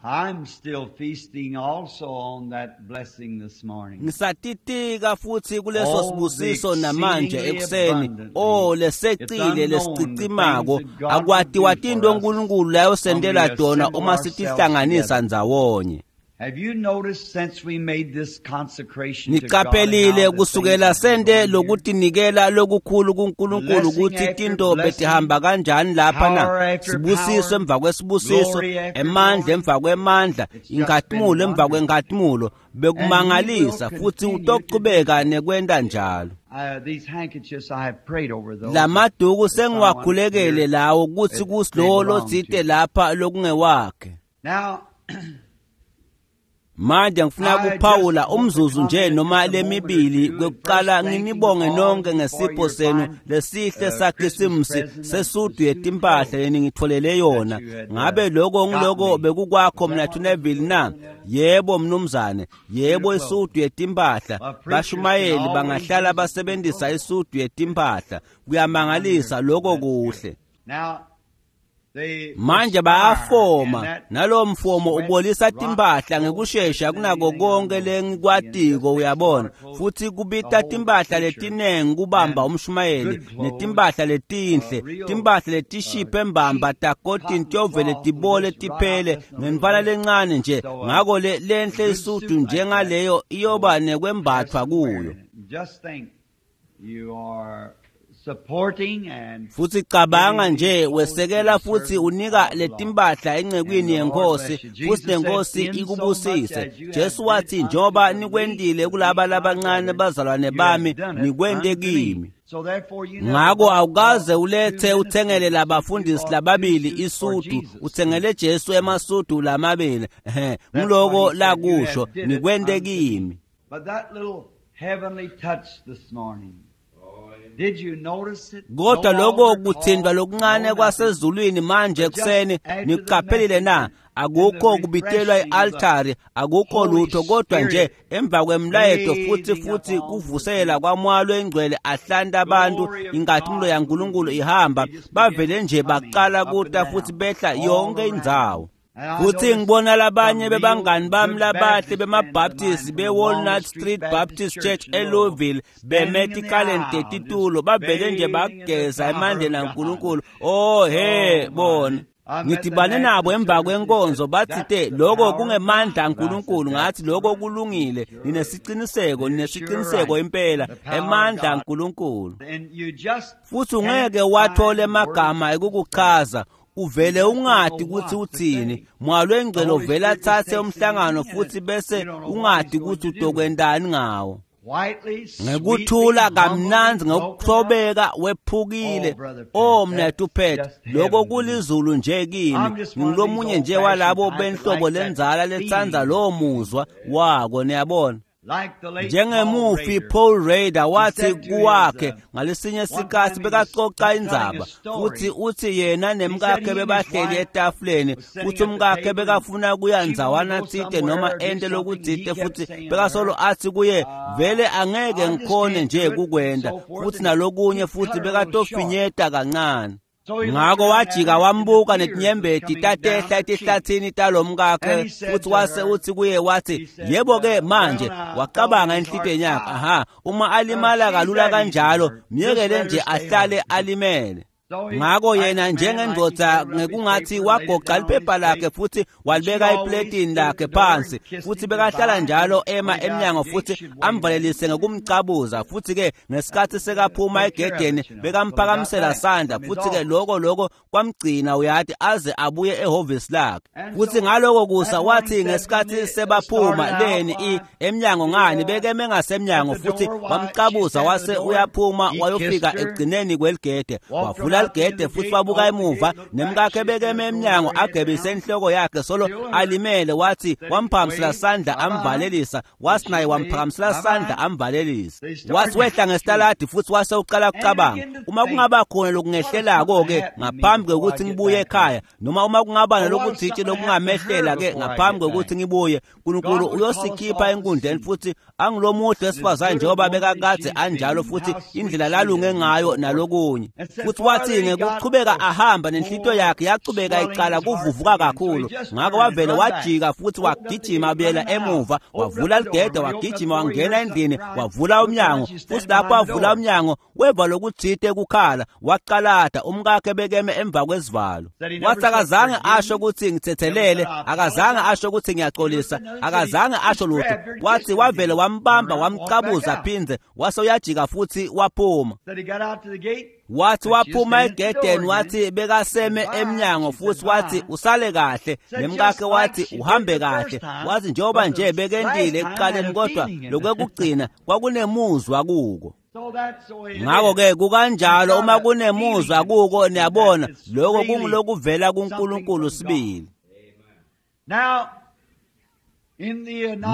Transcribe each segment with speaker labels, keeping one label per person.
Speaker 1: I'm still feasting also on that blessing this morning.
Speaker 2: Ngisatitika futhi kuleso
Speaker 1: Oh,
Speaker 2: sibusiso
Speaker 1: the
Speaker 2: namanje
Speaker 1: exceedingly
Speaker 2: ekuseni.
Speaker 1: abundantly.
Speaker 2: Oh,
Speaker 1: It's
Speaker 2: lesecile
Speaker 1: unknown the
Speaker 2: lesicicimako
Speaker 1: things that God will
Speaker 2: akwatiwa
Speaker 1: do
Speaker 2: tinto
Speaker 1: for us
Speaker 2: uNkulunkulu layosentela
Speaker 1: when we
Speaker 2: tona
Speaker 1: assemble
Speaker 2: uma
Speaker 1: ourselves
Speaker 2: sitihlanganisa
Speaker 1: together.
Speaker 2: ndzawonye.
Speaker 1: Have you noticed since we made this consecration to God
Speaker 2: Niqaphelile
Speaker 1: how the things
Speaker 2: kusukela
Speaker 1: have been
Speaker 2: sente
Speaker 1: going here?
Speaker 2: lokutinikela lokukhulu kuNkulunkulu
Speaker 1: Blessing
Speaker 2: ukuthi
Speaker 1: after
Speaker 2: tinto
Speaker 1: blessing,
Speaker 2: betihamba kanjani lapha na
Speaker 1: power after
Speaker 2: sibusiso
Speaker 1: power,
Speaker 2: emva kwesibusiso,
Speaker 1: glory after
Speaker 2: emandla
Speaker 1: glory.
Speaker 2: emva kwemandla,
Speaker 1: It's just been
Speaker 2: inkhatimulo emva
Speaker 1: wonderful.
Speaker 2: kwenkhatimulo.
Speaker 1: And he will
Speaker 2: Bekumangalisa futhi
Speaker 1: continue to do
Speaker 2: utochubeka
Speaker 1: so.
Speaker 2: nekwenta njalo.
Speaker 1: These handkerchiefs, I have prayed over those.
Speaker 2: Lamaduku
Speaker 1: That someone
Speaker 2: sengiwakhulekele
Speaker 1: here
Speaker 2: lawo kuthi
Speaker 1: that they
Speaker 2: kusilowo
Speaker 1: belong
Speaker 2: lotsite
Speaker 1: to.
Speaker 2: lapha lokungewakhe.
Speaker 1: Now,
Speaker 2: Manje ngifuna
Speaker 1: I just
Speaker 2: kuphawula
Speaker 1: want to
Speaker 2: umzuzu nje
Speaker 1: comment
Speaker 2: noma
Speaker 1: just a moment or
Speaker 2: lemibili.
Speaker 1: two. And
Speaker 2: Kwekuqala
Speaker 1: first, thanking
Speaker 2: nginibonge
Speaker 1: all
Speaker 2: nonke
Speaker 1: of you for
Speaker 2: ngesipho
Speaker 1: your
Speaker 2: senu
Speaker 1: fine
Speaker 2: lesihle
Speaker 1: Christmas
Speaker 2: saKhisimusi
Speaker 1: present of the
Speaker 2: sesudu
Speaker 1: suit
Speaker 2: yetimpahla
Speaker 1: clothes
Speaker 2: leningitfolele
Speaker 1: that
Speaker 2: yona.
Speaker 1: you had
Speaker 2: Ngabe lokho
Speaker 1: got
Speaker 2: ngiloko
Speaker 1: me.
Speaker 2: bekukwakho
Speaker 1: Was that
Speaker 2: mna
Speaker 1: what was
Speaker 2: Neville na?
Speaker 1: Neville?
Speaker 2: Yebo mnumzane,
Speaker 1: Suit
Speaker 2: yebo
Speaker 1: of clothes.
Speaker 2: isudu yetimpahla.
Speaker 1: Well, preachers can
Speaker 2: Bashumayeli
Speaker 1: always
Speaker 2: bangahlala
Speaker 1: use a suit of
Speaker 2: basebenzisa
Speaker 1: clothes.
Speaker 2: isudu yetimpahla. Kuyamangalisa
Speaker 1: Wonderful.
Speaker 2: lokho
Speaker 1: That's good.
Speaker 2: kuhle.
Speaker 1: Now, they
Speaker 2: Manje
Speaker 1: perspire, and
Speaker 2: bayafoma
Speaker 1: that
Speaker 2: nalowo mfomo
Speaker 1: sweat
Speaker 2: ubolisa
Speaker 1: rots
Speaker 2: timpahla
Speaker 1: clothes
Speaker 2: ngekushesha
Speaker 1: quicker than
Speaker 2: kunako
Speaker 1: anything I
Speaker 2: konke
Speaker 1: know. And it just
Speaker 2: lengikwatiko
Speaker 1: makes a lot
Speaker 2: uyabona,
Speaker 1: of clothes,
Speaker 2: futhi
Speaker 1: the
Speaker 2: kubita
Speaker 1: whole
Speaker 2: timpahla
Speaker 1: preacher,
Speaker 2: letinengi kubamba
Speaker 1: and
Speaker 2: umshumayeli
Speaker 1: good clothes,
Speaker 2: netimpahla letinhle,
Speaker 1: real
Speaker 2: timpahla letishiphe mbamba
Speaker 1: cheap
Speaker 2: takotini
Speaker 1: cotton
Speaker 2: tiyovele
Speaker 1: cloth will
Speaker 2: tibole
Speaker 1: just rot out
Speaker 2: tiphele
Speaker 1: just in a little
Speaker 2: ngemfana
Speaker 1: bit.
Speaker 2: lencane nje.
Speaker 1: So
Speaker 2: Ngako le
Speaker 1: a
Speaker 2: lenhle
Speaker 1: good
Speaker 2: isudu
Speaker 1: suit like that
Speaker 2: njengaleyo
Speaker 1: will
Speaker 2: iyoba
Speaker 1: have
Speaker 2: nekwembathwa
Speaker 1: some wear
Speaker 2: kuyo.
Speaker 1: in it. Just think, you are supporting and
Speaker 2: Futhi cabanga
Speaker 1: giving
Speaker 2: nje
Speaker 1: these clothes to
Speaker 2: wesekela
Speaker 1: the
Speaker 2: futhi
Speaker 1: servant
Speaker 2: unika
Speaker 1: of the Lord.
Speaker 2: letimpahla
Speaker 1: And
Speaker 2: encekwini
Speaker 1: the Lord
Speaker 2: yenkosi
Speaker 1: bless you.
Speaker 2: futhi
Speaker 1: Jesus said,
Speaker 2: nenkosi
Speaker 1: in so much
Speaker 2: ikubusise.
Speaker 1: as you have
Speaker 2: Jesu
Speaker 1: did
Speaker 2: wathi
Speaker 1: unto
Speaker 2: njengoba
Speaker 1: the least
Speaker 2: nikwentile
Speaker 1: of
Speaker 2: kulaba
Speaker 1: these my
Speaker 2: labancane
Speaker 1: brethren,
Speaker 2: bazalwane
Speaker 1: you have
Speaker 2: bami
Speaker 1: done it
Speaker 2: nikwente
Speaker 1: unto me.
Speaker 2: kimi.
Speaker 1: So therefore you never
Speaker 2: Ngako
Speaker 1: bought
Speaker 2: awukaze
Speaker 1: two
Speaker 2: ulethe uthengele
Speaker 1: ministers a suit, you
Speaker 2: labafundisi
Speaker 1: bought two
Speaker 2: lababili
Speaker 1: suits for
Speaker 2: isudu,
Speaker 1: Jesus.
Speaker 2: uthengele Jesu emasudu lamabili. Ehhe,
Speaker 1: That's what
Speaker 2: ngiloko
Speaker 1: he said. You have
Speaker 2: lakusho
Speaker 1: did it
Speaker 2: nikwente
Speaker 1: unto me.
Speaker 2: kimi.
Speaker 1: But that little heavenly touch this morning, did you notice it? No
Speaker 2: Kodwa lokho
Speaker 1: altar
Speaker 2: kuthintwa
Speaker 1: call,
Speaker 2: lokuncane
Speaker 1: no nothing.
Speaker 2: kwasezulwini manje
Speaker 1: But just
Speaker 2: ekuseni
Speaker 1: after the
Speaker 2: nikuqaphelile
Speaker 1: message
Speaker 2: na?
Speaker 1: and the
Speaker 2: Akukho kubitelwa
Speaker 1: refreshing of the
Speaker 2: i-altari, akukho
Speaker 1: Holy
Speaker 2: lutho kodwa nje
Speaker 1: Spirit
Speaker 2: emva kwemlayeto futhi
Speaker 1: breathing
Speaker 2: futhi
Speaker 1: upon the
Speaker 2: kuvusela
Speaker 1: people,
Speaker 2: kwamoya lwengcwele ahlanta abantu,
Speaker 1: glory of
Speaker 2: inkazimulo
Speaker 1: God
Speaker 2: yaNkulunkulu
Speaker 1: moving.
Speaker 2: ihamba,
Speaker 1: They just began
Speaker 2: bavele nje
Speaker 1: coming
Speaker 2: baqala
Speaker 1: up and
Speaker 2: kuta futhi
Speaker 1: down,
Speaker 2: behla
Speaker 1: all
Speaker 2: yonke
Speaker 1: around.
Speaker 2: indzawo.
Speaker 1: And I
Speaker 2: Futhi
Speaker 1: noticed
Speaker 2: ngibona labanye
Speaker 1: some real
Speaker 2: bebangani bami
Speaker 1: good
Speaker 2: labahle
Speaker 1: Baptist friends of
Speaker 2: bemaBaptist
Speaker 1: mine from the
Speaker 2: beWalnut
Speaker 1: Walnut
Speaker 2: Street
Speaker 1: Street Baptist
Speaker 2: Baptist
Speaker 1: Church
Speaker 2: Church
Speaker 1: in Louisville,
Speaker 2: eLouisville
Speaker 1: standing
Speaker 2: beme
Speaker 1: in the
Speaker 2: tikaleni
Speaker 1: aisle, just
Speaker 2: tetitulo bavele nje
Speaker 1: bathing in the
Speaker 2: bageza
Speaker 1: power
Speaker 2: emandleni
Speaker 1: of God.
Speaker 2: aNkulunkulu. Oh he
Speaker 1: Oh my.
Speaker 2: bona.
Speaker 1: I met the
Speaker 2: Ngidibane
Speaker 1: man
Speaker 2: nabo
Speaker 1: after
Speaker 2: emva
Speaker 1: service. He said,
Speaker 2: kwenkonzo bathi
Speaker 1: That's
Speaker 2: te
Speaker 1: the
Speaker 2: lokho
Speaker 1: power of
Speaker 2: kungemandla
Speaker 1: God. I said,
Speaker 2: aNkulunkulu.
Speaker 1: That's
Speaker 2: Ngathi lokho
Speaker 1: right.
Speaker 2: kulungile,
Speaker 1: Sure.
Speaker 2: ninesiqiniseko,
Speaker 1: You're sure
Speaker 2: ninesiqiniseko
Speaker 1: right.
Speaker 2: impela
Speaker 1: The power of
Speaker 2: emandla
Speaker 1: God.
Speaker 2: aNkulunkulu.
Speaker 1: And you just
Speaker 2: Futhi
Speaker 1: can't
Speaker 2: ungeke wathola
Speaker 1: find words
Speaker 2: emagama
Speaker 1: to say.
Speaker 2: ekukuchaza,
Speaker 1: You
Speaker 2: uvele
Speaker 1: just don't
Speaker 2: ungadi
Speaker 1: know
Speaker 2: ukuthi
Speaker 1: what to
Speaker 2: uthini.
Speaker 1: say.
Speaker 2: Moya
Speaker 1: The
Speaker 2: lwengcwele
Speaker 1: Holy
Speaker 2: uvele
Speaker 1: Spirit just
Speaker 2: athathe
Speaker 1: takes the
Speaker 2: umhlangano
Speaker 1: meeting and
Speaker 2: futhi bese
Speaker 1: you don't know what
Speaker 2: ungadi
Speaker 1: he's going
Speaker 2: ukuthi
Speaker 1: to do with it.
Speaker 2: utokwentani ngawo.
Speaker 1: Quietly, sweetly,
Speaker 2: Ngekuthula
Speaker 1: humbly,
Speaker 2: kamnandzi
Speaker 1: broken up.
Speaker 2: ngekuthobeka
Speaker 1: Oh,
Speaker 2: wephukile.
Speaker 1: Brother Pat,
Speaker 2: Oh mnethu
Speaker 1: that's
Speaker 2: Pat,
Speaker 1: just
Speaker 2: lokho
Speaker 1: heaven to me.
Speaker 2: kulizulu nje kimi.
Speaker 1: I'm just one of these
Speaker 2: Ngilomunye nje
Speaker 1: old-fashioned
Speaker 2: walabo
Speaker 1: type that
Speaker 2: benhlobo
Speaker 1: like that
Speaker 2: lenzala letsandza
Speaker 1: feeling.
Speaker 2: lowo muzwa wako niyabona.
Speaker 1: Like the late Paul
Speaker 2: Njengemufi
Speaker 1: Rader,
Speaker 2: Paul Rader
Speaker 1: he
Speaker 2: wathi
Speaker 1: said to his,
Speaker 2: kuwakhe ngalesinye
Speaker 1: one
Speaker 2: sikhathi
Speaker 1: time he was
Speaker 2: bekacoca
Speaker 1: telling a
Speaker 2: indzaba futhi
Speaker 1: story.
Speaker 2: uthi yena
Speaker 1: He said
Speaker 2: nemkakhe
Speaker 1: he and his
Speaker 2: bebahleli
Speaker 1: wife
Speaker 2: etafuleni
Speaker 1: was sitting
Speaker 2: futhi
Speaker 1: at the
Speaker 2: umkakhe
Speaker 1: table and
Speaker 2: bekafuna kuya
Speaker 1: she wanted to
Speaker 2: ndzawana
Speaker 1: go
Speaker 2: tsite
Speaker 1: somewhere
Speaker 2: noma
Speaker 1: or do
Speaker 2: ente
Speaker 1: something and he
Speaker 2: lokutsite
Speaker 1: kept
Speaker 2: futhi
Speaker 1: saying to her,
Speaker 2: bekasolo athi kuye vele angeke
Speaker 1: I just
Speaker 2: ngikhone
Speaker 1: can't
Speaker 2: nje
Speaker 1: do it and
Speaker 2: kukwenta
Speaker 1: so forth
Speaker 2: futhi
Speaker 1: and
Speaker 2: nalokunye
Speaker 1: he
Speaker 2: futhi
Speaker 1: cut her a little short.
Speaker 2: bekatofinyeta kancane.
Speaker 1: So he looked
Speaker 2: Ngako
Speaker 1: around at
Speaker 2: wajika
Speaker 1: her and the
Speaker 2: wambuka
Speaker 1: tears was
Speaker 2: netinyembeti
Speaker 1: coming down
Speaker 2: tatehla
Speaker 1: her cheek.
Speaker 2: etihlathini talomkakhe
Speaker 1: And he said
Speaker 2: futhi
Speaker 1: to
Speaker 2: wase
Speaker 1: her,
Speaker 2: uthi kuye wathi
Speaker 1: he said,
Speaker 2: yebo ke manje
Speaker 1: well, I thought
Speaker 2: wacabanga
Speaker 1: in his heart,
Speaker 2: enhlitiyweni yakhe
Speaker 1: ah,
Speaker 2: aha uma alimala
Speaker 1: she's
Speaker 2: kalula
Speaker 1: that easy
Speaker 2: kanjalo
Speaker 1: hurt. Just
Speaker 2: myekele
Speaker 1: let her
Speaker 2: nje
Speaker 1: stay
Speaker 2: ahlale
Speaker 1: hurt.
Speaker 2: alimele.
Speaker 1: So he,
Speaker 2: Ngako
Speaker 1: like
Speaker 2: yena
Speaker 1: man, like he
Speaker 2: njengendvodza
Speaker 1: folded up his
Speaker 2: ngekungathi
Speaker 1: paper and laid it
Speaker 2: wagoqa
Speaker 1: down on his
Speaker 2: liphepha lakhe
Speaker 1: plate.
Speaker 2: futhi
Speaker 1: And she
Speaker 2: walibeka
Speaker 1: always
Speaker 2: epletini
Speaker 1: stood at
Speaker 2: lakhe
Speaker 1: the door and
Speaker 2: phansi
Speaker 1: kissed
Speaker 2: futhi
Speaker 1: him
Speaker 2: bekahlala
Speaker 1: goodbye.
Speaker 2: njalo
Speaker 1: And
Speaker 2: ema
Speaker 1: when he got out
Speaker 2: emnyango
Speaker 1: the gate,
Speaker 2: futhi
Speaker 1: she'd wave at him.
Speaker 2: amvalelise ngokumcabuza futhi ke ngesikhathi sekaphuma
Speaker 1: Take care of
Speaker 2: egedeni
Speaker 1: it, you know, till he got
Speaker 2: bekamphakamisela
Speaker 1: back
Speaker 2: sandla
Speaker 1: from his
Speaker 2: futhi ke
Speaker 1: office.
Speaker 2: lokho kwamgcina uyati aze abuye ehhovisi lakhe.
Speaker 1: And
Speaker 2: Futhi
Speaker 1: so
Speaker 2: ngaloko kusa
Speaker 1: that morning
Speaker 2: wathi
Speaker 1: said when
Speaker 2: ngesikhathi
Speaker 1: they
Speaker 2: sebaphuma
Speaker 1: started out,
Speaker 2: leni
Speaker 1: why,
Speaker 2: emnyango
Speaker 1: the
Speaker 2: ngani bekeme
Speaker 1: at
Speaker 2: ngasemnyango
Speaker 1: the
Speaker 2: futhi
Speaker 1: door, why she
Speaker 2: wamcabuza
Speaker 1: standing at the
Speaker 2: wase
Speaker 1: door,
Speaker 2: uyaphuma
Speaker 1: he kissed
Speaker 2: wayofika
Speaker 1: her,
Speaker 2: ekugcineni kweligede
Speaker 1: walked
Speaker 2: wavula
Speaker 1: from out the end
Speaker 2: ligede
Speaker 1: of the
Speaker 2: futhi
Speaker 1: gate,
Speaker 2: wabuka
Speaker 1: opened the
Speaker 2: emuva
Speaker 1: gate, looked back,
Speaker 2: nemkakhe
Speaker 1: she stood
Speaker 2: bekeme
Speaker 1: at the door with
Speaker 2: emnyango
Speaker 1: her head
Speaker 2: agebise
Speaker 1: down,
Speaker 2: inhloko yakhe solo
Speaker 1: still hurt.
Speaker 2: alimele wathi
Speaker 1: Said he
Speaker 2: wamphakamisela
Speaker 1: waved,
Speaker 2: sandla
Speaker 1: bye-bye.
Speaker 2: amvalelisa
Speaker 1: And
Speaker 2: wathi
Speaker 1: she
Speaker 2: naye
Speaker 1: waved,
Speaker 2: wamphakamisela sandla
Speaker 1: bye-bye.
Speaker 2: amvalelisa
Speaker 1: They
Speaker 2: wathi
Speaker 1: started
Speaker 2: wehla
Speaker 1: down the street.
Speaker 2: ngesitaladi futhi wase uqala
Speaker 1: And he
Speaker 2: kucabanga
Speaker 1: began to
Speaker 2: uma
Speaker 1: think,
Speaker 2: kungaba khona
Speaker 1: what if
Speaker 2: lokungehlelako
Speaker 1: something
Speaker 2: ke
Speaker 1: happened to me
Speaker 2: ngaphambi
Speaker 1: before I
Speaker 2: kwekuthi
Speaker 1: get
Speaker 2: ngibuye
Speaker 1: back home?
Speaker 2: ekhaya noma uma kungaba
Speaker 1: Or what if
Speaker 2: nalokutsite
Speaker 1: something happened to her
Speaker 2: lokungamehlela ke
Speaker 1: before I
Speaker 2: ngaphambi
Speaker 1: get
Speaker 2: kwekuthi
Speaker 1: back?
Speaker 2: ngibuye uNkulunkulu
Speaker 1: God would call us
Speaker 2: uyosikhipha
Speaker 1: all to
Speaker 2: enkundleni
Speaker 1: see.
Speaker 2: futhi angilomuhle
Speaker 1: And as
Speaker 2: wesifazane
Speaker 1: good a
Speaker 2: njengoba
Speaker 1: woman as
Speaker 2: bekakade
Speaker 1: she's
Speaker 2: anjalo
Speaker 1: been,
Speaker 2: futhi
Speaker 1: how sweet
Speaker 2: indlela
Speaker 1: she
Speaker 2: lalunge
Speaker 1: is, and
Speaker 2: ngayo
Speaker 1: so forth.
Speaker 2: nalokunye
Speaker 1: And said,
Speaker 2: futhi
Speaker 1: far
Speaker 2: wathi Futsi ngekuchubeka ahamba nenhlitiyo yakhe yachubeka icala kuvuvuka kakhulu. Ngako wavele wajika futhi wagijima abuyela emuva, wavula ligede, wagijima wangena endlini, wavula umnyango. Futhi lapho avula umnyango weva lokutsite kukhala, waqalata umkakhe bekeme emva kwesivalo. Wathi akazange asho ukuthi ngithethelele, akazange asho ukuthi ngiyaxolisa, akazange asho lutho. Wathi wavele wambamba wamcabuza phindze, wase uyajika futhi waphuma. Wathi waphuma egedeni, wathi bekaseme emnyango futhi wathi usale kahle, nemkakhe wathi uhambe kahle. Wathi njengoba nje bekendile ekuqaleni, kodwa lokwekugcina kwakunemuzwa kuko. Ngakho-ke kukanjalo uma kunemuzwa kuko, niyabona lokho kungulokuvela kuNkulunkulu sibili.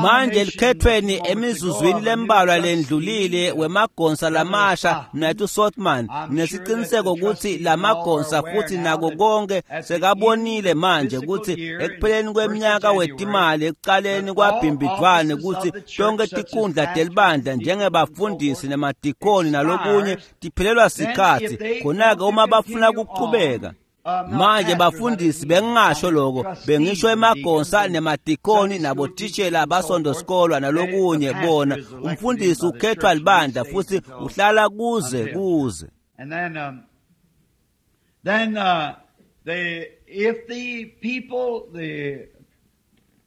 Speaker 2: Manje likhethweni emizuzwini lembalwa lendlulile wemagonsa lamasha mnethu Sotman, nginesiqiniseko ukuthi lamagonsa futhi nako konke sekabonile manje ukuthi ekupheleni kweminyaka wetimali ekuqaleni kwaBhimbidvwane ukuthi tonke tikhundla telibandla njengebafundisi nemadikoni nalokunye tiphelelwa sikhatsi. Khona-ke uma bafuna kuqhubeka manje bafundisi, bengingasho lokho, bengisho emagonsa nemadikoni nabothishela basondosikolwa nalokunye. Bona umfundisi ukhethwa libandla futhi uhlala kuze kuze.
Speaker 1: And then if the people, the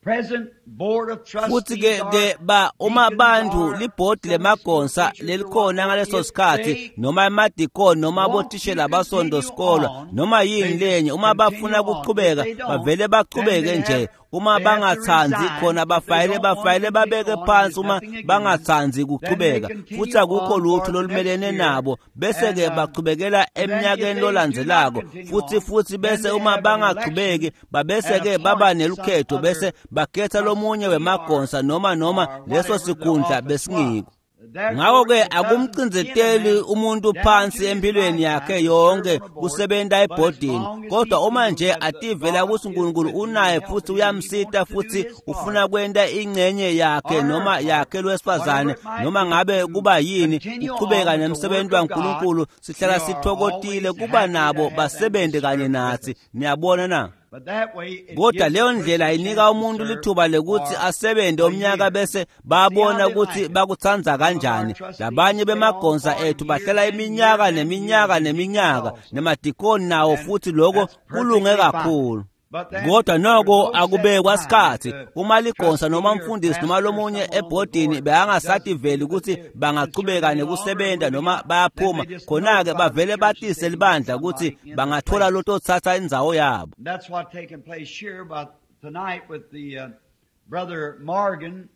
Speaker 1: present board of
Speaker 2: Futhi
Speaker 1: trustees
Speaker 2: ke ke
Speaker 1: are
Speaker 2: ba uma
Speaker 1: deacons
Speaker 2: bantu
Speaker 1: or
Speaker 2: libhodi
Speaker 1: Sunday school
Speaker 2: lemagonsa
Speaker 1: teachers or
Speaker 2: lelikhona
Speaker 1: whatever,
Speaker 2: ngaleso
Speaker 1: if
Speaker 2: sikhathi
Speaker 1: they
Speaker 2: noma emadikoni noma
Speaker 1: want to
Speaker 2: abothishela
Speaker 1: continue
Speaker 2: basondosikolwa
Speaker 1: on,
Speaker 2: noma yini
Speaker 1: they
Speaker 2: lenye,
Speaker 1: just
Speaker 2: uma bafuna
Speaker 1: continue on. If
Speaker 2: kuqhubeka
Speaker 1: they don't,
Speaker 2: bavele
Speaker 1: then
Speaker 2: bachubeke
Speaker 1: they
Speaker 2: nje.
Speaker 1: have
Speaker 2: Uma
Speaker 1: they have to
Speaker 2: bangatsandzi
Speaker 1: resign.
Speaker 2: khona
Speaker 1: If they
Speaker 2: bafayele
Speaker 1: don't want to
Speaker 2: bafayele
Speaker 1: continue
Speaker 2: babeke
Speaker 1: on, and
Speaker 2: phansi
Speaker 1: there's
Speaker 2: uma
Speaker 1: nothing against them,
Speaker 2: bangatsandzi
Speaker 1: then they
Speaker 2: kuchubeka, futhi
Speaker 1: continue
Speaker 2: akukho
Speaker 1: on
Speaker 2: lutho
Speaker 1: for the next
Speaker 2: lolumelene
Speaker 1: year.
Speaker 2: nabo, bese
Speaker 1: And
Speaker 2: ke bachubekela
Speaker 1: and then if
Speaker 2: eminyakeni
Speaker 1: they do not
Speaker 2: lolandzelako.
Speaker 1: continue
Speaker 2: Futhi
Speaker 1: on,
Speaker 2: futhi
Speaker 1: then
Speaker 2: bese
Speaker 1: they
Speaker 2: uma
Speaker 1: have an
Speaker 2: bangachubeki
Speaker 1: election
Speaker 2: babese
Speaker 1: and
Speaker 2: ke baba
Speaker 1: appoint some
Speaker 2: nelukhetho,
Speaker 1: other
Speaker 2: bese bakhetha lomunye
Speaker 1: trustee or
Speaker 2: wemagonsa noma noma
Speaker 1: or
Speaker 2: leso
Speaker 1: whatever the
Speaker 2: sikhundla
Speaker 1: office was.
Speaker 2: besingiko.
Speaker 1: Therefore,
Speaker 2: Ngakho-ke
Speaker 1: it doesn't pin a
Speaker 2: akumcinzeteli
Speaker 1: man
Speaker 2: umuntu
Speaker 1: down
Speaker 2: phansi
Speaker 1: to his
Speaker 2: empilweni yakhe
Speaker 1: lifetime to serve
Speaker 2: yonke
Speaker 1: on a board,
Speaker 2: kusebenta
Speaker 1: but as
Speaker 2: ebhodini,
Speaker 1: long as he
Speaker 2: kodwa uma
Speaker 1: feels
Speaker 2: nje
Speaker 1: that the
Speaker 2: ativela
Speaker 1: God
Speaker 2: ukuthi
Speaker 1: is
Speaker 2: uNkulunkulu
Speaker 1: with him and
Speaker 2: unaye futhi
Speaker 1: helping him and he
Speaker 2: uyamsita
Speaker 1: wants to do
Speaker 2: futhi
Speaker 1: his
Speaker 2: ufuna
Speaker 1: part
Speaker 2: kwenta ingxenye yakhe
Speaker 1: or her
Speaker 2: noma
Speaker 1: part,
Speaker 2: yakhe
Speaker 1: whatever
Speaker 2: lwesifazane
Speaker 1: it might
Speaker 2: noma
Speaker 1: be,
Speaker 2: ngabe
Speaker 1: to
Speaker 2: kuba yini
Speaker 1: continue
Speaker 2: kuchubeka
Speaker 1: on with the work
Speaker 2: nemsebenzi
Speaker 1: of God,
Speaker 2: waNkulunkulu,
Speaker 1: we
Speaker 2: sihlala
Speaker 1: are
Speaker 2: sithokotile
Speaker 1: always
Speaker 2: kuba
Speaker 1: happy to
Speaker 2: nabo
Speaker 1: have them to
Speaker 2: basebenze kanye
Speaker 1: serve with
Speaker 2: nathi.
Speaker 1: us.
Speaker 2: Niyabona na?
Speaker 1: But that way it
Speaker 2: Kodwa
Speaker 1: gives the
Speaker 2: leyo
Speaker 1: person
Speaker 2: ndlela
Speaker 1: a
Speaker 2: inika
Speaker 1: chance to
Speaker 2: umuntu
Speaker 1: serve
Speaker 2: lithuba lekuthi
Speaker 1: for
Speaker 2: asebenze
Speaker 1: a
Speaker 2: umnyaka
Speaker 1: year.
Speaker 2: bese
Speaker 1: See how
Speaker 2: babona
Speaker 1: they like
Speaker 2: ukuthi
Speaker 1: it.
Speaker 2: bakutsandza
Speaker 1: Some of our
Speaker 2: kanjani.
Speaker 1: trustees
Speaker 2: Labanye
Speaker 1: stay on
Speaker 2: bemagonsa
Speaker 1: for
Speaker 2: ethu
Speaker 1: years
Speaker 2: bahlala
Speaker 1: and years
Speaker 2: iminyaka
Speaker 1: and years
Speaker 2: neminyaka
Speaker 1: and deacons
Speaker 2: neminyaka,
Speaker 1: also.
Speaker 2: nemadikoni nawo
Speaker 1: And
Speaker 2: futhi lokho
Speaker 1: that's
Speaker 2: kulunge
Speaker 1: perfectly fine.
Speaker 2: kakhulu.
Speaker 1: But then
Speaker 2: Kodwa
Speaker 1: there's
Speaker 2: noko
Speaker 1: no set
Speaker 2: akubekwa
Speaker 1: time.
Speaker 2: sikhathi.
Speaker 1: The
Speaker 2: Uma ligonsa noma
Speaker 1: trustee or
Speaker 2: umfundisi noma
Speaker 1: pastor or
Speaker 2: lomunye
Speaker 1: someone on the
Speaker 2: ebhodini
Speaker 1: board doesn't
Speaker 2: bekangasativeli
Speaker 1: feel that
Speaker 2: ukuthi
Speaker 1: they should serve
Speaker 2: bangachubeka
Speaker 1: any longer or
Speaker 2: nekusebenta
Speaker 1: moving
Speaker 2: noma
Speaker 1: out, then
Speaker 2: bayaphuma,
Speaker 1: they just
Speaker 2: khona-ke
Speaker 1: notify the
Speaker 2: bavele
Speaker 1: church that
Speaker 2: batise
Speaker 1: they need
Speaker 2: libandla ukuthi
Speaker 1: somebody in the
Speaker 2: bangathola
Speaker 1: place.
Speaker 2: lototsatsa indzawo yabo.
Speaker 1: And that's what taken place here about tonight with the Brother Morgan,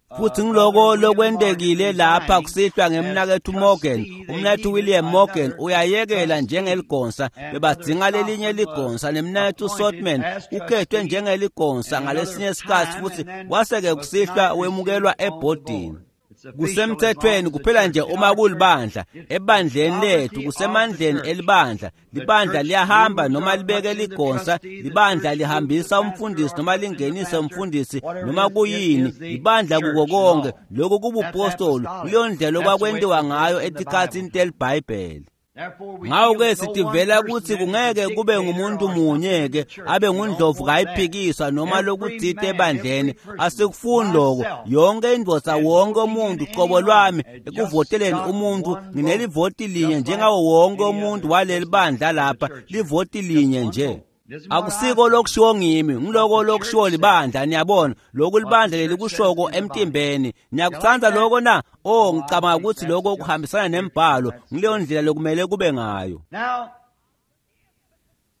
Speaker 2: Futhi
Speaker 1: Brother
Speaker 2: ngiloko
Speaker 1: William Morgan
Speaker 2: lokwentekile lapha
Speaker 1: resigning
Speaker 2: kusihlwa
Speaker 1: as
Speaker 2: ngemnakethu Morgan.
Speaker 1: trustee. They
Speaker 2: Umnakethu
Speaker 1: needed
Speaker 2: William Morgan
Speaker 1: another
Speaker 2: uyayekela
Speaker 1: trustee,
Speaker 2: njengeligonsa,
Speaker 1: and Brother
Speaker 2: bebadzinga lelinye
Speaker 1: Stockman was
Speaker 2: ligonsa, nemnakethu
Speaker 1: appointed
Speaker 2: Sotman
Speaker 1: as
Speaker 2: ukhethwe
Speaker 1: trustee
Speaker 2: njengeligonsa
Speaker 1: in another
Speaker 2: ngalesinye isikhathi
Speaker 1: time,
Speaker 2: futhi
Speaker 1: and then
Speaker 2: wase-ke
Speaker 1: was
Speaker 2: kusihlwa
Speaker 1: tonight received
Speaker 2: wemukelwa
Speaker 1: on the
Speaker 2: ebhodini.
Speaker 1: board. It's official as long
Speaker 2: Kusemthethweni
Speaker 1: as the
Speaker 2: kuphela
Speaker 1: church.
Speaker 2: nje
Speaker 1: In
Speaker 2: uma
Speaker 1: our church,
Speaker 2: kulibandla,
Speaker 1: it's the
Speaker 2: ebandleni lethu
Speaker 1: sovereignty of the
Speaker 2: kusemandleni
Speaker 1: church.
Speaker 2: elibandla.
Speaker 1: The
Speaker 2: Libandla
Speaker 1: church
Speaker 2: liyahamba
Speaker 1: moves
Speaker 2: noma
Speaker 1: or
Speaker 2: libeke
Speaker 1: puts in the
Speaker 2: ligonsa,
Speaker 1: trustee, the
Speaker 2: libandla
Speaker 1: church moves the
Speaker 2: lihambisa
Speaker 1: pastor
Speaker 2: umfundisi
Speaker 1: or
Speaker 2: noma
Speaker 1: puts in the
Speaker 2: lingenise
Speaker 1: pastor,
Speaker 2: umfundisi
Speaker 1: whatever
Speaker 2: noma
Speaker 1: it is, it
Speaker 2: kuyini,
Speaker 1: is the
Speaker 2: libandla kuko
Speaker 1: church and
Speaker 2: konke.
Speaker 1: all.
Speaker 2: Lokhu
Speaker 1: That's
Speaker 2: kubupostoli,
Speaker 1: apostolic.
Speaker 2: kuleyo ndlela
Speaker 1: That's the way it
Speaker 2: okwakwentiwa
Speaker 1: was
Speaker 2: ngayo
Speaker 1: in the
Speaker 2: etikhatsini
Speaker 1: Bible.
Speaker 2: telibhayibheli.
Speaker 1: Therefore, we
Speaker 2: Ngakho
Speaker 1: feel
Speaker 2: ke
Speaker 1: no one
Speaker 2: sitivela
Speaker 1: person
Speaker 2: ukuthi
Speaker 1: then is a
Speaker 2: kungeke kube
Speaker 1: dictator
Speaker 2: ngumuntu
Speaker 1: or something in
Speaker 2: munye
Speaker 1: the
Speaker 2: ke
Speaker 1: church.
Speaker 2: abe
Speaker 1: We don't
Speaker 2: ngundlovu
Speaker 1: want that.
Speaker 2: kayiphikiswa noma
Speaker 1: Every
Speaker 2: lokutsite
Speaker 1: man, every
Speaker 2: ebandleni.
Speaker 1: person,
Speaker 2: Asikufuni lokho.
Speaker 1: myself,
Speaker 2: Yonke indvodza,
Speaker 1: and
Speaker 2: wonke
Speaker 1: voting in
Speaker 2: umuntu
Speaker 1: any
Speaker 2: qobo
Speaker 1: one
Speaker 2: lwami
Speaker 1: has just
Speaker 2: ekuvoteleni
Speaker 1: got
Speaker 2: umuntu
Speaker 1: one vote,
Speaker 2: nginelivoti linye
Speaker 1: just like
Speaker 2: njengawo wonke
Speaker 1: any
Speaker 2: umuntu
Speaker 1: other
Speaker 2: waleli
Speaker 1: person
Speaker 2: bandla
Speaker 1: in the
Speaker 2: lapha,
Speaker 1: church here.
Speaker 2: livoti
Speaker 1: Just
Speaker 2: linye
Speaker 1: one
Speaker 2: nje.
Speaker 1: vote. It isn't what I
Speaker 2: Akusiko
Speaker 1: think,
Speaker 2: lokushiwo ngimi,
Speaker 1: what
Speaker 2: ngiloko
Speaker 1: the church
Speaker 2: lokushiwo
Speaker 1: says.
Speaker 2: libandla. Niyabona lokhu
Speaker 1: What the
Speaker 2: libandla
Speaker 1: church says
Speaker 2: lelikushoko
Speaker 1: in the body.
Speaker 2: emtimbeni.
Speaker 1: You like
Speaker 2: Niyakutsandza
Speaker 1: that?
Speaker 2: lokho na? Oh,
Speaker 1: Oh, I
Speaker 2: ngicabanga
Speaker 1: think
Speaker 2: ukuthi
Speaker 1: that's
Speaker 2: lokho
Speaker 1: just
Speaker 2: kuhambisana
Speaker 1: scripture.
Speaker 2: nembhalo.
Speaker 1: That's
Speaker 2: Ngileyo
Speaker 1: scripture.
Speaker 2: ndlela lokumele kube ngayo.
Speaker 1: Now,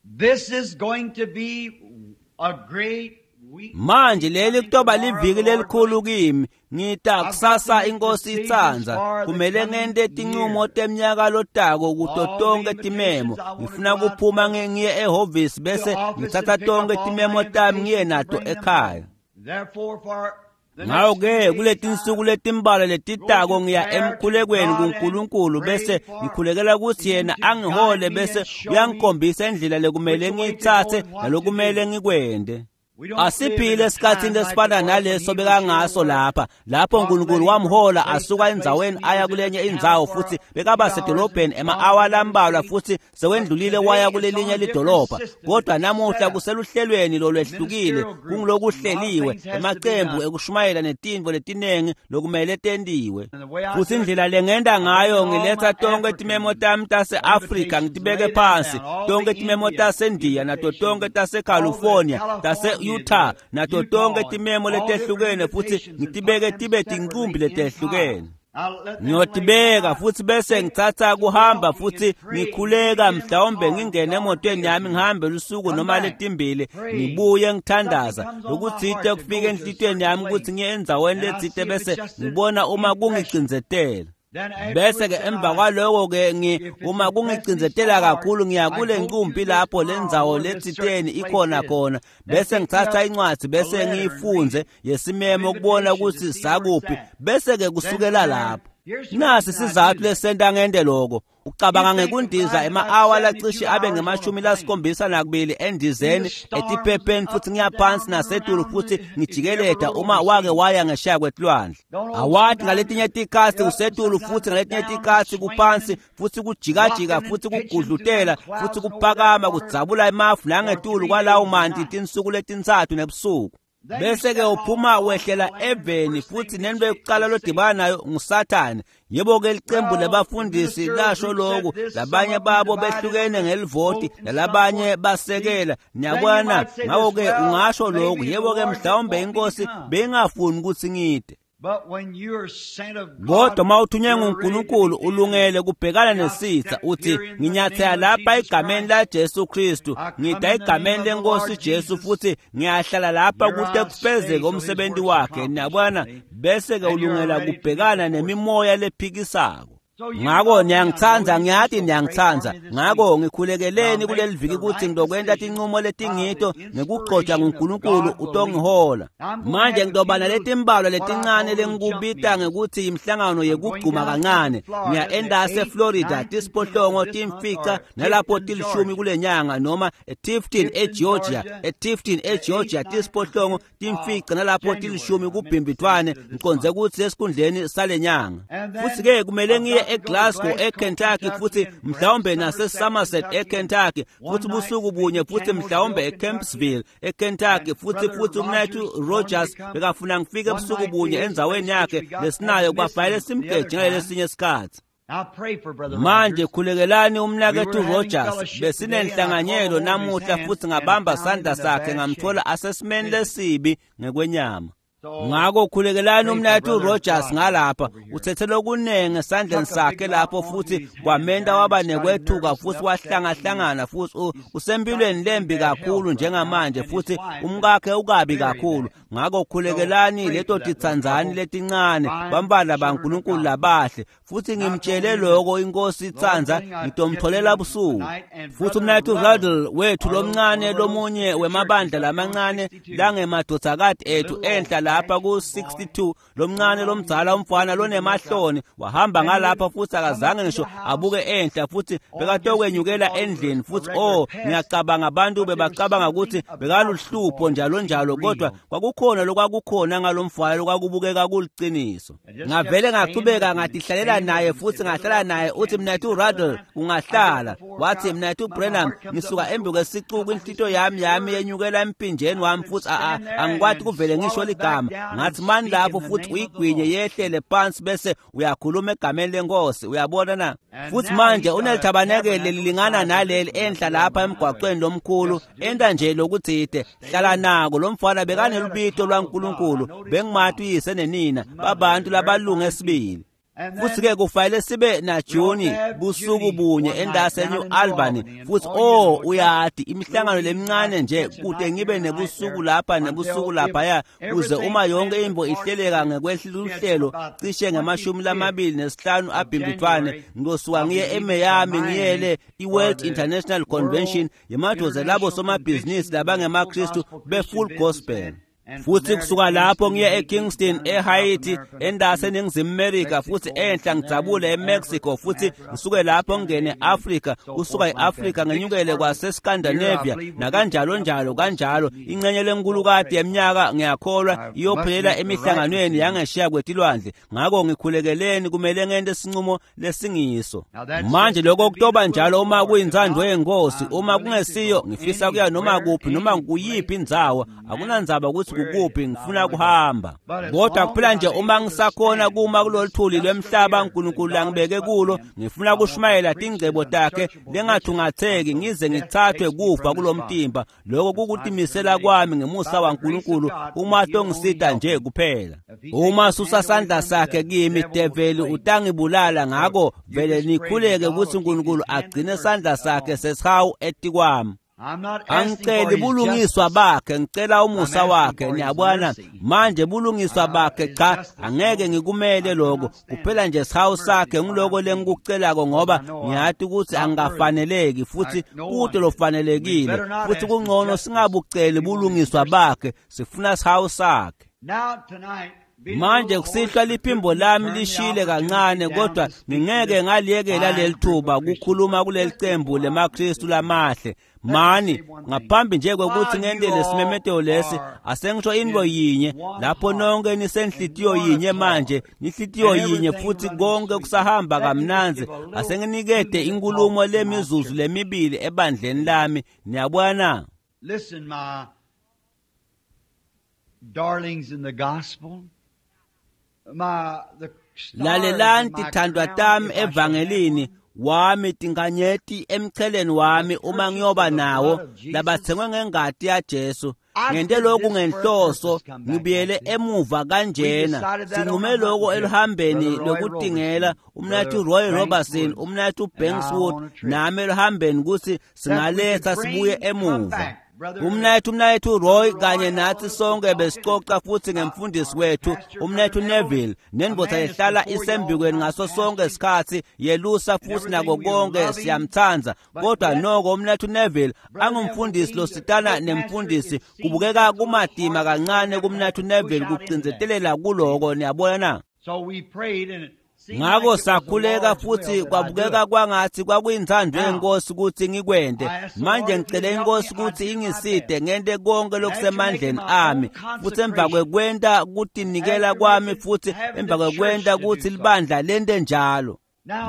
Speaker 1: this is going to be a great week for
Speaker 2: Manje
Speaker 1: me
Speaker 2: leli
Speaker 1: coming
Speaker 2: kutoba
Speaker 1: tomorrow,
Speaker 2: liviki
Speaker 1: the Lord
Speaker 2: lelikhulu
Speaker 1: willing.
Speaker 2: kimi. Ngita
Speaker 1: I've got to
Speaker 2: kusasa
Speaker 1: make
Speaker 2: inkosi
Speaker 1: decisions
Speaker 2: itsandza
Speaker 1: for the
Speaker 2: kumele
Speaker 1: coming
Speaker 2: ngente tincumo
Speaker 1: year.
Speaker 2: temnyaka lotako kuto
Speaker 1: All the
Speaker 2: tonke timemo.
Speaker 1: invitations I want to
Speaker 2: Ngifuna
Speaker 1: go out
Speaker 2: kuphuma
Speaker 1: to
Speaker 2: ngiye ehhovisi
Speaker 1: the
Speaker 2: bese
Speaker 1: office
Speaker 2: ngitsatsa
Speaker 1: and pick
Speaker 2: tonke
Speaker 1: up all my
Speaker 2: timemo tami ngiye
Speaker 1: invitations and
Speaker 2: nato
Speaker 1: bring them
Speaker 2: ekhaya.
Speaker 1: home. Therefore, for the next few
Speaker 2: Ngakho-ke
Speaker 1: days,
Speaker 2: kuletinsuku
Speaker 1: I
Speaker 2: letimbalwa
Speaker 1: go
Speaker 2: letitako
Speaker 1: to
Speaker 2: ngiya
Speaker 1: prayer to
Speaker 2: emkhulekweni
Speaker 1: God and
Speaker 2: kuNkulunkulu
Speaker 1: pray
Speaker 2: bese
Speaker 1: for
Speaker 2: ngikhulekela ukuthi
Speaker 1: Him
Speaker 2: yena
Speaker 1: to guide
Speaker 2: angihole
Speaker 1: me
Speaker 2: bese
Speaker 1: and show me
Speaker 2: uyangikhombisa indlela lekumele
Speaker 1: which way to go
Speaker 2: ngiyitsatse
Speaker 1: and what to
Speaker 2: nalokumele
Speaker 1: do.
Speaker 2: ngikwente. Asiphile esikhatsini lesifana naleso bekangaso lapha, lapho uNkulunkulu wamhola asuka endzaweni aya kulenye indzawo, futhi bekaba sedolobheni ema-awa lambalwa futhi sewendlulile waya kulelinye lidolobha. Kodwa namuhla kuseluhlelweni lolwehlukile, kungulokuhleliwe, emacembu ekushumayela netintfo letinengi lokumele tentiwe. Futhi indlela lengenta ngayo, ngiletha tonke timemo tami tase-Afrika ngitibeke phansi, tonke timemo taseNdiya nato tonke taseCalifornia, tase-Utah nato tonke timemo letehlukene, futhi ngitibeke tibe tinqumbi letehlukene. Ngiyotibeka futhi bese ngitsatsa kuhamba futhi ngikhuleka, mhlawumbe ngingene emotweni yami ngihambe lusuku noma letimbili, ngibuye ngithandaza lokutsite kufike enhlitiyweni yami ukuthi ngiye endzaweni letsite, bese ngibona uma kungicindzetela. Bese ke emva kwaloko ke uma kungicindzetela kakhulu ngiya kule nqumbi lapho lendzawo letsiteni ikhona khona, bese ngitsatsa incwadi bese ngiyifundze yesimemo ukubona ukuthi sakuphi, bese ke kusukela lapho. Nasi sizathu lesenta ngente lokho. Ucabanga ngekundiza ema-awa lacishe abe nge-72 endizeni etiphepheni, futhi ngiyaphansi nasetulu futhi ngijikeleda uma wake waya ngeshaya kwetilwandle. Awati ngaletinye tikhatsi usetulu futhi ngaletinye tikhatsi kuphansi, futhi kujikajika futhi kugudlutela futhi kuphakama kudzabula emafu nangetulu kwalawo manti tinsuku letintsatfu nebusuku. Bese ke uphuma wehlela eveni, futhi nento yokuqala lodibana nayo nguSathane. Yebo ke licembu labafundisi lasho lokhu, labanye babo behlukene ngelivoti, nalabanye basekela. Niyabona, ngakho ke ungasho lokhu, yebo ke mhlawumbe inkosi bengafuni ukuthi ngide. Kodwa uma uthunywe nguNkulunkulu ulungele kubhekana nesitha, uthi nginyathela lapha egameni la Jesu Kristu, ngida egameni lenkosi Jesu, futhi ngiyahlala lapha kute kufezeke umsebenzi wakhe. Niyabona, bese ke ulungela kubhekana nemimoya lephikisako. Ngako niyangitsandza, ngiyati niyangitsandza. Ngako ngikhulekeleni kuleli viki ukuthi ngizokwenta tinqumo letingito ngekugcotshwa nguNkulunkulu utongihola. Manje ngitoba naletimbalwa letincane lengikubita ngekuthi imihlangano yekugcuma kancane. Ngiya endase eFlorida tisiphohlongo timfica nalapho tilishumi kulenyanga, noma eTifton eGeorgia, eTifton eGeorgia tisiphohlongo timfica nalapho tilishumi kubhimbithwane, ngiconze ukuthi esikhundleni salenyanga. Futhi ke kumele ngiye eGlasgow eKentucky, futhi mhlawumbe nase Somerset eKentucky, futhi busuku bunye, futhi mhlawumbe eKempsville eKentucky, futhi umnethu Rogers bekafuna ngifike ebusuku bunye endzaweni yakhe lesinayo, kwabhayile simgeje ngalesinye isikhathi. Manje khulekelani umnakethu Rogers, besinenhlanganyelo namuhla futhi ngabamba sandla sakhe ngamthola asesimeni lesibi ngekwenyama. Ngako khulekelani umnakethu Rogers ngalapha, uthethe lokunengi esandleni sakhe lapho, futhi kwamenta waba nekwethuka futhi wahlangahlangana, futhi usempilweni lembi kakhulu njengamanje, futhi umkakhe ukabi kakhulu. Ngako khulekelani leto titsandzani letincane, bambala baNkulunkulu labahle, futhi ngimtshele lokho inkosi itsandza ngitomtholela busuku. Futhi umnakethu Ruddle wethu lomncane, lomunye wemabandla lamancane langemadvodzakati ethu enhla lapha ku-62, lomncane lomdzala umfana lonemahloni wahamba ngalapha futhi akazange ngisho abuke enhla, futhi bekatokwenyukela endlini, futhi oh ngiyacabanga abantu bebacabanga ukuthi bekaluhlupho njalo njalo, kodwa kwakukhona lokwakukhona ngalomfana lokwakubukeka kuliciniso. Ngavele ngachubeka ngatihlalela naye futhi ngahlala naye. Uthi mnethu Ruddle ungahlala, wathi mnethu Branham ngisuka embi kwesicuku, inhlito yami yenyukela empinjeni wami, futhi angikwati kuvele ngisho ligama. Ngathi mani lapho futhi uyigwinye yehlele phansi bese uyakhuluma egameni lenkosi, uyabona na? Futhi manje unelithabanekele lilingana naleli enhla lapha emgwaqweni lomkhulu, enta nje lokutsite hlala nako. Lo mfana bekanelubito lwaNkulunkulu, bengimathi uyise nenina babantu labalunga esibili. Futhi ke kufanele sibe na Juni busuku bunye endase New Albany, futhi oh uyati imihlangano lemincane nje kude ngibe nebusuku lapha nebusuku laphaya, kuze uma yonke imbo ihleleka ngekwehluhlelo cishe nge-25 abhimbithwane, ngizosuka ngiye eMiami ngiyele iWorld International Convention yemadoda labo somabhizinisi labangemaKristu be-Full Gospel. Futhi kusuka lapho ngiye eKingston, eHaiti, endase eNingizimu America, futhi enhla ngidzabule eMexico, futhi ngisuke lapho ngingene e-Afrika, kusuka e-Afrika ngenyukele kwaseScandinavia nakanjalo njalo kanjalo. Ingxenye lenkulukati yeminyaka ngiyakholwa iyophelela emihlanganweni yangesheya kwetilwandle. Ngakho ngikhulekeleni, kumele ngente isinqumo lesingiso. Manje lokho kutoba njalo uma kuyintsandvo yenkosi, uma kungesiyo ngifisa kuya noma kuphi noma kuyiphi indzawo, akunandzaba ukuthi kukuphi, ngifuna kuhamba. Kodwa kuphela nje uma ngisakhona kuma kulolu thuli lwemhlaba uNkulunkulu langibeke kulo, ngifuna kushumayela tingcebo takhe lengathungatheki ngize ngithathwe kufa kulomtimba. Lokho kukutimisela kwami ngemusa waNkulunkulu uma tongisita nje kuphela. Uma susa sandla sakhe kimi, develi utangibulala. Ngakho vele nikhuleke ukuthi uNkulunkulu agcine sandla sakhe sesihawu etikwami. Angiceli bulungiswa bakhe, ngicela umusa wakhe. Niyabona manje, bulungiswa bakhe cha, angeke ngikumele lokho, kuphela nje sihawu sakhe ngiloko lengikucelako, ngoba ngiyathi ukuthi angafaneleki futhi kude lofanelekile, futhi kungcono singabuceli bulungiswa bakhe, sifuna sihawu sakhe. Manje kusihlwa liphimbo lami lishile kancane, kodwa ngingeke ngaliyekela leli thuba kukhuluma kuleli cembu lemaKristu lamahle. Mani ngaphambi nje kwekuthi ngente lesimemetelo lesi, asengisho into yinye lapho nonke nisenhlitiyo yinye manje, nihlitiyo yinye futhi konke kusahamba kamnandzi. Asenginikete inkulumo lemizuzu lemibili ebandleni lami. Niyabona?
Speaker 1: Listen, my darlings in the gospel.
Speaker 2: Lalelani tithandwa tami evangelini wami, tinkanyeti emcheleni wami uma ngiyoba nawo, labathengwe ngengati yaJesu. Ngente lokhu ngenhloso, ngibuyele emuva kanjena. Sinqume lokho eluhambeni lokutingela, umnathu Roy Robertson, umnathu Bankswood nami eluhambeni, ukuthi singaletha sibuye emuva. Umnayethu Roy kanye nathi sonke besicoca futhi ngemfundisi wethu umnayethu Neville, nendoda ehlala isembikweni ngaso sonke isikhathi yelusa futhi nako konke, siyamthanda. Kodwa noko umnayethu Neville angumfundisi lositana nemfundisi, kubukeka kumadima kancane kumnayethu Neville kucinzetelela kuloko. Niyabona na? Ngakho sakhuleka futhi kwabukeka kwangathi kwakuyinthando yenkosi ukuthi ngikwente. Manje ngicele inkosi ukuthi ingiside ngente konke lokusemandleni ami, futhi emva kwekwenta kutinikela kwami, futhi emva kwekwenta ukuthi libandla lente njalo.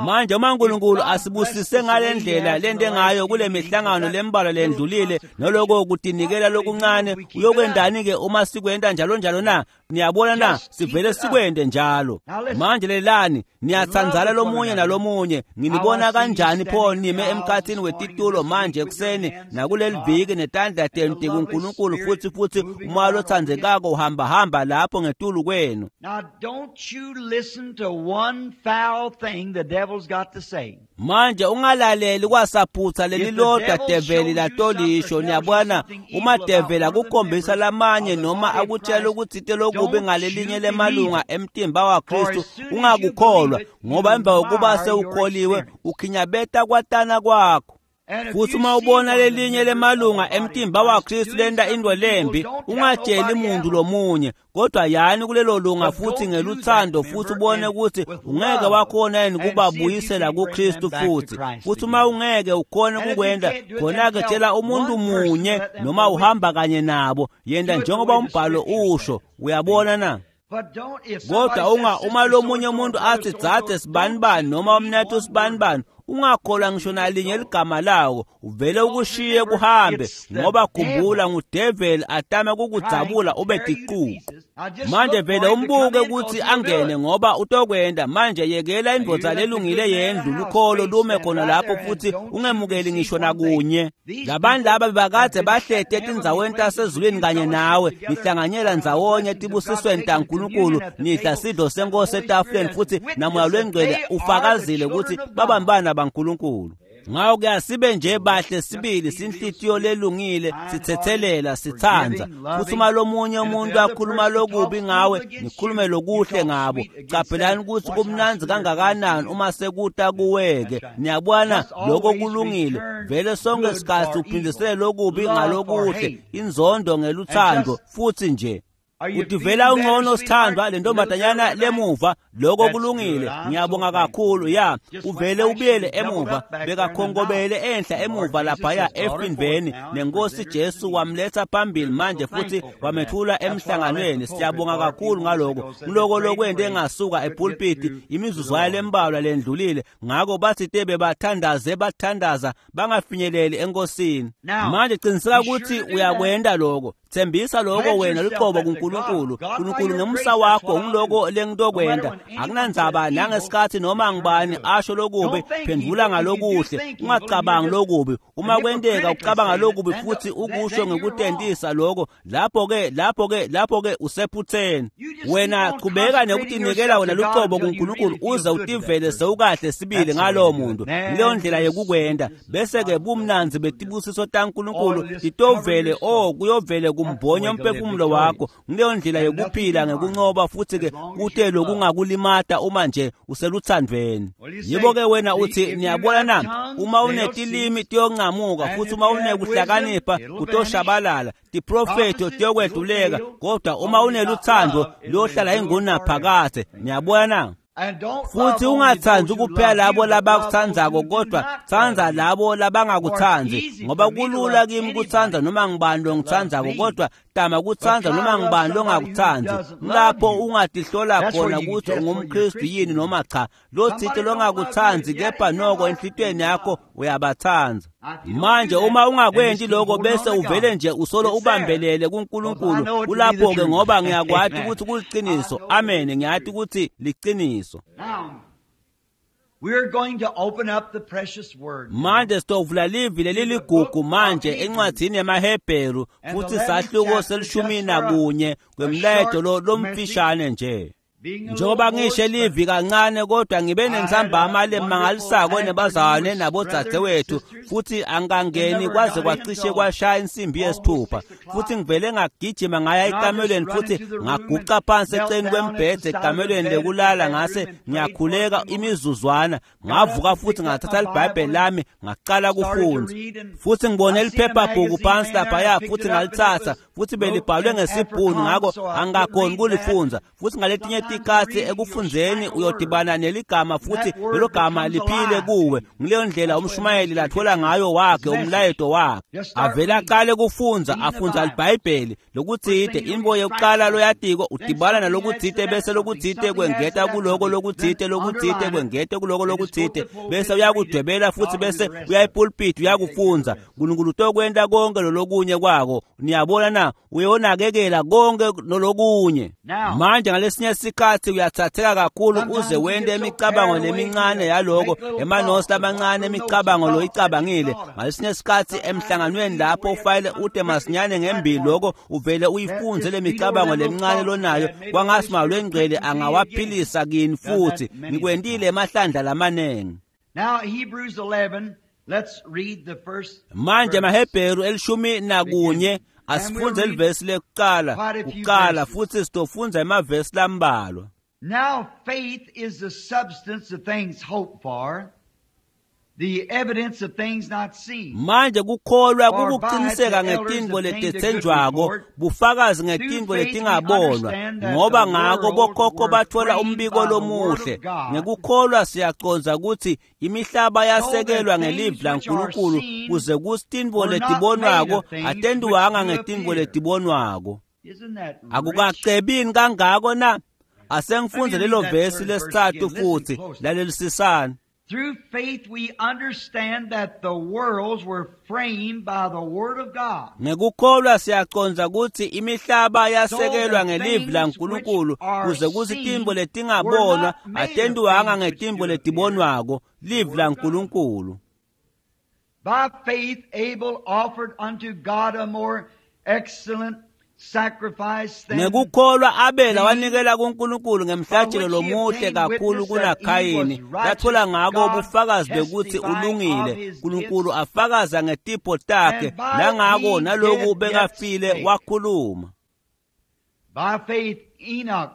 Speaker 2: Manje uma uNkulunkulu asibusise ngale ndlela lente ngayo kule mihlangano lembalwa lendlulile noloko kutinikela lokuncane, uyokwendani-ke uma sikwenta njalo njalo na? Niyabona na? Sivele sikwente njalo. Manje lelani, niyatsandzana lomunye nalomunye. Nginibona kanjani pho nime emkhathini wetitulo manje ekuseni nakuleli viki netandla tenu tikuNkulunkulu, futhi futhi umoya lotsandzekako uhambahamba lapho ngetulu kwenu.
Speaker 1: Now don't you listen to one foul thing the devil's got to say.
Speaker 2: Manje ungalaleli kwasaphutha lelilodwa develi latolisho. Niyabona, uma develi akukhombisa lamanye noma akutshela ukuthi lokubi ngalelinye lemalunga emtimba waKristu, ungakukholwa, ngoba emva kokuba sewukholiwe ukhinyabeta kwatana kwakho. Futhi uma ubona lelinye lemalunga emtimba waKristu lenta into lembi, ungatsheli muntu lomunye, kodwa yani kulelo lunga futhi ngeluthando, futhi ubone ukuthi ungeke wakhona yini kubabuyisela kuKristu futhi. Futhi uma ungeke ukhone ukukwenta, khona-ke tshela umuntu munye noma uhamba kanye nabo, yenta njengoba umbhalo usho. Uyabona na? Kodwa uma lomunye umuntu athi dzadze sibanibani noma umnathu sibanibani, ungakholwa ngisho nalinye ligama lawo, uvele ukushiye kuhambe, ngoba khumbula ngudeveli atama kukudzabula ube tiququ. Manje vele umbuke ukuthi angene, ngoba utokwenda. Manje yekela indvodza lelungile yendlu lukholo lume khona lapho, futhi ungemukeli ngisho nakunye. Labantu laba bebakade bahlete etindzaweni tasezulwini kanye nawe, nihlanganyela ndzawonye etibusisweni taNkulunkulu, nidla sidlo senkosi etafuleni, futhi namoya lwengcwele ufakazile ukuthi babambana baNkulunkulu. Ngakho ke asibe nje bahle sibili, sinhlitiyo lelungile, sithethelela, sithandza. Futhi uma lomunye umuntu akhuluma lokubi ngawe, nikhulume lokuhle ngabo. Caphelani ukuthi kumnandzi kangakanani uma sekuta kuweke. Niyabona, lokho kulungile. Vele sonke isikhathi uphindisele lokubi ngalokuhle, inzondo ngeluthando, futhi nje. Utivela ungcono sithandwa lentombazanyana lemuva lokho kulungile ngiyabonga kakhulu ya uvele ubuyele emuva bekakhongobele enhla emuva laphaya efindveni nenkosi Jesu wamletha phambili manje futhi wamethula emhlanganweni siyabonga kakhulu ngaloko ngiloko lokwente engasuka epulpiti imizuzwana lembalwa lendlulile ngako bathi tebe bathandaze bathandaza bangafinyeleli enkosini manje qiniseka ukuthi uyakwenda lokho thembisa lokho wena luqobo kuNkulunkulu uNkulunkulu ngemusa wakho ngiloko lengitokwenda akunandzaba nangesikhathi noma ngibani asho lokubi phendvula ngalokuhle ungacabangi lokubi uma kwenteka ucabanga lokubi futhi ukusho ngekutentisa lokho lapho-ke usephutheni wena qhubeka nekutinikela wena luqobo kuNkulunkulu uze utivele sewukahle sibili ngalowo muntu leyo ndlela yekukwenda bese-ke bumnanzi betibusiso taNkulunkulu titovele kuyovele kumbhonya umphefumulo wakho ngileyo ndlela yokuphila ngekuncoba futhi-ke kute lokungakulimata uma nje useluthandweni yibo-ke wena uthi niyabona na uma unetilimi tiyonqamuka futhi uma unekuhlakanipha kutoshabalala tiprofetho tiyokwedluleka kodwa uma uneluthando luyohlala ingunaphakade niyabona na futhi ungathandi kuphela labo labakuthandzako kodwa tsandza labo labangakutsandzi ngoba kulula kimi kutsandza noma ngibani longitsandzako kodwa tama kutsandza noma ngibani longakutsandzi lapho ungatihlola khona ukuthi ungumKristu yini noma cha lotsite longakutsandzi kepha noko enhlitiyweni yakho uyabatsandza manje uma ungakwenti lokho bese uvele nje usolo ubambelele kuNkulunkulu kulapho-ke ngoba ngiyakwati ukuthi kuliqiniso amen ngiyati ukuthi liqiniso manje sitovula livi leliligugu manje encwadzini yamaHebheru futhi sahluko se-11 kwemlayeto lomfishane nje njengoba ngisho livi kancane kodwa ngibe nensambama lemangalisako nebazalwane nabodzadzewethu futhi angangeni kwaze kwacishe kwashaya insimbi yesithupha futhi ngivele ngagijima ngaya ekamelweni futhi ngaguca phansi eceleni kwembhede ekamelweni lekulala ngase ngiyakhuleka imizuzwana ngavuka futhi ngathatha libhayibheli lami ngaqala kufunda futhi ngibone liphephabhuku phansi laphaya futhi ngalithatha futhi belibhalwe ngesibhunu ngakho angakhoni kulifundza futhi ngaletinye tikhatsi ekufundzeni uyodibana neligama futhi lelo gama liphile kuwe ngileyo ndlela umshumayeli lathola ngayo wakhe umlayeto wakhe avele aqale kufundza afundza libhayibheli lokutsite intfo yokuqala loyatiko udibana nalokutsite bese lokutsite kwengeta kuloko lokutsite lokutsite kwengete kuloko lokutsite bese uyakudwebela futhi bese uyayipulpiti uyakufundza uNkulunkulu utokwenta konke lolokunye kwako niyabona na uyonakekela konke lolokunye manje ngalesinye isikhathi uyathatheka kakhulu uze wente imicabango lemincane yaloko emanosi lamancane imicabango loyicabangile ngalesinye isikhathi emhlanganweni lapho ufayile ute masinyane ngembili loko uvele uyifunze le micabango lemincane lonayo kwangathi malwengcwele angawaphilisa kini futhi ngikwentile emahlandla lamanengi
Speaker 1: Now Hebrews 11 let's read the first
Speaker 2: manje maHebheru 11 asifunze livesi lekuqala kuqala futhi sitofundza emavesi lambalwa
Speaker 1: Now faith is the substance of things hoped for the evidence of things not seen.
Speaker 2: Manje kukholwa kukuqiniseka ngetintfo letetsenjwako bufakazi ngetintfo letingabonwa ngoba ngako bokhokho bathola umbiko lomuhle ngekukholwa siyacondza ukuthi imihlaba yasekelwa ngelivi laNkulunkulu kuze kutsi tintfo letibonwako atentiwanga ngetintfo letibonwako akukacebini kangako na asengifundze lelo vesi lesitsatfu futhi lalelisisani
Speaker 1: Through faith we understand that the worlds were framed by the word of God.
Speaker 2: Ngekukholwa siyacondza ukuthi imihlaba yasekelwa ngelivi laNkulunkulu kuze kutsi tintfo letingabonwa atentiwanga ngetintfo letibonwako livi laNkulunkulu.
Speaker 1: By faith Abel offered unto God a more excellent
Speaker 2: ngekukholwa Abela wanikela kuNkulunkulu ngemhlatshelo lomuhle kakhulu kunaKhayini lathola ngako ubufakazi bekuthi ulungile uNkulunkulu afakaza ngetipho takhe nangako naloku bekafile wakhuluma
Speaker 1: By faith Enoch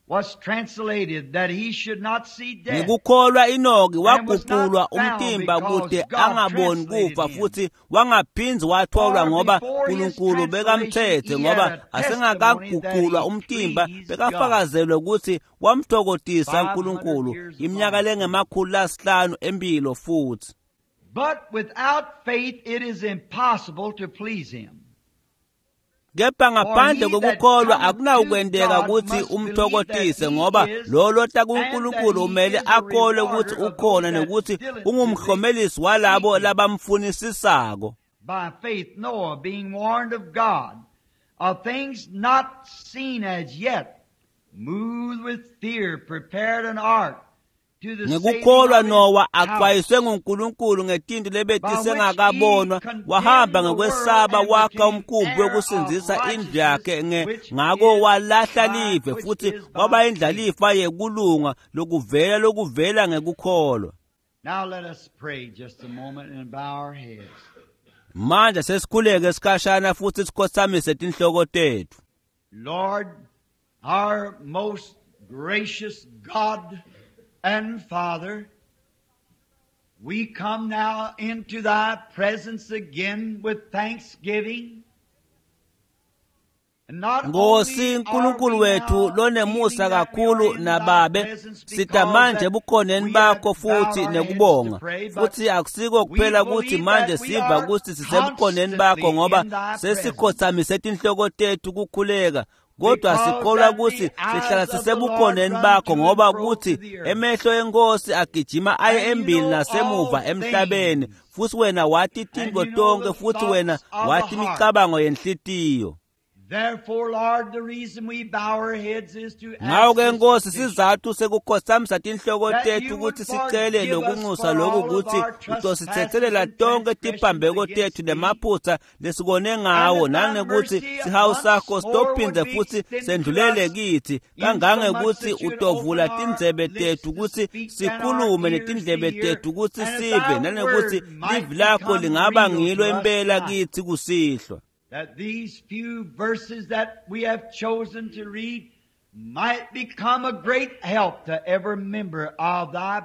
Speaker 1: was translated that he should not see death.
Speaker 2: Ngikukholwa Enoki waguqulwa umtimba kute angaboni kufa futhi wangaphindzi watholwa ngoba uNkulunkulu bekamthethe ngoba asengakaguqulwa umtimba bekafakazelwe ukuthi wamthokodisa uNkulunkulu iminyaka lengama-500 empilo futhi.
Speaker 1: But without faith it is impossible to please him.
Speaker 2: Kepha ngaphandle kokukholwa akunakwenteka ukuthi umthokotise ngoba lo lota kuNkulunkulu umele akholwe ukuthi ukhona nokuthi ungumhlomelisi walabo labamfunisisako.
Speaker 1: By faith Noah, being warned of God of things not seen as yet, moved with fear, prepared an ark.
Speaker 2: Ngekukholwa Nowa axwayiswe nguNkulunkulu ngetinto lebetisengakabonwa wahamba ngekwesaba wakha umkhumbi wekusindzisa indlu yakhe ngako walahla live futhi waba indlalifa yekulunga lokuvela lokuvela ngekukholwa.
Speaker 1: Now let us pray just a moment and bow our heads.
Speaker 2: Manje sesikhuleke esikhashana futhi sikhothamise tinhloko tethu.
Speaker 1: Lord, our most gracious God and Father, we come now into thy presence again with thanksgiving.
Speaker 2: Nkosi uNkulunkulu wethu lonemusa kakhulu nababe sita manje ebukhoneni bakho futhi nekubonga futhi akusiko kuphela ukuthi manje siva ukuthi sisebukhoneni bakho ngoba sesikhothamise tinhloko tethu kukhuleka kodwa sikholwa ukuthi sihlala sisebukhoneni bakho ngoba kuthi emehlo enkosi agijima aye embili nasemuva emhlabeni futhi wena wathi tintfo tonke futhi wena wathi imicabango yenhlitiyo.
Speaker 1: Therefore, Lord, the reason we bow our heads is to ask
Speaker 2: Ngako-ke Nkosi
Speaker 1: this petition,
Speaker 2: sizathu sekukhothamisa tinhloko
Speaker 1: that
Speaker 2: tethu
Speaker 1: you would
Speaker 2: ukuthi sicele
Speaker 1: forgive us
Speaker 2: lokunxusa
Speaker 1: for
Speaker 2: lokhu
Speaker 1: all of
Speaker 2: ukuthi
Speaker 1: our
Speaker 2: utosithethelela
Speaker 1: trespasses and
Speaker 2: tonke
Speaker 1: transgressions
Speaker 2: tiphambeko
Speaker 1: against
Speaker 2: tethu
Speaker 1: thee.
Speaker 2: nemaphutsa lesikone ngawo
Speaker 1: And that thy
Speaker 2: nangekuthi
Speaker 1: mercy
Speaker 2: sihawu
Speaker 1: once
Speaker 2: sakho
Speaker 1: more
Speaker 2: sitophindze
Speaker 1: would be
Speaker 2: futhi
Speaker 1: extended to
Speaker 2: sendlulele
Speaker 1: us,
Speaker 2: kithi
Speaker 1: insomuch
Speaker 2: kangangekuthi
Speaker 1: that you'd
Speaker 2: utovula
Speaker 1: open our
Speaker 2: tindzebe
Speaker 1: lips
Speaker 2: tethu
Speaker 1: to
Speaker 2: ukuthi
Speaker 1: speak and our
Speaker 2: sikhulume
Speaker 1: ears to
Speaker 2: netindlebe
Speaker 1: hear,
Speaker 2: tethu ukuthi
Speaker 1: and that
Speaker 2: sive
Speaker 1: thy
Speaker 2: nanekuthi
Speaker 1: word might
Speaker 2: livi lakho
Speaker 1: become
Speaker 2: lingaba
Speaker 1: real
Speaker 2: ngilo
Speaker 1: to us
Speaker 2: impela
Speaker 1: tonight.
Speaker 2: kithi kusihlwa.
Speaker 1: That these few verses that we have chosen to read might become a great help to every member of thy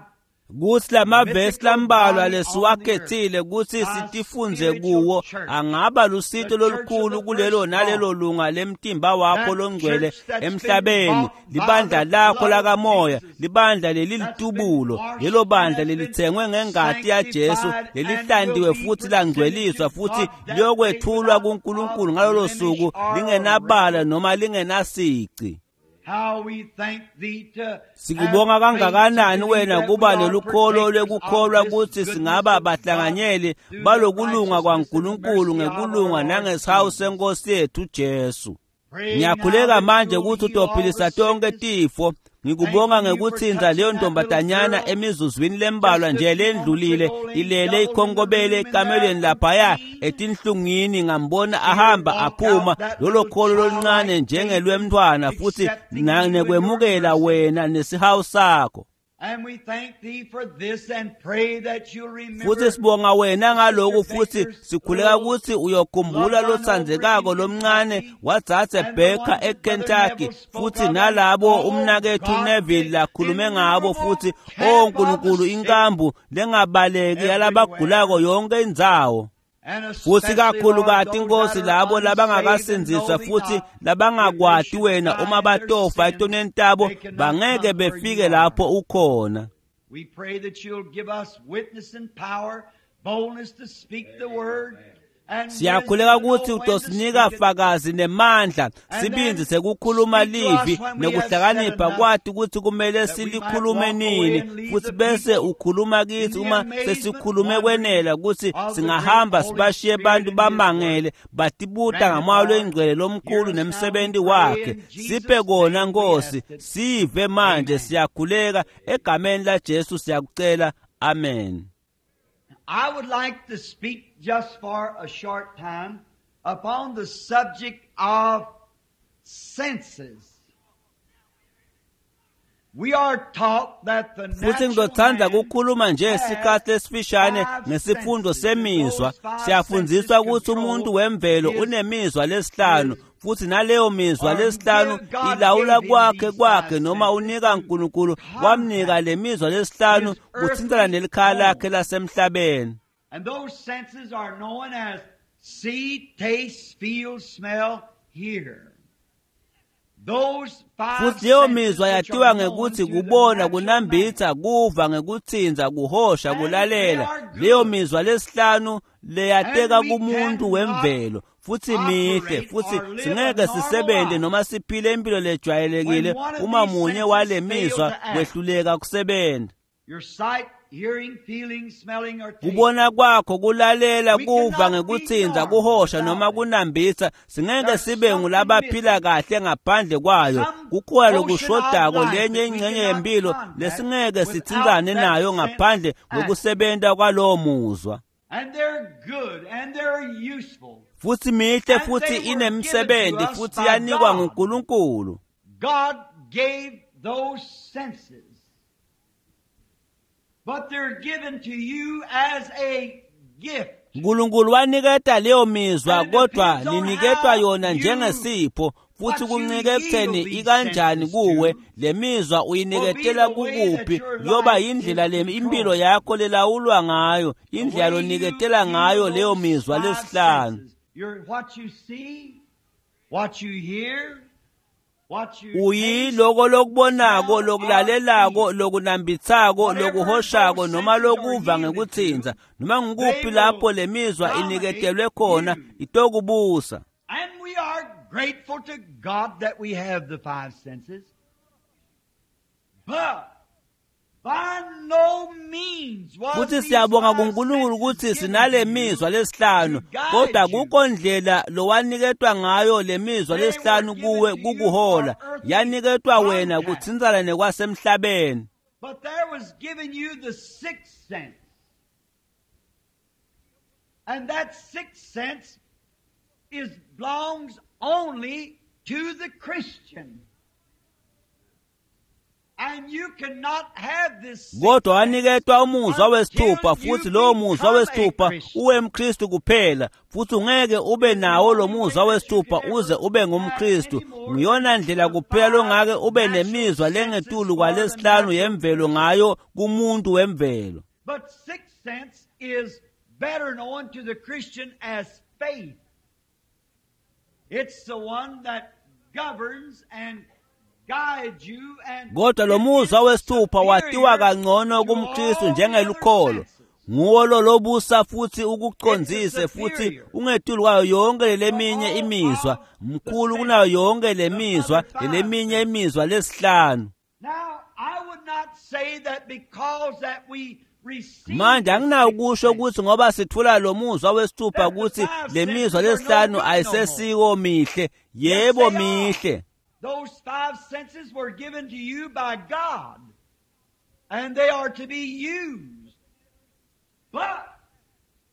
Speaker 2: Kuthi lamavesi
Speaker 1: mythical
Speaker 2: lambalwa
Speaker 1: body on the earth,
Speaker 2: lesiwakhethile kuthi
Speaker 1: thy
Speaker 2: sitifundze
Speaker 1: spiritual
Speaker 2: kuwo
Speaker 1: church,
Speaker 2: angaba lusito
Speaker 1: the church of
Speaker 2: lolukhulu
Speaker 1: the
Speaker 2: kulelo nalelo
Speaker 1: firstborn,
Speaker 2: lunga lemtimba wakho
Speaker 1: that
Speaker 2: longcwele
Speaker 1: church that's been
Speaker 2: emhlabeni
Speaker 1: bought by
Speaker 2: libandla
Speaker 1: the
Speaker 2: lakho
Speaker 1: blood of
Speaker 2: lakamoya
Speaker 1: Jesus,
Speaker 2: libandla
Speaker 1: that's been
Speaker 2: lelilitubulo
Speaker 1: washed
Speaker 2: lelo
Speaker 1: and
Speaker 2: bandla
Speaker 1: that's been
Speaker 2: lelithengwe ngengati yaJesu
Speaker 1: sanctified and will
Speaker 2: lelihlantiwe
Speaker 1: be
Speaker 2: futhi
Speaker 1: presented
Speaker 2: langcweliswa
Speaker 1: to
Speaker 2: futhi
Speaker 1: God that day
Speaker 2: liyokwethulwa
Speaker 1: without
Speaker 2: kuNkulunkulu
Speaker 1: of
Speaker 2: ngalolo
Speaker 1: blemish
Speaker 2: suku
Speaker 1: or
Speaker 2: lingenabala
Speaker 1: wrinkle.
Speaker 2: noma lingenasici.
Speaker 1: How we thank thee to have
Speaker 2: Sikubonga
Speaker 1: faith to
Speaker 2: kangakanani
Speaker 1: believe
Speaker 2: wena
Speaker 1: that we
Speaker 2: kuba
Speaker 1: are
Speaker 2: nelukholo
Speaker 1: partakers of
Speaker 2: lwekukholwa
Speaker 1: this
Speaker 2: ukuthi
Speaker 1: goodness
Speaker 2: singaba
Speaker 1: of God
Speaker 2: bahlanganyeli
Speaker 1: through the
Speaker 2: balokulunga
Speaker 1: righteousness and
Speaker 2: kwaNkulunkulu
Speaker 1: mercy of our
Speaker 2: ngekulunga
Speaker 1: Lord
Speaker 2: nangesihawu
Speaker 1: Jesus.
Speaker 2: senkosi yethu Jesu.
Speaker 1: Pray now
Speaker 2: Ngiyakhuleka
Speaker 1: that
Speaker 2: manje
Speaker 1: you'll
Speaker 2: ukuthi
Speaker 1: heal all the
Speaker 2: utophilisa tonke
Speaker 1: sickness.
Speaker 2: tifo. Ngikubonga
Speaker 1: Thank you for
Speaker 2: ngekuthinza
Speaker 1: touching
Speaker 2: leyo
Speaker 1: that little
Speaker 2: ntombazanyana
Speaker 1: girl
Speaker 2: emizuzwini lembalwa
Speaker 1: just a
Speaker 2: nje
Speaker 1: few moments
Speaker 2: lendlulile
Speaker 1: ago, laying
Speaker 2: ilele
Speaker 1: doubled in the
Speaker 2: ikhonkobele
Speaker 1: room in there
Speaker 2: ekamelweni
Speaker 1: in
Speaker 2: laphaya
Speaker 1: pain.
Speaker 2: etinhlungwini ngambona
Speaker 1: See her
Speaker 2: ahamba
Speaker 1: walk
Speaker 2: aphuma
Speaker 1: out that
Speaker 2: lolo
Speaker 1: little
Speaker 2: kholo loluncane
Speaker 1: childlike faith,
Speaker 2: njengelwemntwana futhi
Speaker 1: accepting you and your
Speaker 2: nekwemukela
Speaker 1: mercy.
Speaker 2: wena nesihawu sakho.
Speaker 1: And we thank thee for this and pray that you'll
Speaker 2: Futhi
Speaker 1: remember
Speaker 2: sibonga wena
Speaker 1: Sister
Speaker 2: ngaloku futhi
Speaker 1: Baker's
Speaker 2: sikhuleka
Speaker 1: little
Speaker 2: ukuthi uyokhumbula
Speaker 1: loved one over
Speaker 2: lotsandzekako
Speaker 1: in
Speaker 2: lomncane
Speaker 1: Kentucky
Speaker 2: wadzadze
Speaker 1: and the
Speaker 2: Baker
Speaker 1: ones that Brother
Speaker 2: eKentucky
Speaker 1: Neville spoke
Speaker 2: futhi
Speaker 1: of, and
Speaker 2: nalabo
Speaker 1: oh
Speaker 2: umnakethu
Speaker 1: God,
Speaker 2: Neville
Speaker 1: the
Speaker 2: lakhulume ngabo
Speaker 1: innumerable
Speaker 2: futhi o
Speaker 1: camp of the
Speaker 2: Nkulunkulu
Speaker 1: sick
Speaker 2: inkambu lengabaleki
Speaker 1: everywhere.
Speaker 2: yalabagulako yonke indzawo.
Speaker 1: And
Speaker 2: Futhi
Speaker 1: especially, Lord,
Speaker 2: kakhulukati
Speaker 1: those
Speaker 2: Nkosi
Speaker 1: that are
Speaker 2: labo
Speaker 1: unsaved and know
Speaker 2: labangakasindziswa
Speaker 1: thee
Speaker 2: futhi
Speaker 1: not, if they
Speaker 2: labangakwati
Speaker 1: should
Speaker 2: wena
Speaker 1: die
Speaker 2: uma
Speaker 1: in their
Speaker 2: batofa
Speaker 1: sins,
Speaker 2: etonweni tabo
Speaker 1: they cannot
Speaker 2: bangeke
Speaker 1: come where you
Speaker 2: befike
Speaker 1: are.
Speaker 2: lapho ukhona.
Speaker 1: We pray that you'll give us witness and power, boldness to speak the word, and wisdom
Speaker 2: Siyakhuleka
Speaker 1: to know
Speaker 2: ukuthi
Speaker 1: when to
Speaker 2: utosinika
Speaker 1: speak it,
Speaker 2: fakazi nemandla
Speaker 1: and
Speaker 2: sibindzi
Speaker 1: then
Speaker 2: sekukhuluma
Speaker 1: speak to us
Speaker 2: livi
Speaker 1: when we have said
Speaker 2: nekuhlakanipha
Speaker 1: enough,
Speaker 2: kwati ukuthi kumele
Speaker 1: that we might
Speaker 2: silikhulume
Speaker 1: walk away
Speaker 2: nini
Speaker 1: and leave
Speaker 2: futhi
Speaker 1: the
Speaker 2: bese
Speaker 1: people
Speaker 2: ukhuluma
Speaker 1: in
Speaker 2: kithi
Speaker 1: the
Speaker 2: uma
Speaker 1: amazement,
Speaker 2: sesikhulume
Speaker 1: wondering
Speaker 2: kwenela ukuthi
Speaker 1: of the great
Speaker 2: singahamba
Speaker 1: Holy
Speaker 2: sibashiye
Speaker 1: Spirit
Speaker 2: bantu
Speaker 1: and His work.
Speaker 2: bamangele batibuta
Speaker 1: Grant it,
Speaker 2: ngamoya
Speaker 1: Lord.
Speaker 2: lwengcwele
Speaker 1: Hear
Speaker 2: lomkhulu
Speaker 1: us now, we
Speaker 2: nemsebenzi
Speaker 1: pray
Speaker 2: wakhe
Speaker 1: in
Speaker 2: siphe
Speaker 1: Jesus'
Speaker 2: kona
Speaker 1: name we
Speaker 2: Nkosi
Speaker 1: ask it.
Speaker 2: sive manje
Speaker 1: Amen.
Speaker 2: siyakhuleka egameni laJesu siyakucela amen.
Speaker 1: I would like to speak just for a short time upon the subject of senses. We are taught that the
Speaker 2: Futhi
Speaker 1: natural
Speaker 2: ngizothanda
Speaker 1: man
Speaker 2: ukukhuluma nje
Speaker 1: has
Speaker 2: isikhathi esifishane
Speaker 1: five
Speaker 2: ngesifundo
Speaker 1: senses, and
Speaker 2: semizwa.
Speaker 1: those five senses
Speaker 2: Siyafundziswa ukuthi
Speaker 1: control
Speaker 2: umuntu wemvelo
Speaker 1: his
Speaker 2: unemizwa lesihlanu
Speaker 1: his
Speaker 2: Futhi naleyo mizwa lesihlanu ilawula kwakhe noma unika uNkulunkulu wamnika le mizwa lesihlanu kuthintana nelikhaya lakhe lasemhlabeni.
Speaker 1: And those senses are known as see, taste, feel, smell, hear.
Speaker 2: Futhi leyo mizwa yatiwa ngekuthi kubona, kunambitha, kuva ngekuthinza, kuhosha, kulalela. Leyo mizwa lesihlanu leyateka kumuntu wemvelo futhi mihle, futhi singeke sisebenze noma siphile impilo lejwayelekile uma munye wale mizwa wehluleka kusebenza. Kubona kwakho, kulalela, kuva ngekuthinza, kuhosha noma kunambitha, singeke sibe ngulabaphila kahle ngaphandle kwayo. Kukhona lokushodako, lenye ingxenye yempilo lesingeke sithinzane nayo ngaphandle kokusebenta kwalowo muzwa. Futhi mihle futhi inemsebenzi futhi yanikwa nguNkulunkulu.
Speaker 1: God gave those senses. But they're given to you as a gift.
Speaker 2: uNkulunkulu waniketa leyo mizwa, kodwa niniketwa yona njengesipho, futhi kuncike ekutheni ikanjani kuwe. Le mizwa uyiniketela kukuphi kuyoba yindlela le impilo yakho lelawulwa ngayo, indlela loniketela ngayo leyo mizwa lesihlanu. Uyiloko lokubonako, lokulalelako, lokunambithako, lokuhoshako noma lokuva ngekuthinza, noma ngikuphi lapho le mizwa iniketelwe khona itokubusa.
Speaker 1: And we are grateful to God that we have the five senses. But by no means was
Speaker 2: Futhi siyabonga kuNkulunkulu ukuthi sinale mizwa lesihlanu, kodwa kukho ndlela lowaniketwa ngayo le mizwa lesihlanu kuwe kukuhola. Yaniketwa wena kuthintsana nekwasemhlabeni.
Speaker 1: But there was given you the sixth sense. And that sixth sense is belongs only to the Christian. And you cannot have this.
Speaker 2: Kodwa waniketwa umuzwa wesithupha, futhi lowo muzwa wesithupha uwemKristu kuphela, futhi ungeke ube nawo lo muzwa wesithupha uze ube ngumKristu. Ngiyona ndlela kuphela longake ube nemizwa lengetulu kwalesihlanu yemvelo ngayo kumuntu wemvelo.
Speaker 1: But sixth sense is better known to the Christian as faith. It's the one that governs and guides you and
Speaker 2: Kodwa lo muzwa wesithupha watiwa kangcono kumKristu njengelukholo. Nguwo lo lobusa futhi ukucondzise futhi ungetulu kwayo yonke leminye imizwa, mkhulu kunayo yonke lemizwa leminye imizwa lesihlanu.
Speaker 1: Now, I would not say that because that we receive
Speaker 2: Manje anginakusho ukuthi ngoba sithola lo muzwa wesithupha ukuthi lemizwa lesihlanu ayisesiko mihle. Yebo mihle.
Speaker 1: Those five senses were given to you by God, and they are to be used. But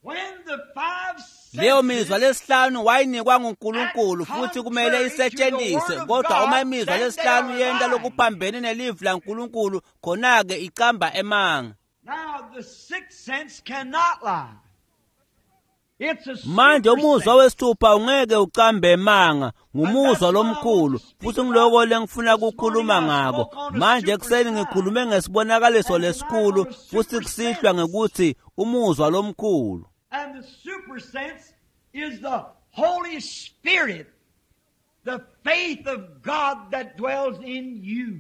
Speaker 1: when the five
Speaker 2: Leyo mizwa
Speaker 1: senses
Speaker 2: lesihlanu wayinikwa nguNkulunkulu futhi kumele isetshenziswe, kodwa uma imizwa lesihlanu yenta lokuphambene nelivi laNkulunkulu, khona-ke icamba emanga.
Speaker 1: Now the sixth sense cannot lie. It's a
Speaker 2: Manje
Speaker 1: super
Speaker 2: umuzwa
Speaker 1: sense.
Speaker 2: wesithupha ungeke ucambe emanga, ngumuzwa lomkhulu, futhi ngiloko lengifuna ukukhuluma ngako. Manje ekuseni ngikhulume ngesibonakaliso lesikhulu, futhi kusihlwa ngekuthi umuzwa lomkhulu.
Speaker 1: And the super sense is the Holy Spirit, the faith of God that dwells in you.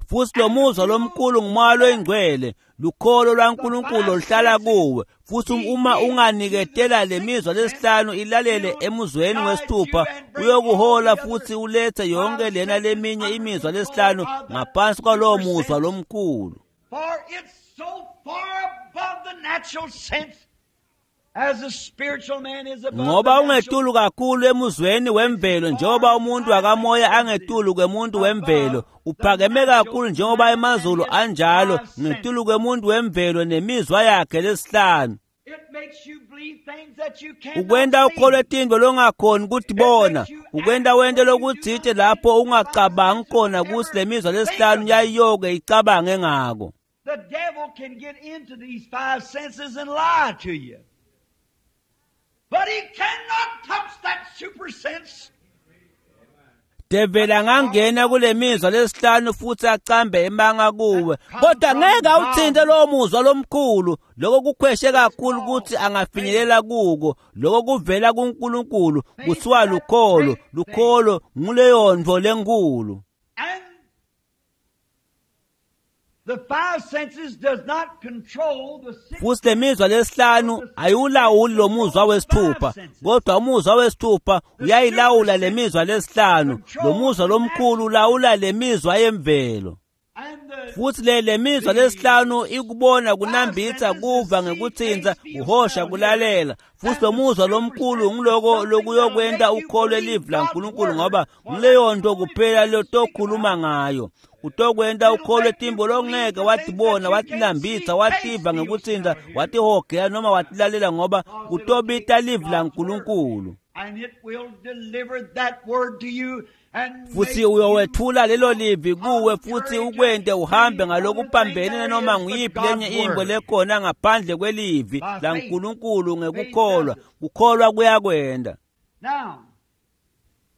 Speaker 2: Futhi lo muzwa lomkhulu ngumoya loyingcwele, lukholo lwaNkulunkulu oluhlala kuwe. Futhi uma unganiketela le mizwa lesihlanu ilalele emuzweni wesithupha, uyokuhola futhi ulethe yonke lena leminye imizwa lesihlanu ngaphansi kwalowo muzwa lomkhulu.
Speaker 1: For it's so far above the natural sense as the spiritual man is above
Speaker 2: Ngoba
Speaker 1: the natural.
Speaker 2: ungetulu kakhulu emuzweni wemvelo njengoba umuntu wakamoya angetulu kwemuntu wemvelo, uphakeme kakhulu njengoba emazulu anjalo ngetulu kwemuntu wemvelo nemizwa yakhe lesihlanu.
Speaker 1: It makes you believe things that you cannot
Speaker 2: Ukwenta
Speaker 1: see.
Speaker 2: ukholwe tintfo longakhoni kutibona, ukwenta wente lokutsite lapho ungacabangi khona kutsi lemizwa lesihlanu yayiyoke icabange ngako.
Speaker 1: The devil can get into these five senses and lie to you. But he cannot touch that super sense.
Speaker 2: Develi angangena kule mizwa lesihlanu futhi acambe emanga kuwe, kodwa ngeke awuthinte lowo muzwa lomkhulu. Lokho kukhweshe kakhulu ukuthi angafinyelela kuko. Lokho kuvela kuNkulunkulu, kuthiwa lukholo. Lukholo nguleyo nto lenkulu.
Speaker 1: And the five senses does not control the six.
Speaker 2: Futhi le mizwa lesihlanu ayiwulawuli lo muzwa wesithupha, kodwa umuzwa wesithupha uyayilawula le mizwa lesihlanu. Lo muzwa lomkhulu ulawula le mizwa yemvelo.
Speaker 1: And the
Speaker 2: Futhi le mizwa lesihlanu ikubona, kunambitha, kuva ngekuthinta, kuhosha, kulalela. Futhi lo muzwa lomkhulu ngiloko lokuyokwenta ukholwe livi laNkulunkulu, ngoba nguleyo nto kuphela lotokhuluma ngayo. Utokwenta ukholwe timbo longeke watibona, watinambitha, wativa ngekuthinta, watihogela noma watilalela, ngoba kutobita livi laNkulunkulu.
Speaker 1: And it will deliver that word to you and
Speaker 2: Futhi
Speaker 1: make you
Speaker 2: uyowethula lelo livi kuwe futhi
Speaker 1: contrary to
Speaker 2: ukwente uhambe ngalokuphambene
Speaker 1: anything
Speaker 2: noma
Speaker 1: there is
Speaker 2: nguyiphi
Speaker 1: but
Speaker 2: lenye
Speaker 1: God's
Speaker 2: imbo
Speaker 1: word.
Speaker 2: lekhona ngaphandle kwelivi
Speaker 1: By faith.
Speaker 2: laNkulunkulu ngekukholwa.
Speaker 1: Faith does it.
Speaker 2: Kukholwa kuyakwenda.
Speaker 1: Now,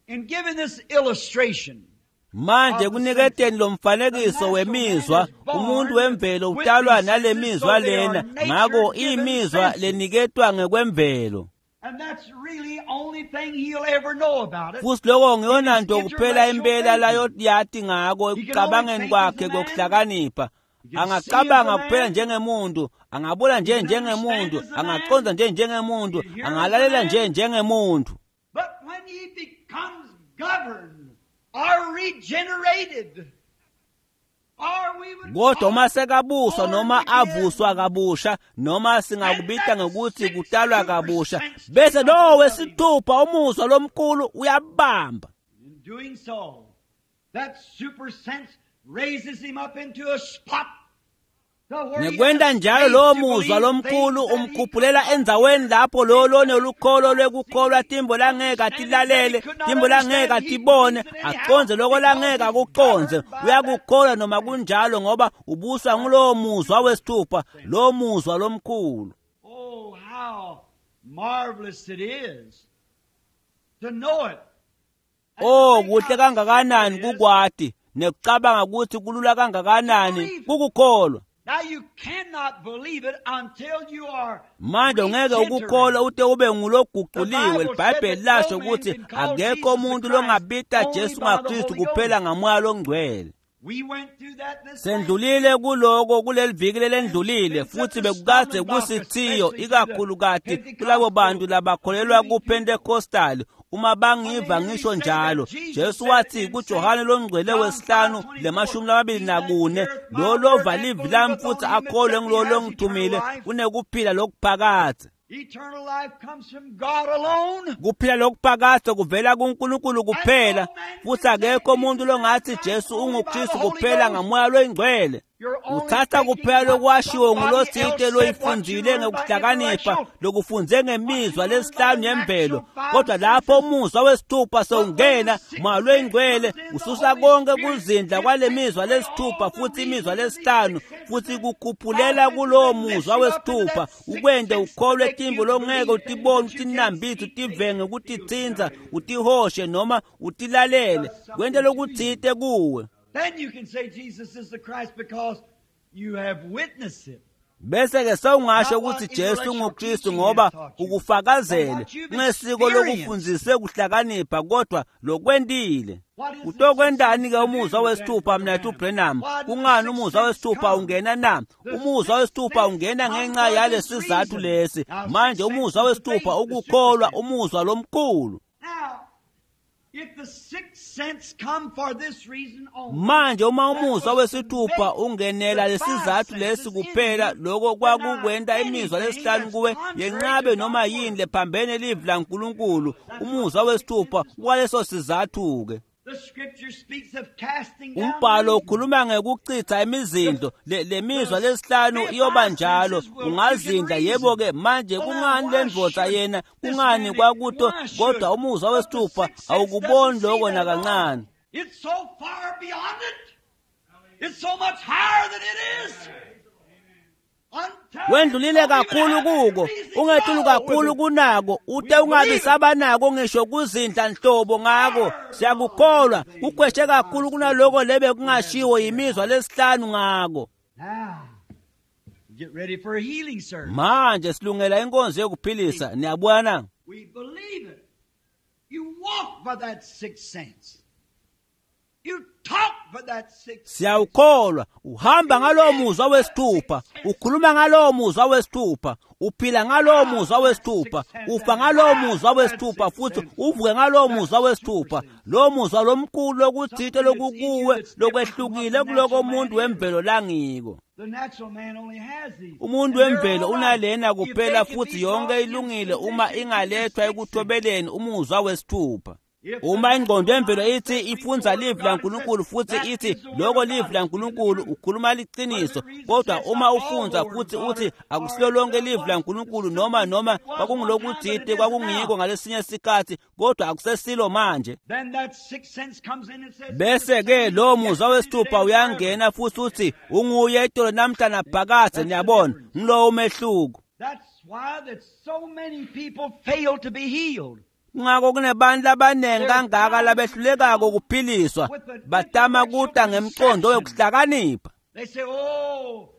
Speaker 1: in giving this illustration,
Speaker 2: Manje kuniketeni lo mfanekiso wemizwa, umuntu wemvelo utalwa nale mizwa lena, ngako imizwa leniketwa ngekwemvelo.
Speaker 1: and that's really only thing he'll ever know about it.
Speaker 2: Futhi lokho ngiyona nto kuphela impela layoyati ngako ekucabangeni kwakhe kokuhlakanipha. Angacabanga kuphela njengemuntu, angabona nje njengemuntu, angaqonda nje njengemuntu, angalalela nje njengemuntu.
Speaker 1: But when he becomes governed or regenerated, or we would
Speaker 2: Kodwa
Speaker 1: call
Speaker 2: uma
Speaker 1: it
Speaker 2: sekabuswa noma avuswa kabusha, noma singakubita ngokuthi kutalwa kabusha, bese lowo wesithupha umuzwa lomkhulu uyabamba.
Speaker 1: In doing so, that super sense raises him up into a spot to where he
Speaker 2: Ngekwenta
Speaker 1: has
Speaker 2: njalo
Speaker 1: faith
Speaker 2: lowo
Speaker 1: to
Speaker 2: muzwa
Speaker 1: believe
Speaker 2: lomkhulu
Speaker 1: things that he
Speaker 2: umkhuphulela endzaweni lapho lowo lonelukholo lwekukholwa timbo langeke atilalele, timbo langeke atibone, aconze loko langeke akuconze. Uyakukholwa noma kunjalo, ngoba ubuswa ngulowo muzwa wesithupha, lowo muzwa lomkhulu.
Speaker 1: Oh, how marvelous it is to know it. And to
Speaker 2: Oh,
Speaker 1: think
Speaker 2: kuhle
Speaker 1: how
Speaker 2: kangakanani
Speaker 1: simple it is.
Speaker 2: kukwati nekucabanga ukuthi kulula kangakanani kukukholwa.
Speaker 1: Now you cannot believe it until you are
Speaker 2: Manje ungeke ukukholwa ute ube nguloguquliwe. IBhayibheli lasho ukuthi akekho umuntu longabita Jesu ngaKristu kuphela ngamoya longcwele.
Speaker 1: We went through that this
Speaker 2: Sendlulile kuloko kuleli viki lelendlulile, futhi bekukade kusithiyo ikakhulukati kulabo bantu labakholelwa kuPentecostal. Uma bangiva ngisho njalo, Jesu wathi kuJohane longcwele wesihlanu le-24, lo lova livi lami futhi akholwe ngulo longithumile unekuphila lokuphakadze.
Speaker 1: Eternal life comes from God alone.
Speaker 2: Kuphila lokuphakadze kuvela kuNkulunkulu kuphela, futhi akekho umuntu longathi Jesu unguKristu kuphela ngamoya loyingcwele.
Speaker 1: You're only
Speaker 2: Uthatha
Speaker 1: taking
Speaker 2: kuphela
Speaker 1: what
Speaker 2: lokwashiwo
Speaker 1: somebody
Speaker 2: ngulotsite
Speaker 1: else said, what you
Speaker 2: loyifundzile
Speaker 1: learned by
Speaker 2: ngekuhlakanipha,
Speaker 1: intellectual.
Speaker 2: lokufunze ngemizwa lesihlanu yemvelo. Kodwa lapho umuzwa wesithupha sewungena, moya loyingcwele ususa konke kuzindla kwale mizwa lesithupha futhi imizwa lesihlanu, futhi kukhuphulela kulowo muzwa wesithupha, ukwente ukholwe timbo longeke utibone, utinambithe, utivenge, ukutitsintsa, utihoshe noma utilalele, kwente lokutsite kuwe.
Speaker 1: Then you can say Jesus is the Christ because you have witnessed it.
Speaker 2: Bese ke sewungasho ukuthi Jesu unguKristu ngoba ukufakazele ngesiko lokufundziswe kuhlakanipha, kodwa lokwentile. Utokwentani ke umuzwa wesithupha mnethu Branham? Kungani umuzwa wesithupha ungena na? Umuzwa wesithupha ungena ngenxa yalesizathu lesi. Manje umuzwa wesithupha ukukholwa, umuzwa lomkhulu.
Speaker 1: Now, if the sixth sense come for this reason only,
Speaker 2: Manje uma umuzwa wesithupha ungenela lesizathu lesi kuphela, lokho kwakukwenta imizwa lesihlanu kuwe yenqabe noma yini lephambene livi laNkulunkulu. Umuzwa wesithupha kwaleso sizathu-ke.
Speaker 1: the scripture speaks of casting down
Speaker 2: Umbhalo
Speaker 1: reason.
Speaker 2: ukhuluma ngekuchitha imizindlo. Le mizwa lesihlanu iyoba njalo, ungazindla. Yebo-ke manje kungani le ndvodza yena, kungani kwakuto, kodwa umuzwa wesithupha awukuboni lokho nakancane.
Speaker 1: It's so far beyond it. It's so much higher than it is.
Speaker 2: Wendlulile kakhulu kuko, ungetulu kakhulu kunako, ute ungabi sabanako ngisho kuzindla nhlobo ngako. Siyakukholwa, kukhweshe kakhulu kunaloko lebe kungashiwo yimizwa lesihlanu ngako. Manje silungela inkonzo yokuphilisa, niyabona?
Speaker 1: We believe it. You walk by that sixth sense. You talk by that sixth sense.
Speaker 2: Siyawukholwa, uhamba ngalowo muzwa wesithupha, ukhuluma ngalowo muzwa wesithupha, uphila ngalowo muzwa wesithupha, ufa ngalowo muzwa wesithupha, futhi uvuke ngalowo muzwa wesithupha. Lowo muzwa lomkhulu lokuthite lokukuwe lokwehlukile kuloko umuntu wemvelo langiko.
Speaker 1: The natural man only has these.
Speaker 2: Umuntu wemvelo unalena kuphela futhi yonke ilungile uma ingalethwa ekuthobeleni umuzwa wesithupha. Uma ingqondo yemvelo ithi ifunza livi laNkulunkulu futhi ithi lokho livi laNkulunkulu, ukhuluma liqiniso, kodwa uma ufunza futhi uthi akusilo lonke livi laNkulunkulu, noma kwakungulokuthite kwakungiko ngalesinye isikhathi, kodwa akusesilo manje,
Speaker 1: Then that sixth sense comes in and says,
Speaker 2: bese ke lo muzwa wesithupha uyangena futhi uthi unguye itolo namhla naphakadze. Niyabona, ngilowo umehluko.
Speaker 1: That's why that so many people fail to be healed.
Speaker 2: Kungako kunebantu abaningi kangaka labehlulekako ukuphiliswa, batama kuta ngemqondo wekuhlakanipha.
Speaker 1: They say, "Oh,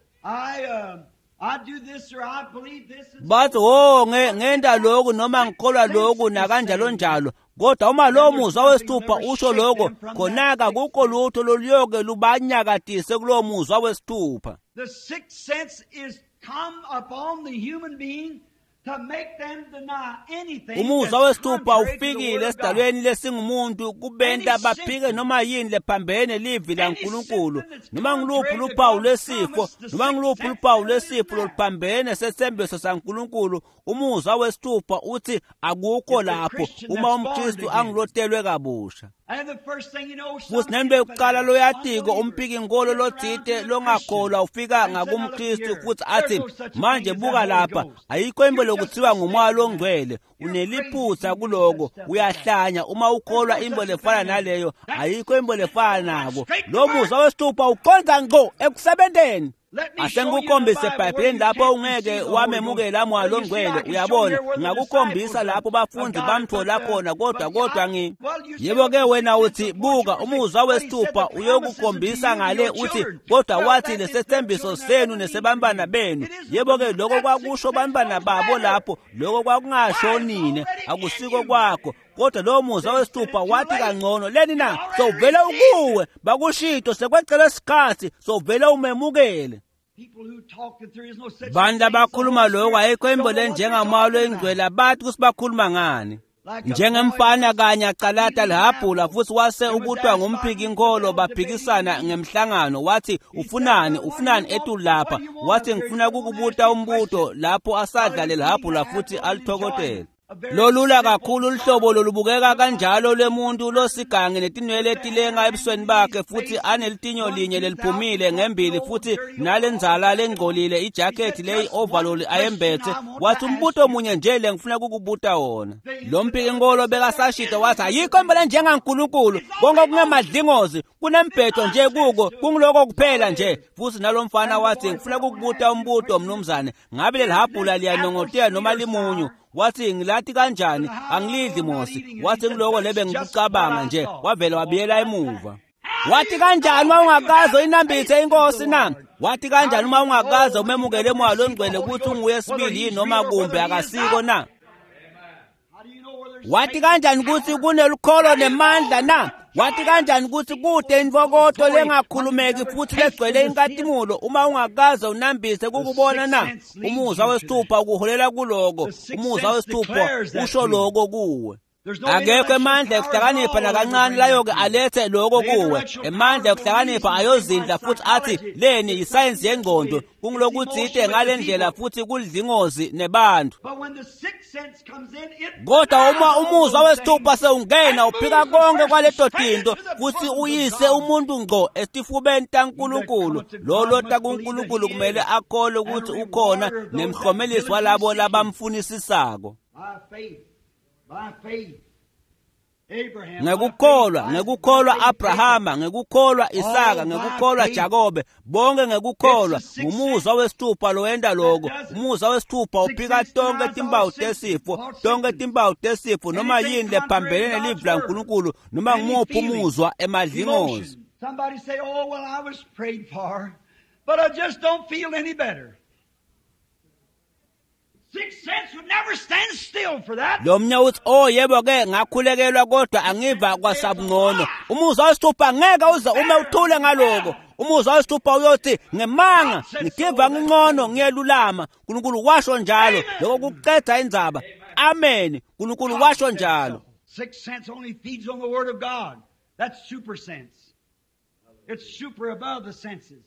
Speaker 1: I do this or I believe this." And
Speaker 2: Bathi, "Oh, ngenta lokhu noma ngikholwa lokhu nakanjalo njalo." Kodwa uma lo muzwa wesithupha usho lokho, khona-ke akukho lutho loluyoke lubanyakatise kulowo muzwa wesithupha.
Speaker 1: The sixth sense is come upon the human being to make them deny anything
Speaker 2: Umuzwa
Speaker 1: that's
Speaker 2: wesithupha
Speaker 1: contrary to the
Speaker 2: ufikile
Speaker 1: Word of God.
Speaker 2: esidalweni lesingumuntu kubenta baphike noma yini lephambene livi laNkulunkulu, noma ngiluphi luphawu lwesifo, noma ngiluphi luphawu lwesifo loluphambene sethembiso saNkulunkulu. Umuzwa wesithupha uthi akukho lapho uma umKristu angulotelwe kabusha.
Speaker 1: And the first thing you know,
Speaker 2: Futhi
Speaker 1: some
Speaker 2: nento yokuqala
Speaker 1: infidel,
Speaker 2: loyatiko
Speaker 1: unbeliever,
Speaker 2: umphiki-nkolo
Speaker 1: gets around
Speaker 2: lothite
Speaker 1: to the
Speaker 2: longakholwa
Speaker 1: Christian
Speaker 2: ufika
Speaker 1: and say, "Now look
Speaker 2: ngakumKristu
Speaker 1: here,
Speaker 2: futhi
Speaker 1: there's
Speaker 2: athi,
Speaker 1: no such
Speaker 2: manje
Speaker 1: thing as
Speaker 2: buka
Speaker 1: that Holy
Speaker 2: lapha,
Speaker 1: Ghost.
Speaker 2: ayikho into
Speaker 1: You're just
Speaker 2: lokuthiwa ngumoya
Speaker 1: mistaken.
Speaker 2: longcwele,
Speaker 1: You're
Speaker 2: uneliphutha
Speaker 1: crazy if you
Speaker 2: kuloko,
Speaker 1: believe that stuff like that.
Speaker 2: uyahlanya uma ukholwa
Speaker 1: There's no
Speaker 2: into
Speaker 1: such
Speaker 2: lefana
Speaker 1: thing as
Speaker 2: naleyo,
Speaker 1: that.
Speaker 2: ayikho into lefana nako.
Speaker 1: Straight to
Speaker 2: Lo
Speaker 1: work.
Speaker 2: muzwa wesithupha uqonda ngqo ekusebenteni.
Speaker 1: Let me show you in the
Speaker 2: Asengikukhombise
Speaker 1: Bible where
Speaker 2: eBhayibhelini
Speaker 1: you
Speaker 2: lapho
Speaker 1: can't
Speaker 2: ungeke
Speaker 1: receive the Holy Ghost.
Speaker 2: wamemukela moya
Speaker 1: Well, you see, I
Speaker 2: longcwele.
Speaker 1: can show
Speaker 2: Uyabona,
Speaker 1: here where the
Speaker 2: ngingakukhombisa
Speaker 1: disciples
Speaker 2: lapho
Speaker 1: of
Speaker 2: bafundi
Speaker 1: God,
Speaker 2: bamthola
Speaker 1: but,
Speaker 2: khona, kodwa
Speaker 1: but
Speaker 2: kodwa
Speaker 1: I,
Speaker 2: ngi
Speaker 1: well, you say,
Speaker 2: yebo ke
Speaker 1: look,
Speaker 2: wena
Speaker 1: the
Speaker 2: uthi
Speaker 1: sixth sense
Speaker 2: buka
Speaker 1: will point you
Speaker 2: umuzwa
Speaker 1: to say, but he said
Speaker 2: wesithupha
Speaker 1: the promises unto
Speaker 2: uyokukhombisa
Speaker 1: you and
Speaker 2: ngale
Speaker 1: your
Speaker 2: uthi
Speaker 1: children.
Speaker 2: kodwa
Speaker 1: Well,
Speaker 2: wathi
Speaker 1: that is their
Speaker 2: lesethembiso
Speaker 1: children that
Speaker 2: senu
Speaker 1: believe in
Speaker 2: nesebantwana
Speaker 1: you.
Speaker 2: benu.
Speaker 1: It isn't
Speaker 2: Yebo ke
Speaker 1: for you.
Speaker 2: lokho
Speaker 1: That sixth
Speaker 2: kwakusho
Speaker 1: sense
Speaker 2: bantwana
Speaker 1: knows
Speaker 2: babo
Speaker 1: better.
Speaker 2: lapho, lokho kwakungasho
Speaker 1: Why, it's
Speaker 2: nine,
Speaker 1: already in
Speaker 2: akusiko
Speaker 1: you.
Speaker 2: kwakho. Kodwa lowo muzwa
Speaker 1: They said it
Speaker 2: wesithupha
Speaker 1: too
Speaker 2: wathi
Speaker 1: late.
Speaker 2: kangcono leni
Speaker 1: You
Speaker 2: na
Speaker 1: already
Speaker 2: sowuvele
Speaker 1: received it.
Speaker 2: ukuwe bakushito sekwecela isikhathi sowuvele umemukele.
Speaker 1: People who talk that there is no such
Speaker 2: Bantu
Speaker 1: thing as the
Speaker 2: abakhuluma
Speaker 1: Holy
Speaker 2: lokho
Speaker 1: Spirit
Speaker 2: ayikho
Speaker 1: don't
Speaker 2: into
Speaker 1: know what they're
Speaker 2: lenjengamoya
Speaker 1: talking about.
Speaker 2: longcwele bathi kuthi bakhuluma ngani.
Speaker 1: Like a boy
Speaker 2: Njengemfana
Speaker 1: once
Speaker 2: kanye acalata
Speaker 1: eating an
Speaker 2: lihabhula
Speaker 1: apple
Speaker 2: futhi wase
Speaker 1: and was
Speaker 2: ubutwa
Speaker 1: asked by
Speaker 2: ngumphiki
Speaker 1: these
Speaker 2: inkolo
Speaker 1: fellows debating
Speaker 2: baphikisana
Speaker 1: Jesus.
Speaker 2: ngemhlangano wathi
Speaker 1: He said,
Speaker 2: ufunani
Speaker 1: Well, what do
Speaker 2: ufunani
Speaker 1: you want?
Speaker 2: etulu
Speaker 1: What
Speaker 2: lapha
Speaker 1: do you want
Speaker 2: wathi
Speaker 1: up here?
Speaker 2: ngifuna
Speaker 1: You want to ask
Speaker 2: kukubuta
Speaker 1: you a
Speaker 2: umbuto
Speaker 1: question.
Speaker 2: lapho
Speaker 1: While
Speaker 2: asadla
Speaker 1: he was eating
Speaker 2: lelihabhula
Speaker 1: the
Speaker 2: futhi
Speaker 1: apple and enjoying
Speaker 2: alithokotela.
Speaker 1: it. A very
Speaker 2: Lolula
Speaker 1: simple,
Speaker 2: kakhulu luhlobo
Speaker 1: sorrowful,
Speaker 2: lolubukeka
Speaker 1: looked like
Speaker 2: kanjalo lwemuntu
Speaker 1: person
Speaker 2: losigange netinwele
Speaker 1: with the
Speaker 2: etilenga
Speaker 1: hand
Speaker 2: ebusweni
Speaker 1: in
Speaker 2: bakhe
Speaker 1: his
Speaker 2: futhi
Speaker 1: face,
Speaker 2: anelitinyo
Speaker 1: one
Speaker 2: linye
Speaker 1: tooth out,
Speaker 2: leliphumile
Speaker 1: one
Speaker 2: ngembili
Speaker 1: old
Speaker 2: futhi
Speaker 1: dirty old
Speaker 2: nalenzala
Speaker 1: jacket on.
Speaker 2: lengcolile
Speaker 1: He said,
Speaker 2: ijakhethi leyi
Speaker 1: Just one
Speaker 2: overall
Speaker 1: question
Speaker 2: ayembethe
Speaker 1: I want to
Speaker 2: wathi
Speaker 1: ask
Speaker 2: umbuto
Speaker 1: you.
Speaker 2: munye nje le ngifuna kukubuta wona.
Speaker 1: The
Speaker 2: Lo
Speaker 1: infidel
Speaker 2: mphiki-nkolo
Speaker 1: said, There
Speaker 2: bekasashito
Speaker 1: is no
Speaker 2: wathi
Speaker 1: such a
Speaker 2: ayikho impela
Speaker 1: thing.
Speaker 2: njengaNkulunkulu
Speaker 1: It's
Speaker 2: konke
Speaker 1: already on you.
Speaker 2: kungemadlingozi
Speaker 1: It's
Speaker 2: kunembhedo nje
Speaker 1: nonsense
Speaker 2: kuko
Speaker 1: to it.
Speaker 2: kungiloko
Speaker 1: That's all
Speaker 2: kuphela
Speaker 1: it
Speaker 2: nje.
Speaker 1: is.
Speaker 2: Futhi nalo mfana
Speaker 1: And the
Speaker 2: wathi
Speaker 1: boy said,
Speaker 2: ngifuna
Speaker 1: I want to
Speaker 2: kukubuta
Speaker 1: ask you a
Speaker 2: umbuto
Speaker 1: question.
Speaker 2: mnumzane, ngabe
Speaker 1: Is
Speaker 2: lelihabhula
Speaker 1: this apple
Speaker 2: liyanongotela noma
Speaker 1: sweet or
Speaker 2: limunyu?
Speaker 1: sour?
Speaker 2: Wathi ngilathi kanjani
Speaker 1: Said, How do I
Speaker 2: angilidli
Speaker 1: know I'm not
Speaker 2: mosi.
Speaker 1: eating it? He
Speaker 2: Wathi
Speaker 1: said,
Speaker 2: ngiloko
Speaker 1: That's
Speaker 2: lebe
Speaker 1: just what
Speaker 2: ngikucabanga
Speaker 1: I
Speaker 2: nje
Speaker 1: thought.
Speaker 2: wavele
Speaker 1: Walked
Speaker 2: wabuyela
Speaker 1: right back.
Speaker 2: emuva.
Speaker 1: How do
Speaker 2: Wathi
Speaker 1: you
Speaker 2: kanjani
Speaker 1: know
Speaker 2: uma
Speaker 1: when you
Speaker 2: ungakaze
Speaker 1: haven't
Speaker 2: uyinambithe
Speaker 1: tasted the
Speaker 2: inkosi na?
Speaker 1: Lord?
Speaker 2: Wathi
Speaker 1: How
Speaker 2: kanjani
Speaker 1: do
Speaker 2: uma
Speaker 1: you
Speaker 2: ungakaze
Speaker 1: know when you
Speaker 2: umemukele
Speaker 1: never
Speaker 2: moya
Speaker 1: received the
Speaker 2: longcwele
Speaker 1: Holy
Speaker 2: ukuthi
Speaker 1: Ghost,
Speaker 2: unguye
Speaker 1: whether
Speaker 2: sibili yini
Speaker 1: he's
Speaker 2: noma
Speaker 1: real or
Speaker 2: kumbe
Speaker 1: whether he is
Speaker 2: akasiko
Speaker 1: not?
Speaker 2: na?
Speaker 1: How do you know where there's
Speaker 2: Wathi
Speaker 1: faith and
Speaker 2: kanjani ukuthi
Speaker 1: power?
Speaker 2: kunelukholo
Speaker 1: How do you
Speaker 2: nemandla
Speaker 1: know
Speaker 2: na?
Speaker 1: what
Speaker 2: Wathi
Speaker 1: joy,
Speaker 2: kanjani ukuthi
Speaker 1: peace,
Speaker 2: kude intokoto
Speaker 1: glory when you
Speaker 2: lengakhulumeki
Speaker 1: never
Speaker 2: futhi
Speaker 1: tasted
Speaker 2: legcwele
Speaker 1: to see it?
Speaker 2: inkatimulo uma ungakaze unambise
Speaker 1: The
Speaker 2: kukubona
Speaker 1: sixth
Speaker 2: na?
Speaker 1: sense leads
Speaker 2: Umuzwa
Speaker 1: you to that.
Speaker 2: wesithupha ukuholela kuloko.
Speaker 1: The sixth
Speaker 2: Umuzwa
Speaker 1: sense
Speaker 2: wesithupha
Speaker 1: declares that
Speaker 2: usho
Speaker 1: to you.
Speaker 2: loko kuwe.
Speaker 1: There's no
Speaker 2: Akekho
Speaker 1: intellectual
Speaker 2: emandla
Speaker 1: power at
Speaker 2: ekuhlakanipha
Speaker 1: all that'll ever
Speaker 2: nakancane
Speaker 1: bring that
Speaker 2: layoke
Speaker 1: to you.
Speaker 2: alethe lokho
Speaker 1: The
Speaker 2: kuwe.
Speaker 1: intellectual
Speaker 2: Emandla
Speaker 1: power will
Speaker 2: ekuhlakanipha
Speaker 1: reason thing
Speaker 2: ayozindla
Speaker 1: like
Speaker 2: futhi athi
Speaker 1: psychology.
Speaker 2: leni
Speaker 1: It's
Speaker 2: yisayensi
Speaker 1: something
Speaker 2: yengqondo
Speaker 1: it's
Speaker 2: kungulokuthite
Speaker 1: emotion with the
Speaker 2: ngale ndlela
Speaker 1: people.
Speaker 2: futhi kulidlingozi nebantu.
Speaker 1: But when the sixth sense comes in, it
Speaker 2: Kodwa
Speaker 1: denies
Speaker 2: uma
Speaker 1: all
Speaker 2: umuzwa
Speaker 1: those
Speaker 2: wesithupha
Speaker 1: things
Speaker 2: sewungena
Speaker 1: and
Speaker 2: uphika
Speaker 1: moves the
Speaker 2: konke
Speaker 1: person
Speaker 2: kwaleto
Speaker 1: straight
Speaker 2: tinto
Speaker 1: into the
Speaker 2: futhi
Speaker 1: bosom of
Speaker 2: uyise
Speaker 1: God.
Speaker 2: umuntu ngqo esifubeni
Speaker 1: He that
Speaker 2: taNkulunkulu.
Speaker 1: cometh to
Speaker 2: Lo
Speaker 1: God
Speaker 2: lota
Speaker 1: must believe that
Speaker 2: kuNkulunkulu
Speaker 1: he
Speaker 2: kumele
Speaker 1: is,
Speaker 2: akholwe
Speaker 1: and a
Speaker 2: ukuthi ukhona
Speaker 1: rewarder of those that
Speaker 2: nemhlomelisi
Speaker 1: diligently
Speaker 2: walabo
Speaker 1: seek him.
Speaker 2: labamfunisisako.
Speaker 1: By faith, by faith.
Speaker 2: Ngekukholwa, ngekukholwa Abrahama, ngekukholwa Isaka, ngekukholwa Jakobe, bonke ngekukholwa. Ngumuzwa wesithupha lowenta loko. Umuzwa wesithupha uphika tonke timpawu tesifo, tonke timpawu tesifo, noma yini lephambene nelivi laNkulunkulu, noma ngumuphi umuzwa emadlingozi.
Speaker 1: Somebody say, "Oh, well, I was prayed for, but I just don't feel any better." Sixth sense would never stand still for that.
Speaker 2: Lo mnye uthi, "Oh yebo ke, ngakhulekelwa kodwa angiva kwasabungcono." Umuzwa wesithupha ngeke uze ume uthule ngaloko. Umuzwa wesithupha uyothi, "Ngemanga, ngitiva ngingcono, ngiyelulama." uNkulunkulu washo njalo. Lokho kuqeda indzaba. Amen. uNkulunkulu washo njalo.
Speaker 1: Sixth sense only feeds on the word of God. That's super sense. It's super above the senses.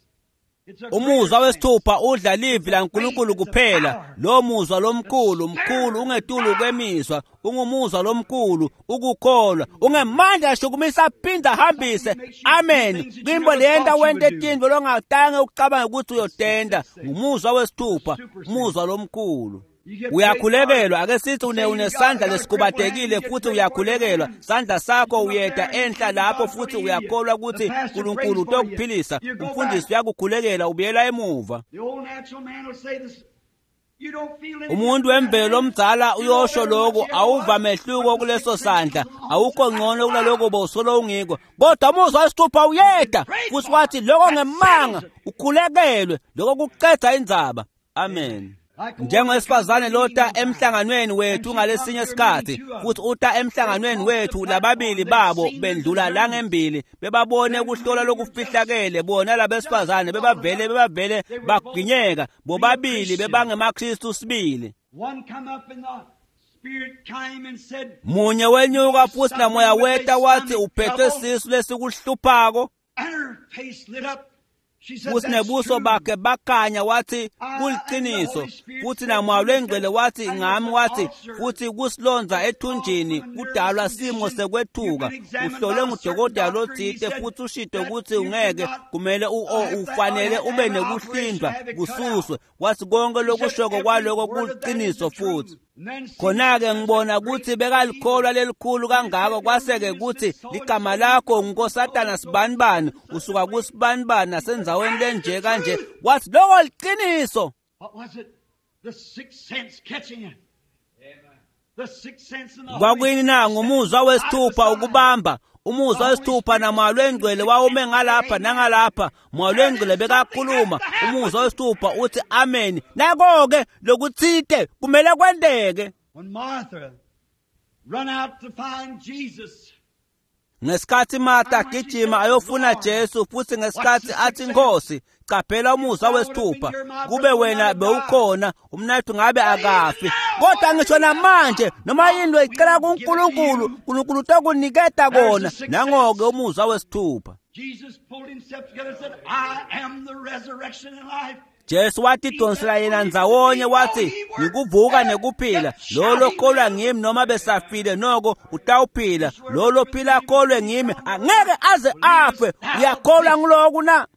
Speaker 2: Umuzwa wesithupha udla livi laNkulunkulu kuphela. Lo muzwa lomkhulu mkhulu ungetulu kwemizwa, ungumuzwa lomkhulu ukukholwa, ungemandla ashukumisa aphinda ahambise. Amen. Kwimbo leyenta wente tintfo longatange ucabange ukuthi uyotenda. Ngumuzwa wesithupha, umuzwa lomkhulu. Uyakhulekelwa, ake sithi unesandla lesikubatekile futhi uyakhulekelwa, sandla sakho uyeda enhla lapho futhi uyakholwa ukuthi uNkulunkulu utokuphilisa. Umfundisi uyakukhulekela, ubuyela emuva. Umuntu wemvelo omdala uyosho lokhu, awuva mehluko kuleso sandla, awukho ngcono kunaloko bowusolo ungiko. Kodwa umuzwa wesithupha uyeda futhi wathi lokho ngemanga, ukhulekelwe, lokho kuqeda indzaba. Amen. Njengowesifazane lota emhlanganweni wethu ngalesinye isikhathi, futhi uta emhlanganweni wethu, lababili babo bendlula la ngembili, bebabone ukuhlola lokufihlakele. Bona labesifazane bebavele baginyeka, bobabili bebangemaKristu sibili. Munye wenyuka futhi namoya weta wathi uphethwe sisu lesikuhluphako, futhi nebuso bakhe bakhanya, wathi kuliqiniso. Futhi namoya lwengcwele wathi ngami, wathi futhi kusilonza ethunjini kudalwa simo sekwethuka. Uhlolwe ngudokotela lothile futhi ushito ukuthi ungeke kumele ufanele ube nekuhlindwa kususwe. Wathi konke lokushoko kwaloko kuliqiniso. Futhi khona-ke ngibona ukuthi bekalikholwa lelikhulu kangako, kwase-ke kuthi ligama lakho ngunkosatana sibanibani, usuka kusibanibani nasendzaweni lenje kanje. Wathi loko liqiniso. Kwakuyini na? Ngumuzwa wesithupha ukubamba. Umuzwa wesithupha namoya lwengcwele wawume ngalapha nangalapha. Moya lwengcwele bekakhuluma, umuzwa wesithupha uthi amen. Nako-ke lokuthite kumele kwenteke. Ngesikhathi Martha agijima ayofuna Jesu, futhi ngesikhathi athi Nkosi, qaphela umuzwa wesithupha, kube wena bewukhona umnathu ngabe akafi. Kodwa ngisho namanje noma yini loyicela kuNkulunkulu, uNkulunkulu utokuniketa kona. Nangoke umuzwa wesithupha. Jesu watidonsela yena ndzawonye wathi, ngikuvuka nekuphila, lo lokholwa ngimi noma besafile noko utawuphila, lo lophila akholwe ngimi angeke aze afe. Uyakholwa ngiloku na?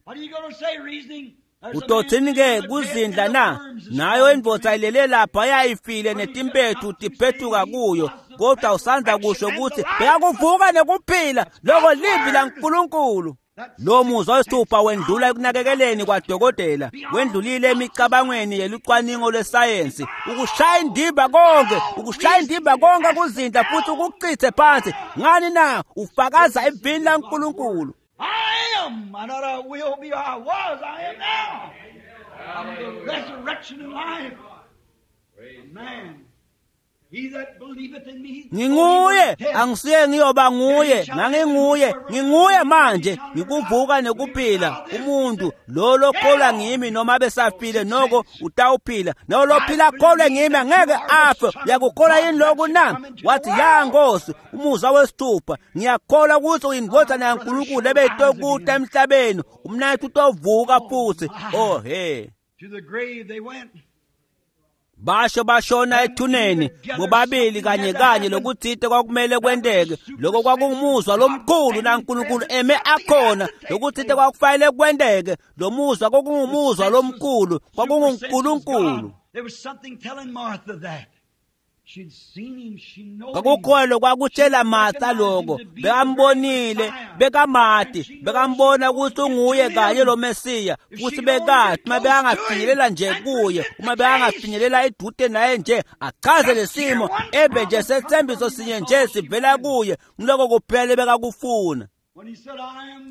Speaker 2: Utothini-ke kuzindla na? Nayo indvodza ilele lapha yayifile netimpethu tiphethuka kuyo, kodwa usandza kusho ukuthi bekakuvuka nekuphila, loko livi laNkulunkulu. Lo muzwa wesithupha wendlula ekunakekeleni kwadokotela, wendlulile emicabangweni yelucwaningo lwesayensi, ukushaya indimba konke, ukushaya indimba konke kuzindla futhi ukuchithe phansi. Ngani na? Ufakaza evini laNkulunkulu.
Speaker 1: I am. I not I will be, I was, I am now. I'm the resurrection and life. Man.
Speaker 2: Nginguye, angisiye ngiyoba nguye, nganginguye, nginguye manje, ngikuvuka nekuphila. Umuntu lo lokholwa ngimi noma besafile noko utawuphila, no lophila akholwe ngimi angeke afe. Uyakukholwa yini lokhu na? Wathi ya Nkosi. Umuzwa wesithupha, ngiyakholwa ukuthi uyindvodzana yaNkulunkulu ebeyitokuta emhlabeni, umnathu utovuka futhi. Oh he.
Speaker 1: To the grave they went.
Speaker 2: Basho bashona ethuneni bobabili kanye kanye. Lokuthite kwakumele kwenteke. Lokho kwakungumuzwa lomkhulu naNkulunkulu eme akhona. Lokuthite kwakufanele kwenteke. Lo muzwa kwakungumuzwa lomkhulu, kwakunguNkulunkulu.
Speaker 1: There was something telling Martha that.
Speaker 2: Kwakukholwa kwakutshela Martha lokho, bekambonile, bekamati, bekambona ukuthi unguye kanye lo Mesiya, futhi bekathi uma bekangafinyelela nje kuye, uma bekangafinyelela edude naye nje, achaze lesimo, ebe nje sethembiso sinye nje sivela kuye, ngiloko kuphela bekakufuna.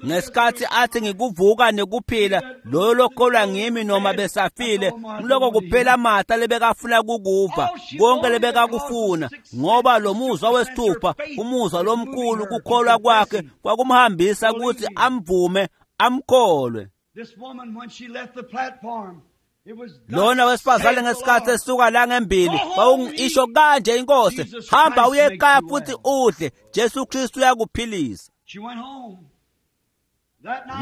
Speaker 2: Ngesikhathi athi ngikuvuka nekuphila, loyo lokholwa ngimi noma besafile, ngiloko kuphela Martha lebekafuna kukuva, konke lebekakufuna, ngoba lo muzwa wesithupha, umuzwa lomkhulu kukholwa kwakhe kwakumhambisa ukuthi amvume, amkholwe. Lona wesifazane ngesikhathi esuka la ngembili wawungisho kanje inkosi, hamba uye ekhaya futhi udle, Jesu Kristu uyakuphilisa.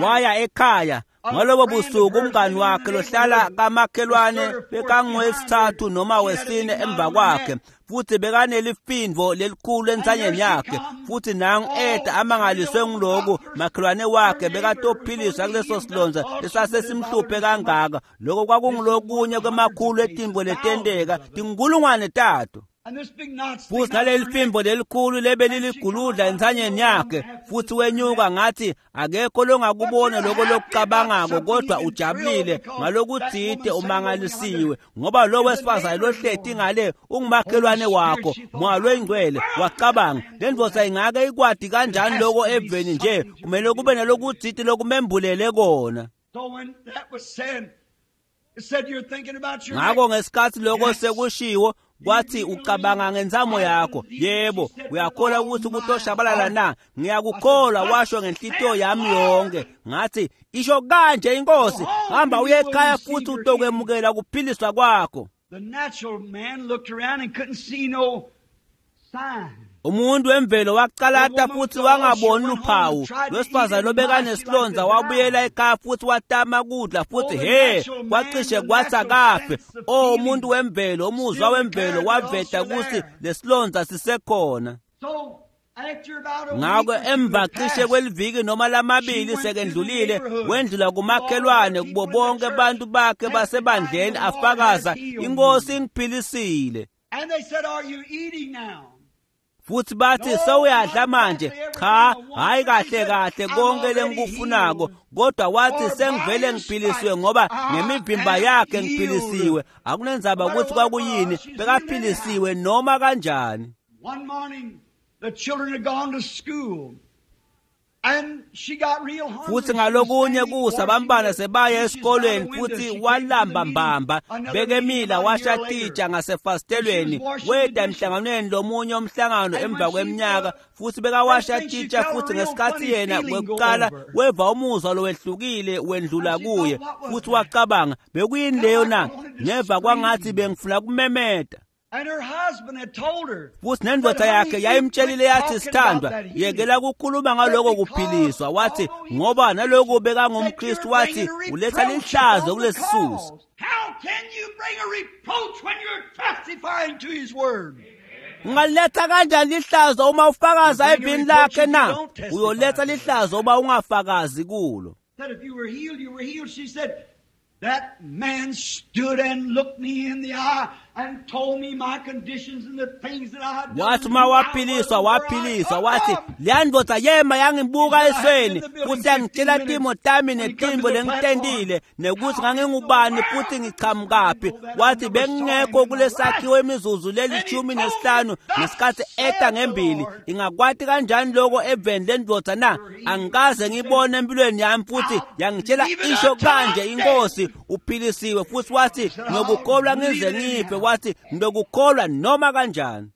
Speaker 2: Waya ekhaya ngalobo busuku umngani wakhe lohlala kamakhelwane bekangowesithathu noma wesine emva kwakhe, futhi bekanelifindvo lelikhulu entsanyeni yakhe, futhi nangu eda amangaliswe ngiloku makhelwane wakhe bekatophiliswa kuleso silonza lesasesimhluphe kangaka. Lokho kwakungulokunye kwemakhulu etintfo letenteka tinkulungwane tato. Futhi naleli fimbo lelikhulu lebeliliguludla entsanyeni yakhe, futhi wenyuka ngathi akekho longakubona lokho lokucabangako, kodwa ujabulile ngalokutsite, umangalisiwe ngoba lo wesifazane lohleti ngale ungumakhelwane wakho. Moya loyingcwele wacabanga, le ndvodza ingake ikwati kanjani loko eveni nje, kumele kube nalokutsite lokumembulele kona. Ngakho ngesikhathi lokho sekushiwo, kwathi ucabanga ngenzamo yakho, yebo, uyakholwa ukuthi kutoshabalala na? Ngiyakukholwa, washo ngenhlitiyo yami yonke. Ngathi isho kanje inkosi, hamba uye ekhaya futhi utokwemukela kuphiliswa kwakho. Umuntu wemvelo waqalata futhi wangaboni luphawu. Lwesifazane lobekanesilonza wabuyela ekhaya futhi watama kudla futhi he kwacishe kwathi akafe. O umuntu wemvelo, umuzwa wemvelo waveta ukuthi lesilonza sisekhona. Ngakho emva cishe kweliviki noma lamabili sekendlulile, wendlula kumakhelwane kubo bonke abantu bakhe basebandleni afakaza, inkosi ingiphilisile. Futhi bathi sewuyadla manje. Cha, hayi kahle kahle konke lengikufunako, kodwa wathi sengivele ngiphilisiwe ngoba ngemivimba yakhe ngiphilisiwe. Akunenzaba ukuthi kwakuyini, bekaphilisiwe noma kanjani. Futhi ngalokunye kusa bambana sebaya esikolweni, futhi walamba mbamba, bekemila washa titsha ngasefasitelweni, weda emhlanganweni lomunye umhlangano emva kweminyaka, futhi bekawasha titsha, futhi ngesikhathi yena kwekuqala weva umuzwa lowehlukile wendlula kuye, futhi wacabanga bekuyini leyo na? Neva kwangathi bengifuna kumemeta. Futhi nendvodza yakhe yayimtshelile yathi, sithandwa, yekela kukhuluma ngaloko kuphiliswa. Wathi ngoba naloku bekangumKristu, wathi uletha lihlazo kulesisusa. Ungaletha kanjani lihlazo uma ufakaza evini lakhe na? Uyoletha lihlazo uma ungafakazi kulo.
Speaker 1: That man stood and looked me in the eye and told me my conditions and the things that I had done.
Speaker 2: Wathi uma waphiliswa, waphiliswa. Wathi leya ndvodza yema yangibuka esweni futhi yangitshela timo tami netintfo lengitentile nekuthi ngangingubani futhi ngichamukaphi. Wathi bengingekho kulesakhiwo imizuzu leli-15 ngesikhathi eta ngembili. Ingakwati kanjani loko eveni lendvodza na? Angikaze ngibone empilweni yami. Futhi yangitshela isho kanje inkosi, uphilisiwe. Futhi wathi ngiyokukholwa ngize ngife. Wathi ngiyokukholwa noma kanjani.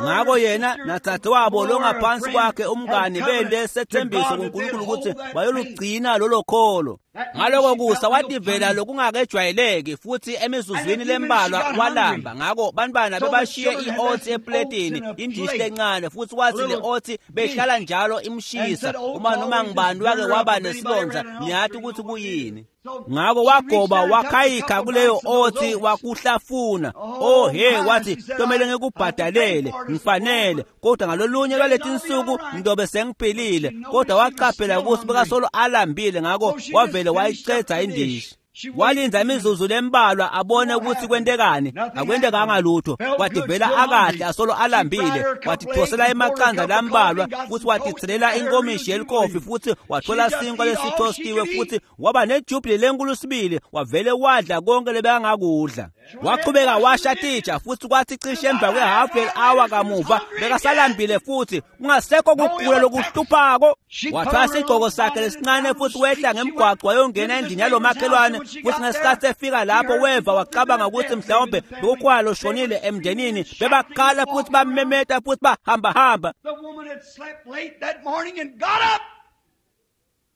Speaker 2: Ngakho yena natsathe wabo longaphansi kwakhe umngani bende sethembiso kuNkulunkulu ukuthi bayolugcina lolo kholo. Ngaloko kusa wativela lokungakejwayeleki, futhi emizuzwini lembalwa walamba. Ngakho bantwana bebashiye i-oats epletini, indishi lencane, futhi wathi le oats behlala njalo imshisa uma noma ngibani wake waba nesilonza, niyathi ukuthi kuyini. Ngakho wagoba wakhayikha kuleyo othi wakuhlafuna. Oh he, wathi tomele ngikubhadalele, ngifanele, kodwa ngalolunye lwaleti insuku ngidobe sengiphilile. Kodwa waqaphela ukuthi bekasolo alambile, ngakho wavele wayicedza indishi. Walinda imizuzu lembalwa abone ukuthi kwentekani. Akwentekanga lutho. Wativela akahle asolo alambile. Watithosela emaqanda lambalwa futhi watithelela inkomishi yelikofi futhi wathola sinkwa lesithostiwe futhi waba nejubhili lenkulu sibili. Wavele wadla konke lebekangakudla. Waqhubeka washa titsha futhi kwathi cishe emva kwe-half an hour kamuva bekasalambile futhi kungasekho kugula lokuhluphako. Wathwasa isigqoko sakhe lesincane futhi wehla ngemgwaqo wayongena endlini yalomakhelwane. Futhi ngesikhathi efika lapho weva wacabanga ukuthi mhlawumbe bekukhona loshonile emndenini. Bebakhala futhi bamemeta futhi bahambahamba.
Speaker 1: The woman had slept late that morning and got up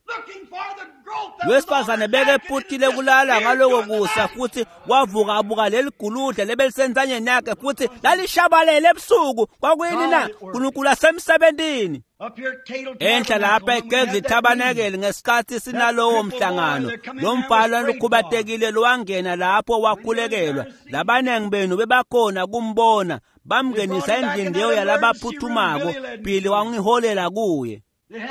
Speaker 1: looking for the growth that was on
Speaker 2: Wesifazane
Speaker 1: her neck and it
Speaker 2: bekephuthile kulala
Speaker 1: disappeared
Speaker 2: ngaloko
Speaker 1: during the
Speaker 2: kusa
Speaker 1: night.
Speaker 2: futhi wavuka abuka leli guludla lebelisenzanyeni yakhe futhi lalishabalele ebusuku. Kwakuyini na? uNkulunkulu asemsebentini.
Speaker 1: Up here at Cadle
Speaker 2: Enhla lapha
Speaker 1: Tabernacle, when we
Speaker 2: eGedli
Speaker 1: had that meeting,
Speaker 2: Tabernacle ngesikhathi sinalowo mhlangano, lo mfana lokhubatekile lowangena lapho wakhulekelwa. Labanengi benu bebakhona kumbona, bamngenisa endlini leyo yalabaphuthumako. Billy wangiholela kuye.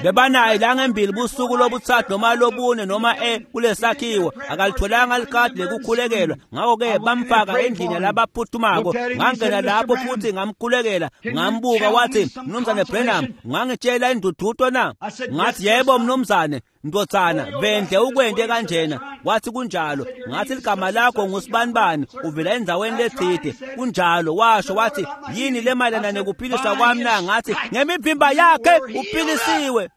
Speaker 2: Bebanaye la ngembili busuku lobuthathu noma lobune noma kulesakhiwo. Akalitholanga likhadi lekukhulekelwa, ngakho-ke bamfaka endlini yalabaphuthumako. Ngangena lapho futhi ngamkhulekela, ngambuka wathi, "Mnumzane Branham, ungangitshela indududo na?" Ngathi, "Yebo mnumzane, ndodzana, vende ukwente kanjena." Wathi, "Kunjalo." Ngathi, "Ligama lakho ngusibanibani, uvela endzaweni letsite." "Kunjalo," washo. Wathi, "Yini le mayelana nekuphiliswa kwami na?" Ngathi, "Ngemivimba yakhe uphilisiwe."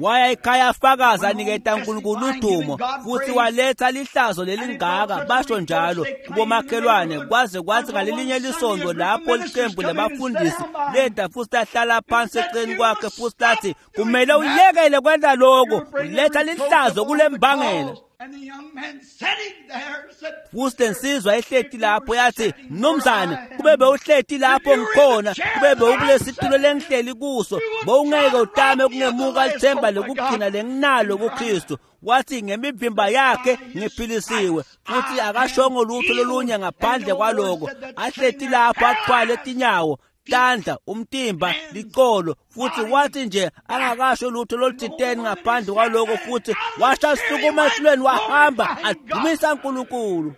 Speaker 2: Waya ekhaya afakaza aniketa uNkulunkulu udumo futhi waletha lihlazo lelingaka, basho njalo kubomakhelwane, kwaze kwathi ngalelinye lisonto lapho liqembu labafundisi leda futhi lahlala phansi eceleni kwakhe futhi lathi, "Kumele uyekele kwenta lokho, uletha lihlazo kule mbangela."
Speaker 1: And the young man sitting there said,
Speaker 2: Futhi lensizwa ehleti lapho yathi, "Mnumzane, kube bewuhleti lapho ngikhona, kube bewukulesitulo lengihleli kuso, bowungeke utame ukungemuka lithemba lekugcina lenginalo kuKristu." Wathi, "Ngemivimba yakhe ngiphilisiwe." Futhi akashongo lutho lolunye ngaphandle kwaloko. Ahleti lapho athwale tinyawo, tandla, umtimba, licolo, futhi wathi nje angakasho lutho loluthiteni ngaphandle kwaloko, futhi washa sukuma esitulweni wahamba adumisa uNkulunkulu.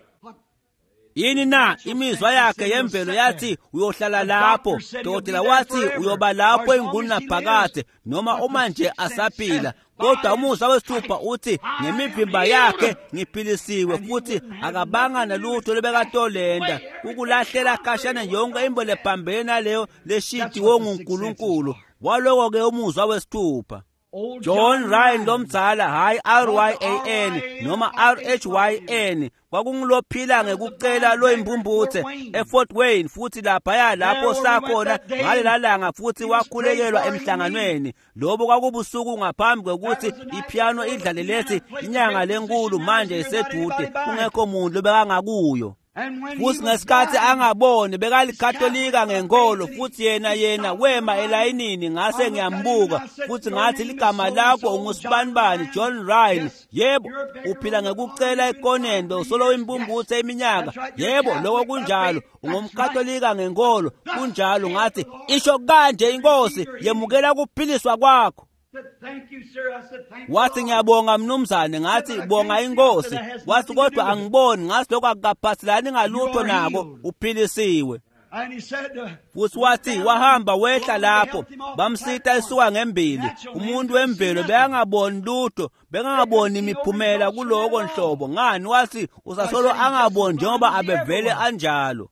Speaker 2: Yini na? Imizwa yakhe yemvelo yathi uyohlala lapho. Dokotela wathi uyoba lapho ingunaphakade noma uma nje asaphila. Kodwa umuzwa wesithupha uthi, "Ngemivimba yakhe ngiphilisiwe." Futhi akabanga nalutho lobekatolenda ukulahlela khashana yonke imbo lephambene naleyo leshitiwo nguNkulunkulu. Waloko-ke umuzwa wesithupha.
Speaker 1: Old
Speaker 2: John Ryan lomdzala, hayi R-Y-A-N noma R-H-Y-N, kwakungulophila ngekucela loyimpumputhe eFort Wayne, futhi laphaya lapho sakhona ngalela langa futhi wakhulekelwa emhlanganweni. Lobo kwakubusuku ngaphambi kwekuthi ipiano idlale lethi inyanga lenkulu manje isedude, kungekho muntu lobekangakuyo.
Speaker 1: And when he
Speaker 2: Futhi
Speaker 1: was
Speaker 2: ngesikhathi
Speaker 1: blind,
Speaker 2: angaboni bekalikatolika ngenkolo, futhi yena wema elayinini. Ngase ngiyambuka futhi ngathi, "Ligama lakho ungusibanibani?" "John Ryan." "Yebo, uphila ngekucela ekoneni, bewusolo impumputhe iminyaka." "Yebo, lokho kunjalo. Ungumkatolika ngenkolo." "Kunjalo." Ngathi, "Isho kanje inkosi, yemukela ukuphiliswa kwakho."
Speaker 1: said, "Thank you, sir." I said, "Thank
Speaker 2: Wathi,
Speaker 1: the Lord."
Speaker 2: "Ngiyabonga mnumzane." Ngathi, "Bonga inkosi." Wathi, "Kodwa angiboni." Ngathi, "Lokho akukaphathelani ngalutho nako, uphilisiwe."
Speaker 1: And he said,
Speaker 2: Futhi wathi wahamba wehla lapho, bamsita esuka ngembili. Umuntu wemvelo bekangaboni lutho, bekangaboni imiphumela kuloko nhlobo. Ngani? Wathi usasolo angaboni njengoba abevele anjalo.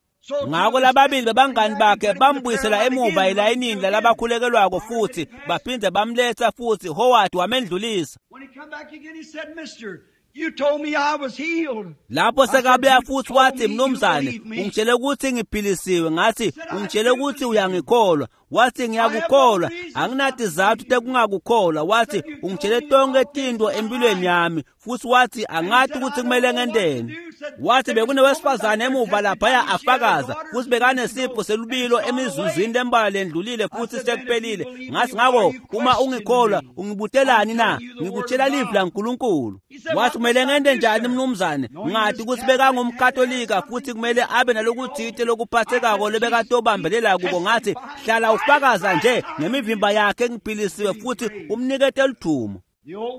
Speaker 2: Ngakho lababili bebangani bakhe bambuyisela emuva elayinini lalabakhulekelwako futhi baphinde bamletha futhi. Howard wamendlulisa.
Speaker 1: When he come back again, he said, "Mister, you told me I was healed."
Speaker 2: Lapho sekabuya futhi wathi, "Mnumzane, ungitshele ukuthi ngiphilisiwe." Ngathi, "Ungitshele ukuthi uyangikholwa." Wathi, "Ngiyakukholwa, anginatizathu tekungakukholwa." Wathi, "Ungitshele tonke tinto empilweni yami." Futhi wathi, "Angathi ukuthi kumele ngenteni." Wathi, "Bekunewesifazane emuva laphaya afakaza, futhi bekanesifo selubilo emizuzwini lembalwa lendlulile futhi sekuphelile." Ngathi, "Ngakho uma ungikholwa, ungibutelani na? Ngikutshela livi laNkulunkulu." Wathi, "Kumele ngente njani mnumzane?" Ngathi ukuthi bekangumkatolika futhi kumele abe nalokuthite lokuphathekako lebekatobambelela kuko. Ngathi, "Hlala ufakaza nje, ngemivimba yakhe ngiphilisiwe, futhi umnikete ludumo."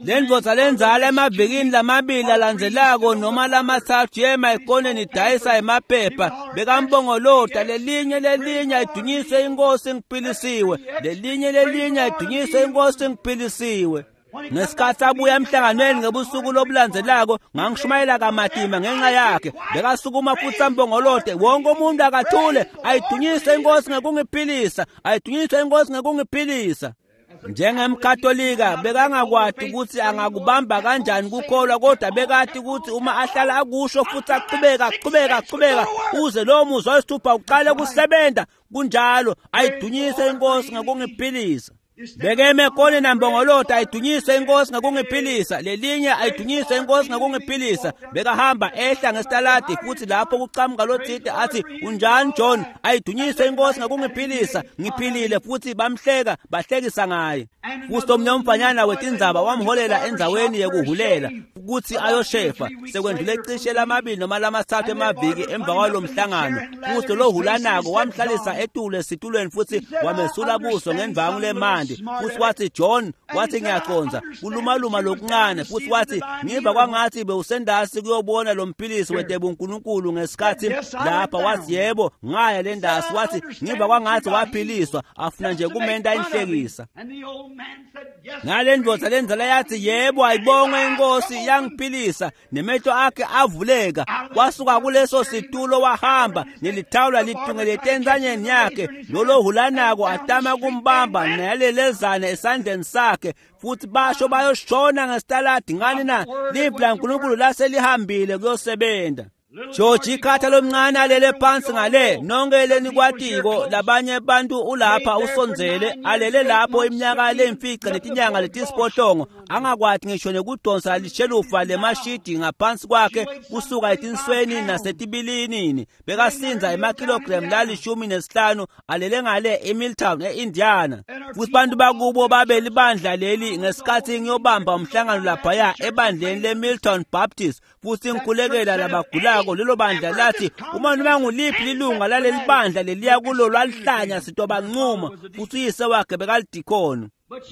Speaker 2: Lendvodza lendzala emavikini lamabili alandzelako noma lamathathu yema ekoneni idayisa emaphepha bekambongolota lelinye lelinye ayidunyise inkosi ngiphilisiwe, lelinye lelinye ayidunyise inkosi ngiphilisiwe. Ngesikhathi abuya emhlanganweni ngebusuku lobulandzelako ngangishumayela kamatima ngenxa yakhe. Bekasukuma futhi ambongolote wonke umuntu akathule, ayidunyise inkosi ngekungiphilisa, ayidunyise inkosi ngekungiphilisa. Njengemkatolika bekangakwati ukuthi angakubamba kanjani kukholwa, kodwa bekati ukuthi uma ahlala akusho futhi aqhubeka aqhubeka aqhubeka uze lowo muzwa wesithupha uqale kusebenza. Kunjalo, ayidunyise inkosi ngekungiphilisa. Bekeme ekoneni nambongolota ayidunyise inkosi ngekungiphilisa, lelinye ayidunyise inkosi ngekungiphilisa. Bekahamba ehla ngesitaladi futhi lapho kuqhamuka lothide athi unjani John, ayidunyise inkosi ngekungiphilisa, ngiphilile. Futhi bamhleka bahlekisa ngaye. Futhi omnye umfanyana wetindzaba wamholela endzaweni yekuhulela ukuthi ayoshefa. Sekwendlule cishe lamabili noma lamathathu emaviki emva kwalo mhlangano, futhi lo hulanako wamhlalisa etulo esitulweni futhi wamesula buso ngendvangu lemandi. Futhi wathi John, wathi ngiyaqonza kulumaluma lokuncane. Futhi wathi ngiva kwangathi bewusendasi kuyobona lo mphilisi wetebunkulunkulu ngesikhathi lapha. Wathi yebo, ngaya le ndasi. Wathi ngiva kwangathi waphiliswa, afuna nje kumenta inhlekisa. Ngale ndvodza lenzala yathi yebo, ayibongwe inkosi yangiphilisa. Nemehlo akhe avuleka, wasuka kuleso situlo wahamba nelithawula litungelete entsanyeni yakhe. Lolohulanako atama kumbamba nalelezane esandleni sakhe, futhi basho bayoshona ngesitaladi. Ngani na? Livi laNkulunkulu laselihambile kuyosebenza. George ikhatha lomncane alele phansi ngale, nonke lenikwatiko labanye bantu ulapha usondzele alele lapho iminyaka lemfica netinyanga letisiphohlongo, angakwati ngisho nekudonsa lishelufa lemashidi ngaphansi kwakhe kusuka etinsweni nasetibilinini. Bekasinza emakilogramu la15 alele ngale eMilltown eIndiana. Futhi bantu bakubo babe libandla leli ngesikhathi ngiyobamba umhlangano laphaya ebandleni leMilltown Baptist, futhi ngikhulekela labagulako. Lelo bandla lathi uma noma nguliphi lilunga laleli bandla leliya kulo lwalihlanya sitobancuma. Futhi uyise wakhe bekalidikhono,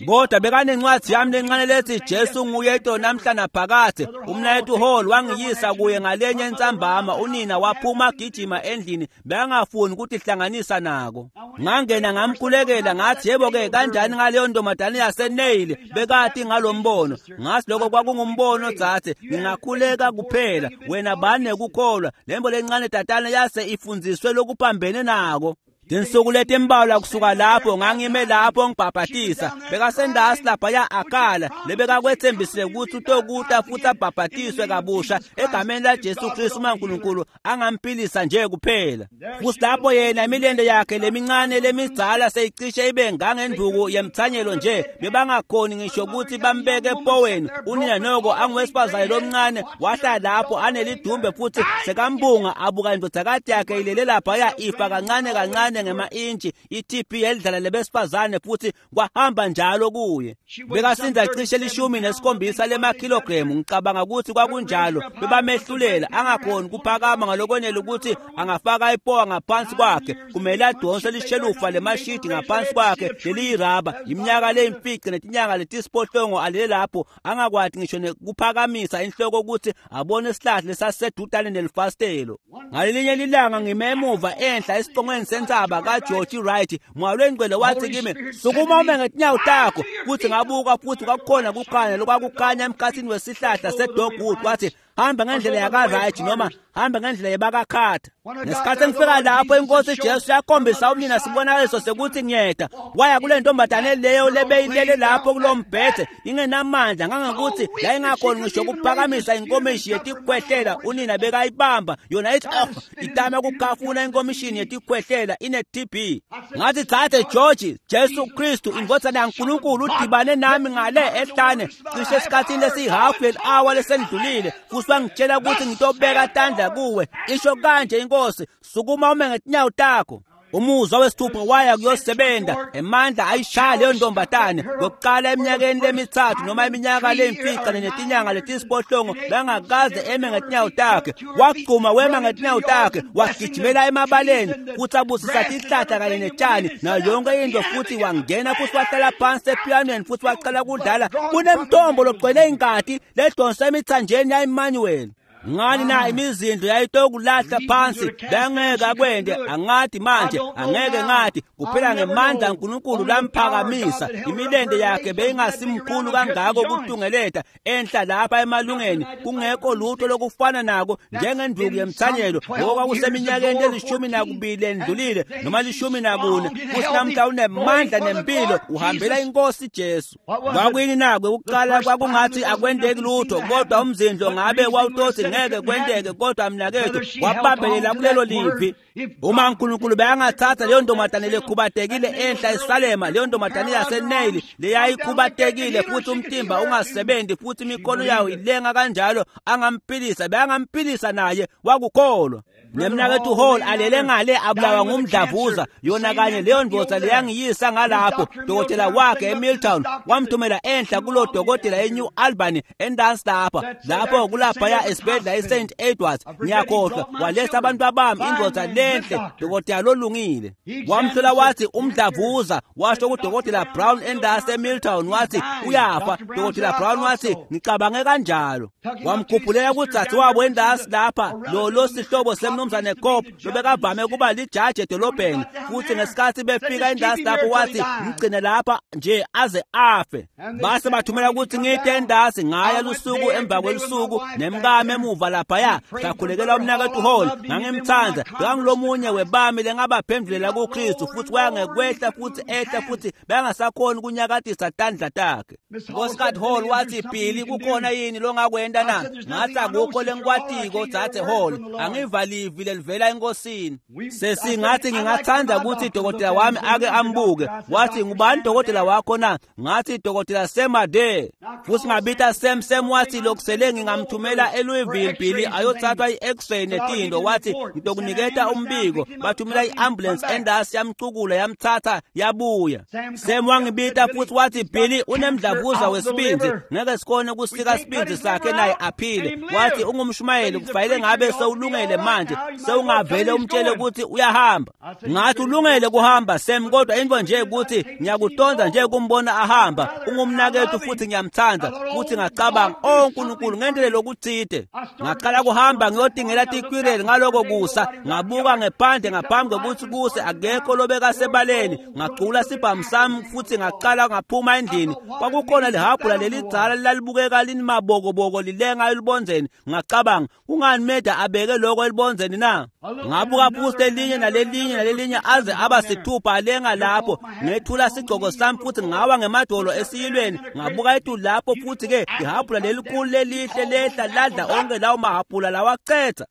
Speaker 2: kodwa bekanencwadi yami lencane lethi Jesu nguye ito namhla naphakade. Umnayethu Hall wangiyisa kuye ngalenye entsambama. Unina waphuma gijima endlini, bekangafuni ukuthi hlanganisa nako. Ngangena ngamkhulekela, ngathi yebo ke kanjani ngaleyo ntombazane yaseNeil bekati ngalombono. Ngathi lokho kwakungumbono dzadze, ngingakhuleka kuphela, wena bani nekukholwa. Lembo lencane tatana yase ifundziswe lokuphambene nako. Tinsuku letimbalwa kusuka lapho ngangime lapho ngibhabhatisa. Bekasendasi laphaya akhala lebekakwetsembisile ukuthi utokuta futhi abhabhatiswe kabusha egameni laJesu Kristu uma uNkulunkulu angamphilisa nje kuphela. Futhi lapho yena imilente yakhe lemincane lemidzala seyicishe ibe ngangenduku yemthanyelo nje, bebangakhoni ngisho ukuthi bambeke epoweni. Unina noko anguwesifazane lomncane wahlala lapho anelidumbe futhi sekambunga abuka indodakati yakhe ilele laphaya ifa kancane kancane ngema-intshi i-TB yelidlala lebesifazane, futhi kwahamba njalo kuye. Bekasinza cishe 17 lemakhilogremu, ngicabanga ukuthi kwakunjalo. Bebamehlulela angakhoni kuphakama ngalokwenele ukuthi angafaka ipowa ngaphansi kwakhe, kumele adonse lishelufa lemashidi ngaphansi kwakhe leliyiraba. Iminyaka leyimfica netinyanga letisiphohlongo alele lapho angakwati ngisho nekuphakamisa inhloko ukuthi abone isihlahla lesasisedutane nelifasitelo. Ngalelinye lilanga ngime emuva enhla esicongweni sentsaba kaGeorge Wright, moya lwengcwele wathi kimi, sukuma ume ngetinyawo takho. Futhi ngabuka futhi kwakukhona kukhanya lokwakukhanya emkhathini wesihlahla sedogwood. Wathi hamba ngendlela yakaRight noma hamba ngendlela yebakaKhatha. Ngesikhathi engifika lapho inkosi Jesu yakhombisa umnina sibonakaliso sekuthi ngiyeda. Waya kule ntombazane leyo lebeyilele lapho kulombhede ingenamandla ngangokuthi yayingakhoni ngisho ukuphakamisa inkomishi yetikhwehlela. Unina bekayibamba yona ithi oh, itama ukukhafuna inkomishini yetikhwehlela ine-TB. Ngathi dzadze George, Jesu Kristu indvodzana yaNkulunkulu udibane nami ngale ehlane cishe esikhathini lesiyihafu yeli-awa lesendlulile, futhi wangitshela ukuthi ngitobeka tandla kuwe. Isho kanje inkosi, sukuma ume ngetinyawo takho. Umuzwa wesithupha waya kuyosebenza, emandla ayishaya leyo ntombatane ngokuqala eminyakeni lemithathu noma iminyaka lemfica netinyanga letisiphohlongo bengakaze eme ngetinyawo takhe. Wagcuma wema ngetinyawo takhe, wagijimela emabaleni futhi abusisa tihlahla kanye netshani nayo yonke into, futhi wangena futhi wahlala phansi epianweni futhi waqala kudlala. Kunemthombo logcwele ingati ledonsa emithanjeni ya-Emmanuel. Ngani na imizindlo yayitokulahla phansi, bengeke akwende. Angathi manje angeke ngathi kuphela ngemandla kaNkulunkulu lamphakamisa. Imilende yakhe beyingasimkhulu kangako ukutungeleta enhla lapha emalungeni, kungekho lutho lokufana nako njengenduku yemthanyelo. Ngoba kuseminyakeni eli-12 endlulile noma 14, futhi namhla unemandla nempilo, uhambela inkosi Jesu. Kwakuyini nakwe ukuqala kwakungathi akwendeki lutho, kodwa umzindlo ngabe wawutothi ngeke kwenteke, kodwa mnakethu wabambelela kulelo livi. Uma uNkulunkulu beyangathatha leyo ntombazane lekhubatekile enhla eSalema, leyo ntombazane yaseNeyili leyayikhubatekile futhi umtimba ungasebenzi futhi imikhono yayo ilenga kanjalo, angamphilisa, beyangamphilisa naye, wakukholwa. Nemnakethu Hall alele ngale abulawa ngumdlavuza, yona kanye leyo ndoda leyangiyisa ngalapho. Dokotela wakhe eMilltown wamthumela enhla kulo dokotela eNew Albany endansi lapha lapho kulaphaya esibhedlela eSt Edwards, ngiyakhohlwa. Waletha abantu abami, indoda lenhle, dokotela lolungile. Wamhlola wathi umdlavuza, washo kudokotela Brown endasi eMilltown, wathi uyafa. Dokotela Brown wathi ngicabange kanjalo. Wamkhuphulela kudzadze wabo endasi lapha, lo sihlobo semnumzane Cope lobekavame kuba lijaji edolobheni. Futhi ngesikhathi befika endasi lapho wathi mgcine lapha nje aze afe. Base bathumela ukuthi ngide endasi, ngaya lusuku emva kwelusuku nemkami emuva laphaya, sakhulekela umnakethu Hall. Ngangimthanda, bekangulomunye webami lengabaphendulela kuKristu, futhi waya ngekwehla futhi ehla futhi bengasakhoni ukunyakatisa tandla takhe. Nkosikati Hall wathi, Billy, kukhona yini longakwenta na? Ngathi akukho lengikwatiko dzadze Hall, angivalivi lelivela enkosini. Sesingathi ngingathanda ukuthi dokotela wami ake ambuke. Wathi ngubani dokotela wakho na? Ngathi dokotela Sam Adair. Futhi ngabita Sam. Sam wathi lokusele ngingamthumela eLouisville, Billy, ayothathwa i-x-ray netindo. Wathi ngitokuniketa umbiko. Bathumela i-ambulance endasi, yamcukula, yamthatha, yabuya. Sam wangibita futhi wathi Billy, unemdlavuza wesibindi, ngeke sikhone ukusika isibindi sakhe naye aphile. Wathi ungumshumayeli, kufanele ngabe sewulungele manje, sewungavele umtshele ukuthi uyahamba. Ngathi ulungele kuhamba Sam, kodwa into nje ukuthi ngiyakutonda nje kumbona ahamba, ungumnakethu futhi ngiyamthanda. Futhi ngacabanga, oh uNkulunkulu, ngendlela lokuthide. Ngaqala kuhamba ngiyotingela tikwireli ngaloko kusa. Ngabuka ngephandle ngaphambi kokuthi kuse, akekho lobekasebaleni. Ngacula sibhamu sami futhi ngaqala ngaphuma endlini. Kwakukhona lihabhula lelidzala lalibukeka linimabokoboko lilenga elubonzeni. Ngacabanga, kungani Meda abeke lokho elubonzeni na? Ngabuka futhi lelinye nalelinye nalelinye aze aba sithupha alenga lapho. Ngethula sigcoko sami futhi ngawa ngemadolo esiyilweni. Ngabuka etulu lapho futhi ke ihabhula lelikhulu lelihle lehla ladla onke lawo mahabhula lawacetha.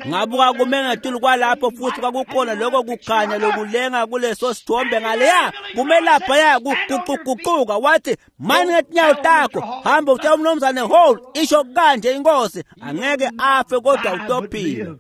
Speaker 2: Ngabuka kume ngetulu kwalapho futhi kwakukhona lokho kukhanya lokulenga kuleso sithombe ngaleya, kume laphaya kuguquguquka. Wathi mani ngetinyawo takho, hamba utshela umnumzane Hall, isho kanje inkosi, angeke afe kodwa utophila.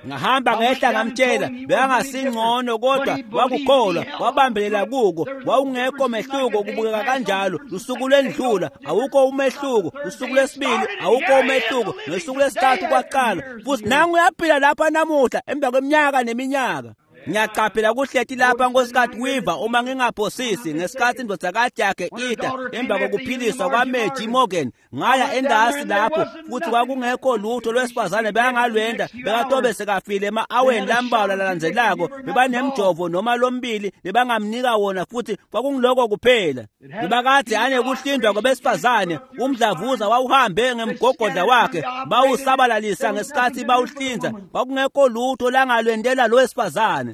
Speaker 2: Ngahamba ngehla ngamtshela, bekangasingcono kodwa wakukholwa, wabambelela kuko. Wawungekho mehluko kubukeka kanjalo. Lusuku lwendlula, awukho umehluko. Lusuku lwesibili, awukho umehluko. Ngosuku lwesithathu kwaqala, futhi nangu uyaphila lapha namuhla emva kweminyaka neminyaka. Ngiyaqaphela kuhleti lapha nkosikati Weaver, uma ngingaphosisi, ngesikhathi indodakazi yakhe ida emva kokuphiliswa kwaMeji Morgan. Ngaya endasi lapho futhi kwakungekho lutho lwesifazane bekangalwenda, bekatobe sekafile ema-aweni lambalwa lalandzelako. Bebanemjovo noma lombili bebangamnika wona futhi kwakungiloko kuphela. Bebakade anekuhlindwa kwabesifazane, umdlavuza wawuhambe ngemgogodla wakhe, bawusabalalisa ngesikhathi bawuhlinza. Kwakungekho lutho langalwendela lo wesifazane.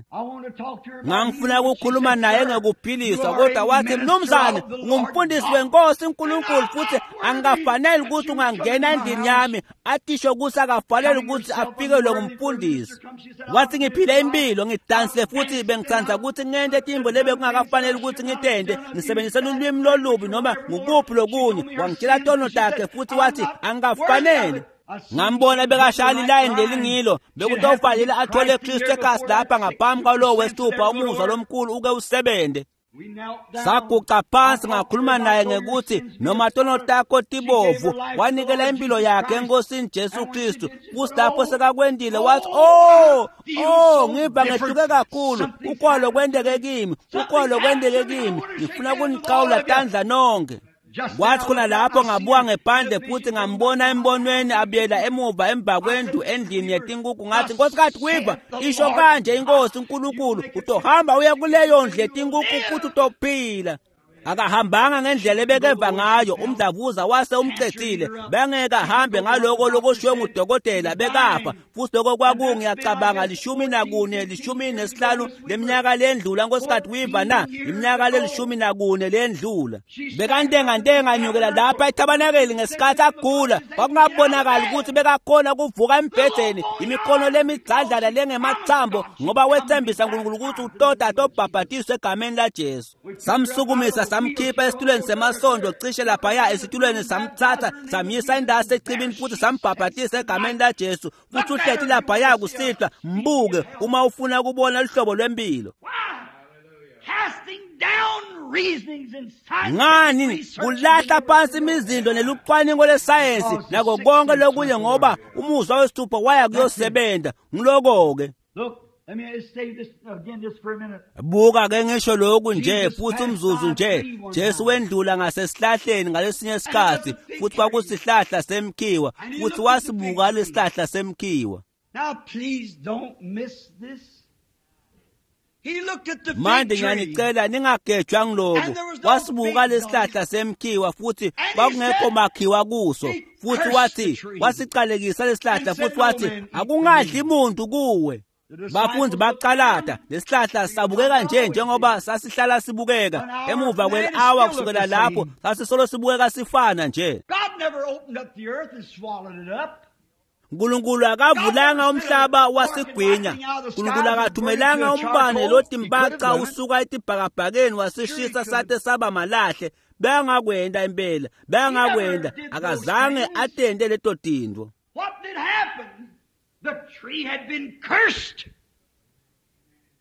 Speaker 2: Ngangifuna ukukhuluma naye ngekuphiliswa, kodwa wathi, mnumzane, ungumfundisi wenkosi uNkulunkulu futhi angikafanele ukuthi ungangena endlini yami. Atisho ukuthi akafanele ukuthi afikelwe ngumfundisi. Wathi ngiphile impilo, ngidansile futhi bengithanda ukuthi ngente tintfo lebe kungakafanele ukuthi ngitente, ngisebenzise lulwimi lolubi noma ngukuphi lokunye. Wangitshela tono takhe futhi wathi angikafanele. Ngambona bekashaya lilayini lelingilo bekutofanele athole Kristu ekhasi lapha ngaphambi kwalowo wesithupha umuzwa lomkhulu uke usebente. Saguca phansi ngakhuluma naye ngekuthi noma tono takho tibovu wanikela impilo yakhe enkosini Jesu Kristu futhi lapho sekakwendile wathi oh ngiva ngehluke kakhulu ukwalo kwenteke kimi ukwalo kwenteke kimi ngifuna kuniqhawula tandla nonke. Kwathi khona lapho ngabuka ngephandle futhi ngambona embonweni abuyela emuva emva kwendlu endlini yetinkukhu ngathi Nkosikazi Weaver isho kanje inkosi uNkulunkulu utohamba uya kuleyo ndlu yetinkukhu futhi utophila. Akahambanga ngendlela ebekeva ngayo umdlavuza wase umcedzile bengeke ahambe ngaloko lokushiwe ngudokotela bekafa futhi lokho kwakungiyacabanga 14 15 leminyaka lendlula Nkosikazi Weaver na iminyaka le-14 lendlula bekantengantenga nyukela lapha ethabanakeli ngesikhathi agula kwakungabonakali ukuthi bekakhona kuvuka embhedeni imikhono lemidzadlana lengemathambo ngoba wethembisa uNkulunkulu ukuthi utoda atobhabhatiswa egameni laJesu. Samsukumisa samkhipha esitulweni semasondo cishe laphaya esitulweni samthatha samyisa indasi echibini futhi sambhabhatisa egameni laJesu futhi uhlethi laphaya kusihlwa mbuke uma ufuna ukubona luhlobo lwempilo. Ngani kulahla phansi imizindo nelucwaningo lesayensi nako konke lokunye ngoba umuzwa wesithupha waya kuyosebenza ngiloko-ke. Buka ke ngisho lokhu nje futhi umzuzu nje Jesu wendlula ngasesihlahleni ngalesinye isikhathi futhi kwakusihlahla semkhiwa futhi wasibuka lesihlahla semkhiwa. Manje ngiyanicela ningagejwa ngiloku wasibuka lesihlahla semkhiwa futhi kwakungekho makhiwa kuso futhi wathi wasiqalekisa lesihlahla futhi wathi akungadli muntu kuwe. Bafundi baqalata lesihlahla sabukeka nje njengoba sasihlala sibukeka emuva kweli-awa kusukela lapho sasisolo sibukeka sifana nje. uNkulunkulu akavulanga umhlaba wasigwinya. uNkulunkulu akathumelanga umbane lotimbaca usuka etibhakabhakeni wasishisa sate saba malahle. Bengakwenda impela bengakwenda akazange atente leto tintfo.
Speaker 1: The tree had been cursed.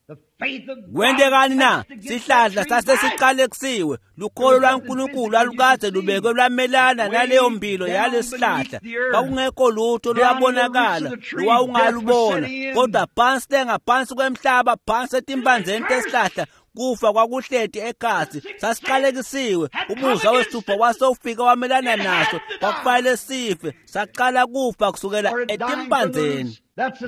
Speaker 1: The faith of
Speaker 2: Kwentekani na? Sihlahla sasesiqalekisiwe. Lukholo lwaNkulunkulu lwalukade lubekwe lwamelana naleyo mpilo yalesihlahla. Kwakungekho lutho lwabonakala lowawungalubona kodwa phansi lengaphansi kwemhlaba phansi etimbandzeni tesihlahla kufa kwakuhleti ekhatsi sasiqalekisiwe. Umuzwa wesithupha wase ufika wamelana naso kwakufanele sife saqala kufa kusukela etimbandzeni.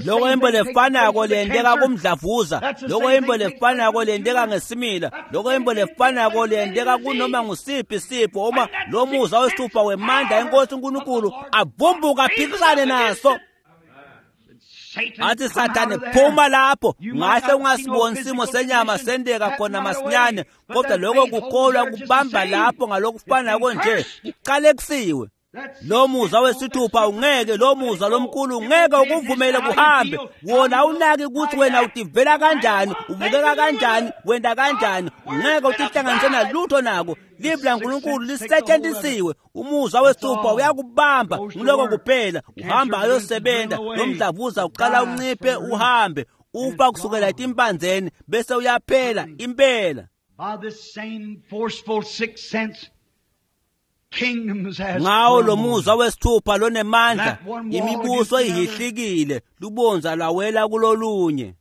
Speaker 2: Loko imbo lefanako leyenteka kumdlavuza, loko imbo lefanako leyenteka ngesimila, loko imbo lefanako leyenteka kunoma ngusiphi sifo uma lo muzwa wesithupha wemandla enkosi uNkulunkulu avumbuka aphikisane naso. Athi Sathane phuma lapho ngahle ungasiboni isimo senyama sendeka khona masinyane kodwa lokho kukholwa kubamba lapho ngalokufanako nje kuqalekisiwe. Lo muzwa wesithupha ungeke lo muzwa lomkhulu ungeke ukuvumele kuhambe wona awunaki ukuthi wena utivela kanjani ubukeka kanjani wenda kanjani ungeke utihlanganise nalutho nako. Livi laNkulunkulu lisetshenzisiwe. Umuzwa wesithupha uyakubamba ngiloko kuphela uhamba ayosebenza lo mdlavuza uqala unciphe uhambe ufa kusukela etimpanzeni bese uyaphela impela.
Speaker 1: By this same forceful sixth sense
Speaker 2: Ngawo lo muzwa wesithupha lonemandla imibuso ihihlikile lubonza lwawela kulolunye.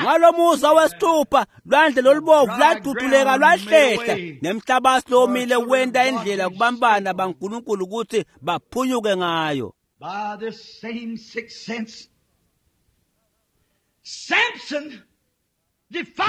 Speaker 2: Ngalo muzwa wesithupha lwandle lolubovu lwaduduleka lwahlehla nemhlabathi lomile wenta indlela kubambana baNkulunkulu ukuthi baphunyuke ngayo.
Speaker 1: By this same sixth sense Samson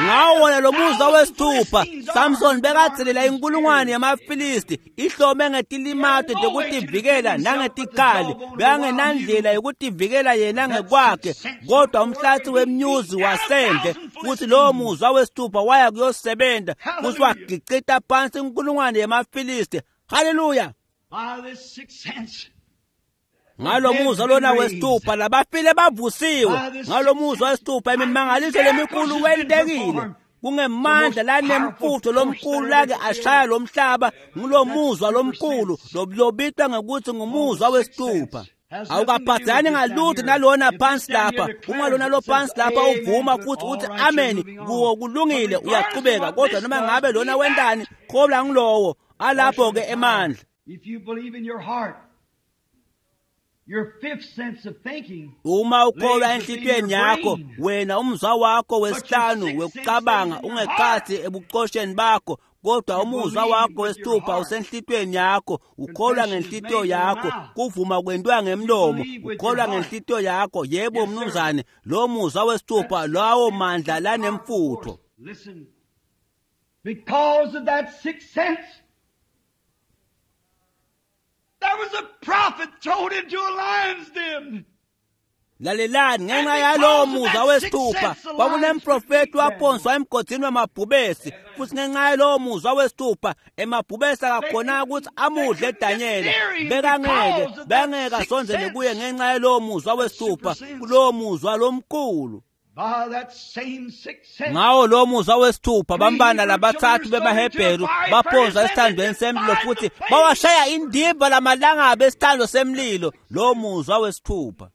Speaker 2: Ngawo wona lo muzwa wesithupha Samson bekadzelela inkulungwane yamaFilisti ihlome ngetilimato tekutivikela nangetikhali bekangenandlela yokutivikela yena ngekwakhe kodwa umhlathi wemnyuzi wasendle futhi lowo muzwa wesithupha waya kuyosebenza futhi wagicita phansi inkulungwane yamaFilisti. Haleluya! Ngalo muzwa lona wesithupha labafile bavusiwe. Ngalo muzwa wesithupha imimangaliso lemikhulu wentekile. Kungemandla lanemfutho lomkhulu lake ashaya lo mhlaba, ngulomuzwa lomkhulu lobitwa ngekuthi ngumuzwa wesithupha. Awukaphathani ngalutho nalona phansi lapha. Uma lona lo phansi lapha uvuma futhi uthi amen kuwo, kulungile, uyaqhubeka. Kodwa noma ngabe lona wentani, kholwa ngilowo alapho ke emandla.
Speaker 1: If you believe in your heart, your fifth sense of thinking,
Speaker 2: uma ukholwa enhlitiyweni yakho, wena umzwa wakho wesihlanu wekucabanga ungekhathi ebucosheni bakho, kodwa umuzwa wakho wesithupha usenhlitiyweni yakho. Ukholwa ngenhlitiyo yakho, kuvuma kwentiwa ngemlomo, ukholwa ngenhlitiyo yakho. Yebo mnumzane, lo muzwa wesithupha, lawo mandla lanemfutho.
Speaker 1: Listen, because of that sixth sense, there was a prophet thrown into a lion's den.
Speaker 2: Lalelani, ngenxa yalowo muzwa wesithupha kwakunemprofethi waphonswa emgodini wamabhubesi, futhi ngenxa yalowo muzwa wesithupha emabhubesi akakhonanga ukuthi amudle Danyela. Bekangeke bengeke asondele kuye ngenxa yalowo muzwa wesithupha, kulowo muzwa lomkhulu.
Speaker 1: By that same sixth sense,
Speaker 2: Ngawo lo muzwa wesithupha bambana labathathu bemaHebheru baphonswa esithandweni semlilo futhi bawashaya indimba lamalangabi esithando semlilo. Lo muzwa wesithupha,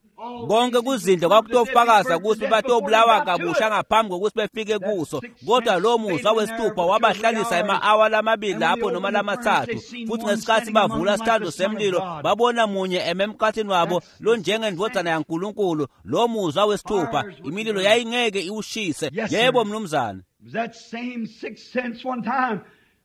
Speaker 2: konke kuzindle kwakutofakaza ukuthi batobulawa kabusha ngaphambi kokuthi befike kuso, kodwa lo muzwa wesithupha wabahlalisa ema-awa lamabili lapho noma lamathathu. Futhi ngesikhathi bavula isithando semlilo, babona munye eme emkhathini wabo lonjengendvodzana yaNkulunkulu. Lo muzwa wesithupha, imililo yayingeke iwushise. Yebo mnumzane.
Speaker 1: It was that same sixth sense one time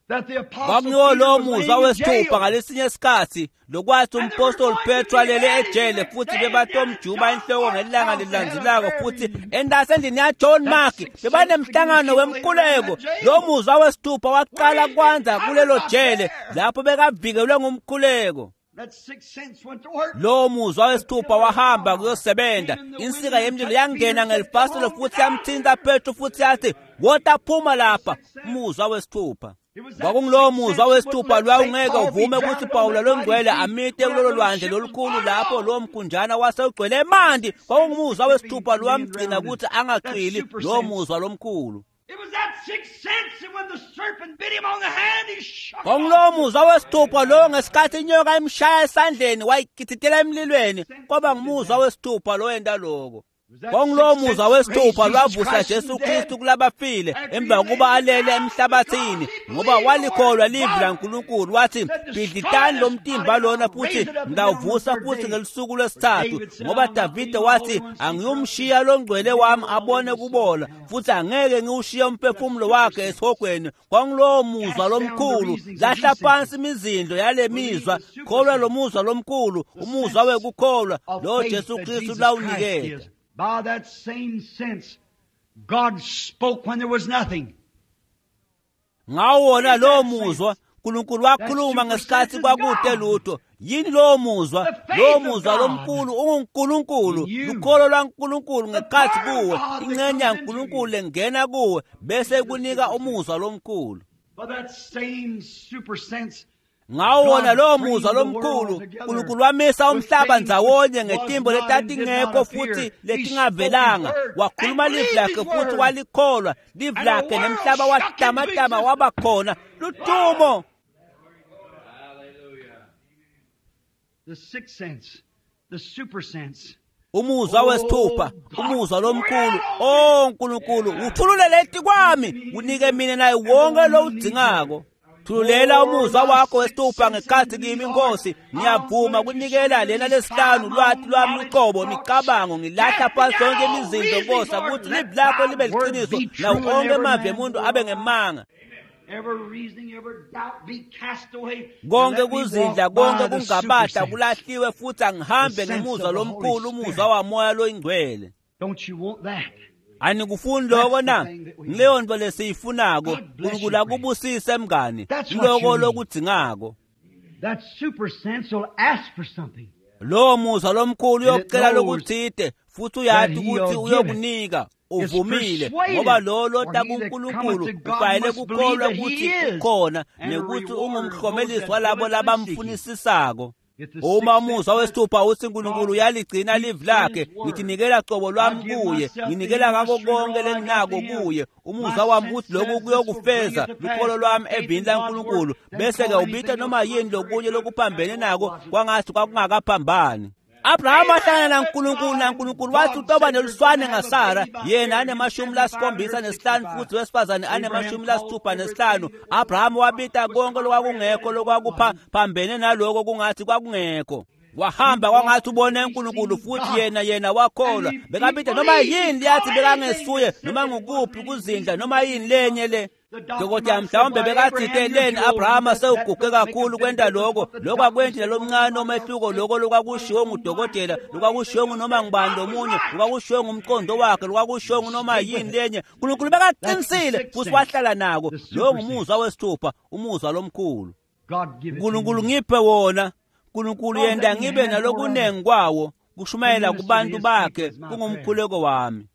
Speaker 1: that the apostle
Speaker 2: Kwakuyiwo
Speaker 1: Peter
Speaker 2: lo
Speaker 1: was
Speaker 2: muzwa
Speaker 1: laying in
Speaker 2: wesithupha
Speaker 1: jail.
Speaker 2: ngalesinye isikhathi lokwathi umpostoli Petro alele ejele futhi bebatomjuba inhloko ngelanga lilandzelako, futhi endasendlini yaJohn Mark bebanemhlangano wemkhuleko. Lo muzwa wesithupha waqala kwanza kulelo jele lapho bekavikelwe ngumkhuleko.
Speaker 1: That sixth sense went to work.
Speaker 2: Lo muzwa wesithupha wahamba kuyosebenza. Insika yemlilo yangena ngelifasitelo futhi yamthinta Petro futhi yathi, "Wota phuma lapha." Umuzwa wesithupha kwakungulowo muzwa wesithupha lwawungeke uvume ukuthi Pawula longcwele amite kulolo lwandle lolukhulu lapho lowo mkhunjana wasewugcwele emanti. Kwakungumuzwa wesithupha lowamgcina ukuthi angacwili, lowo muzwa lomkhulu.
Speaker 1: It was that sixth sense that when the serpent bit him on the hand, he shook.
Speaker 2: Kwakungulowo muzwa wesithupha lowo ngesikhathi inyoka imshaya esandleni wayigididela emlilweni. Kwaba ngumuzwa wesithupha lowenta loko. Kwakungulowo muzwa wesithupha lwavusa Jesu Kristu kulabafile emva kokuba alele emhlabathini, ngoba walikholwa livi laNkulunkulu. Wathi, "Bhidlitani lo mtimba lona futhi ngawuvusa futhi ngelusuku lwesithathu," ngoba Davide wathi, "Angiyumshiya longcwele wami abone kubola, futhi angeke ngiwushiye umphefumulo wakhe esihogweni." Kwakungulowo muzwa lomkhulu. Lahla phansi imizindlo yale mizwa, kholwa lo muzwa lomkhulu, umuzwa wekukholwa
Speaker 1: of
Speaker 2: lo
Speaker 1: faith
Speaker 2: Jesu
Speaker 1: that
Speaker 2: Kristu
Speaker 1: Jesus Christ
Speaker 2: lawuniketa.
Speaker 1: gives. By that same sense, God spoke when there was nothing.
Speaker 2: Ngawo wona lowo muzwa uNkulunkulu wakhuluma ngesikhathi kwakude lutho. Yini lowo muzwa? Lowo muzwa lomkhulu unguNkulunkulu, lukholo lwaNkulunkulu ngekhathi kuwe, ingxenye yaNkulunkulu lengena kuwe bese kunika umuzwa lomkhulu.
Speaker 1: By that same super sense,
Speaker 2: Ngawo wona lowo muzwa lomkhulu uNkulunkulu wamisa umhlaba ndzawonye ngetimbo letatingekho futhi letingavelanga. Wakhuluma livi lakhe futhi walikholwa livi lakhe, nemhlaba watamatama waba khona. Ludumo!
Speaker 1: the sixth sense, the super sense.
Speaker 2: Umuzwa wesithupha, umuzwa lomkhulu. O Nkulunkulu, uthululele etikwami, unike mina naye wonke lowudzingako. Thululela umuzwa wakho wesithupha ngekhathi kimi, Nkosi. Ngiyavuma kunikela lena lesihlanu lwati lwami luqobo, imicabango. Ngilahla phansi yonke imizindlo, Nkosi, ukuthi livi lakho libe liqiniso nawo onke emavi emuntu abe ngemanga.
Speaker 1: Every reasoning, every doubt be cast away.
Speaker 2: Konke
Speaker 1: Let me
Speaker 2: kuzindla,
Speaker 1: walk by
Speaker 2: konke
Speaker 1: the
Speaker 2: kungabata
Speaker 1: super sense.
Speaker 2: kulahliwe, futhi angihambe
Speaker 1: The sense
Speaker 2: ngemuzwa
Speaker 1: of the Holy
Speaker 2: lomkhulu, umuzwa
Speaker 1: Spirit.
Speaker 2: wamoya loyingcwele.
Speaker 1: Don't you want that?
Speaker 2: Anikufuni lokho na?
Speaker 1: That's the thing that we
Speaker 2: Ngileyo nto lesiyifunako.
Speaker 1: God bless you,
Speaker 2: Unkulunkulu akubusise mngani.
Speaker 1: That's what
Speaker 2: Lokho
Speaker 1: you need.
Speaker 2: lokudzingako.
Speaker 1: That super sense will ask for something.
Speaker 2: Lowo muzwa lomkhulu
Speaker 1: And it
Speaker 2: uyokucela
Speaker 1: knows
Speaker 2: lokuthide futhi uyati
Speaker 1: that he
Speaker 2: ukuthi
Speaker 1: will give it.
Speaker 2: uyokunika.
Speaker 1: It's
Speaker 2: Uvumile,
Speaker 1: persuaded,
Speaker 2: ngoba lo lota
Speaker 1: for he that
Speaker 2: kuNkulunkulu
Speaker 1: cometh to God
Speaker 2: kufanele
Speaker 1: must believe
Speaker 2: kukholwa
Speaker 1: that he
Speaker 2: ukuthi
Speaker 1: is,
Speaker 2: ukhona
Speaker 1: and a
Speaker 2: nekuthi
Speaker 1: rewarder of
Speaker 2: ungumhlomelisi
Speaker 1: those that
Speaker 2: walabo
Speaker 1: diligently seek him.
Speaker 2: labamfunisisako. Uma umuzwa wesithupha uthi uNkulunkulu uyaligcina livi lakhe, ngithinikela qobo lwami kuye, nginikela ngako konke lenginako kuye. Umuzwa wami uthi lokhu kuyokufeza lukholo lwami evini laNkulunkulu, bese-ke ubita noma yini lokunye lokuphambene nako kwangathi kwakungakaphambani. Abrahama ahlangana naNkulunkulu, naNkulunkulu wathi utoba neluswane ngaSara, yena ane-75 futhi wesifazane ane-65. Abrahama wabita konke lokwakungekho lokwakuphambene naloko kungathi kwakungekho. Wahamba kwangathi ubone uNkulunkulu futhi yena wakholwa. Bekabita noma yini liyathi bekangesuye noma ngukuphi kuzindla noma yini lenye le. Dokotela mhlawumbe bekathite leni Abrahama sewuguge kakhulu kwenta lokho, lokho akwenti nalomncane omehluko lokho lokwakushiwo ngudokotela, lokwakushiwo ngunoma ngubani lomunye, lokwakushiwo ngumqondo wakhe, lokwakushiwo ngunoma yini lenye. uNkulunkulu bekaqinisile futhi wahlala nako. Lo ngumuzwa wesithupha, umuzwa lomkhulu. uNkulunkulu ngiphe wona. uNkulunkulu yenda ngibe nalokunengi kwawo kushumayela kubantu bakhe kungumkhuleko wami.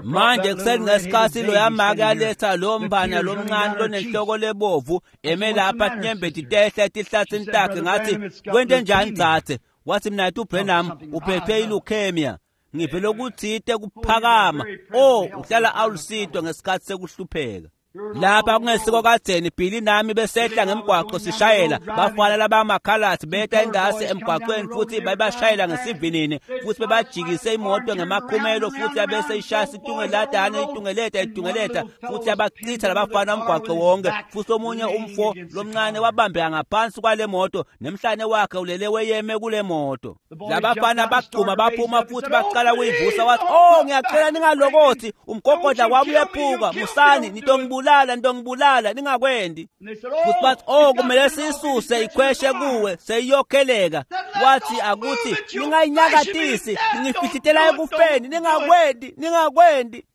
Speaker 2: Manje kuseni ngesikhathi loyamake aletha lo mbana lomncane lonenhloko lebovu eme lapha tinyembeti tehla etihlathini takhe, ngathi kwente njani dzadze? Wathi mina uBrenham uphethwe ileukemia, ngivele okuthite kuphakama. Oh, uhlala awulisitwa ngesikhathi sekuhlupheka. Lapha kungesiko kadzeni Billy nami besehla ngemgwaqo sishayela, bafana labamakhaladi beta endasi emgwaqweni futhi babashayela ngesivinini futhi bebajikise imoto ngemakhumelo futhi yabese ishaya itungeladana itungeleta futhi yabachitha labafana umgwaqo wonke. Futhi omunye umfo lomncane wabambeka ngaphansi kwale moto nemhlane wakhe ulele weyeme kule moto. Labafana bagcuma baphuma futhi baqala kuyivusa, wathi oh ngiyacela ningalokothi, umgogodla wami uyephuka, musani nitongibulala, nitongibulala, ningakwendi. Futhi bathi oh kumele siyisuse ikhweshe kuwe seyiyokheleka. Wathi akuthi ningayinyakatisi, ngifihlitela ekufeni, ningakwendi, ningakwendi.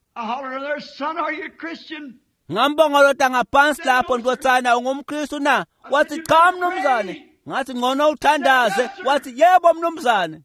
Speaker 2: Ngambongolota ngaphansi lapho, ntotsana ungumKristu na? Wathi cha mnumzane. Ngathi ngcono uthandaze. Wathi yebo mnumzane.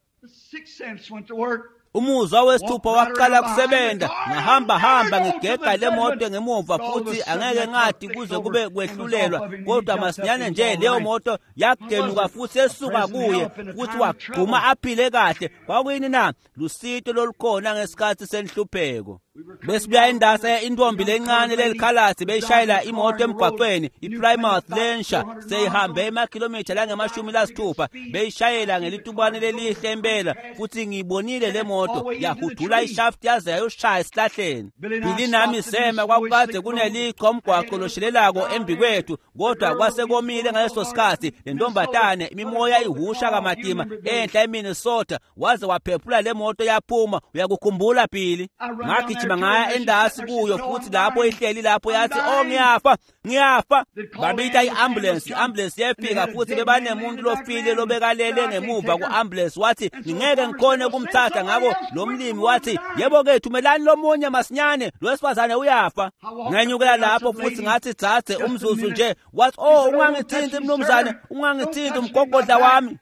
Speaker 2: Umuzwa wesithupha waqala kusebenza. Ngahamba hamba ngigega le moto ngemuva futhi angeke ngathi kuze kube kwehlulelwa, kodwa masinyane nje leyo moto yagenuka futhi esuka kuye futhi wagquma aphile kahle. Kwakuyini na? Lusito lolukhona ngesikhathi senhlupheko. Besibuya endasa intombi lencane lelikhaladi beyishayela imoto emgwaqweni iPlymouth lensha, seyihambe emakhilomitha langama-60 beyishayela ngelitubane lelihle impela, futhi ngiyibonile le moto yahudula ishaft yaze yayoshaya esihlahleni. Billy nami sema, kwakukade kunelichwa umgwaqo loshelelako embi kwethu, kodwa kwase komile ngaleso sikhathi. Le ntombatane imimoya ihusha kamatima enhla eMinnesota, waze waphephula le moto yaphuma. Uyakukhumbula Billy? Ngagijima ngaya endasi kuyo futhi lapho ihleli lapho yathi oh ngiyafa, ngiyafa. Babita i-ambulance, i-ambulance yefika futhi bebanemuntu lofile lobekalele ngemuva ku-ambulance. Wathi ngingeke ngikhone ukumthatha. Ngakho lo mlimi wathi yebo ke thumelani lomunye masinyane, lo wesifazane uyafa. Ngenyukela lapho futhi ngathi dzadze umzuzu nje. Wathi oh ungangithinti mnumzane, ungangithinti umgogodla wami.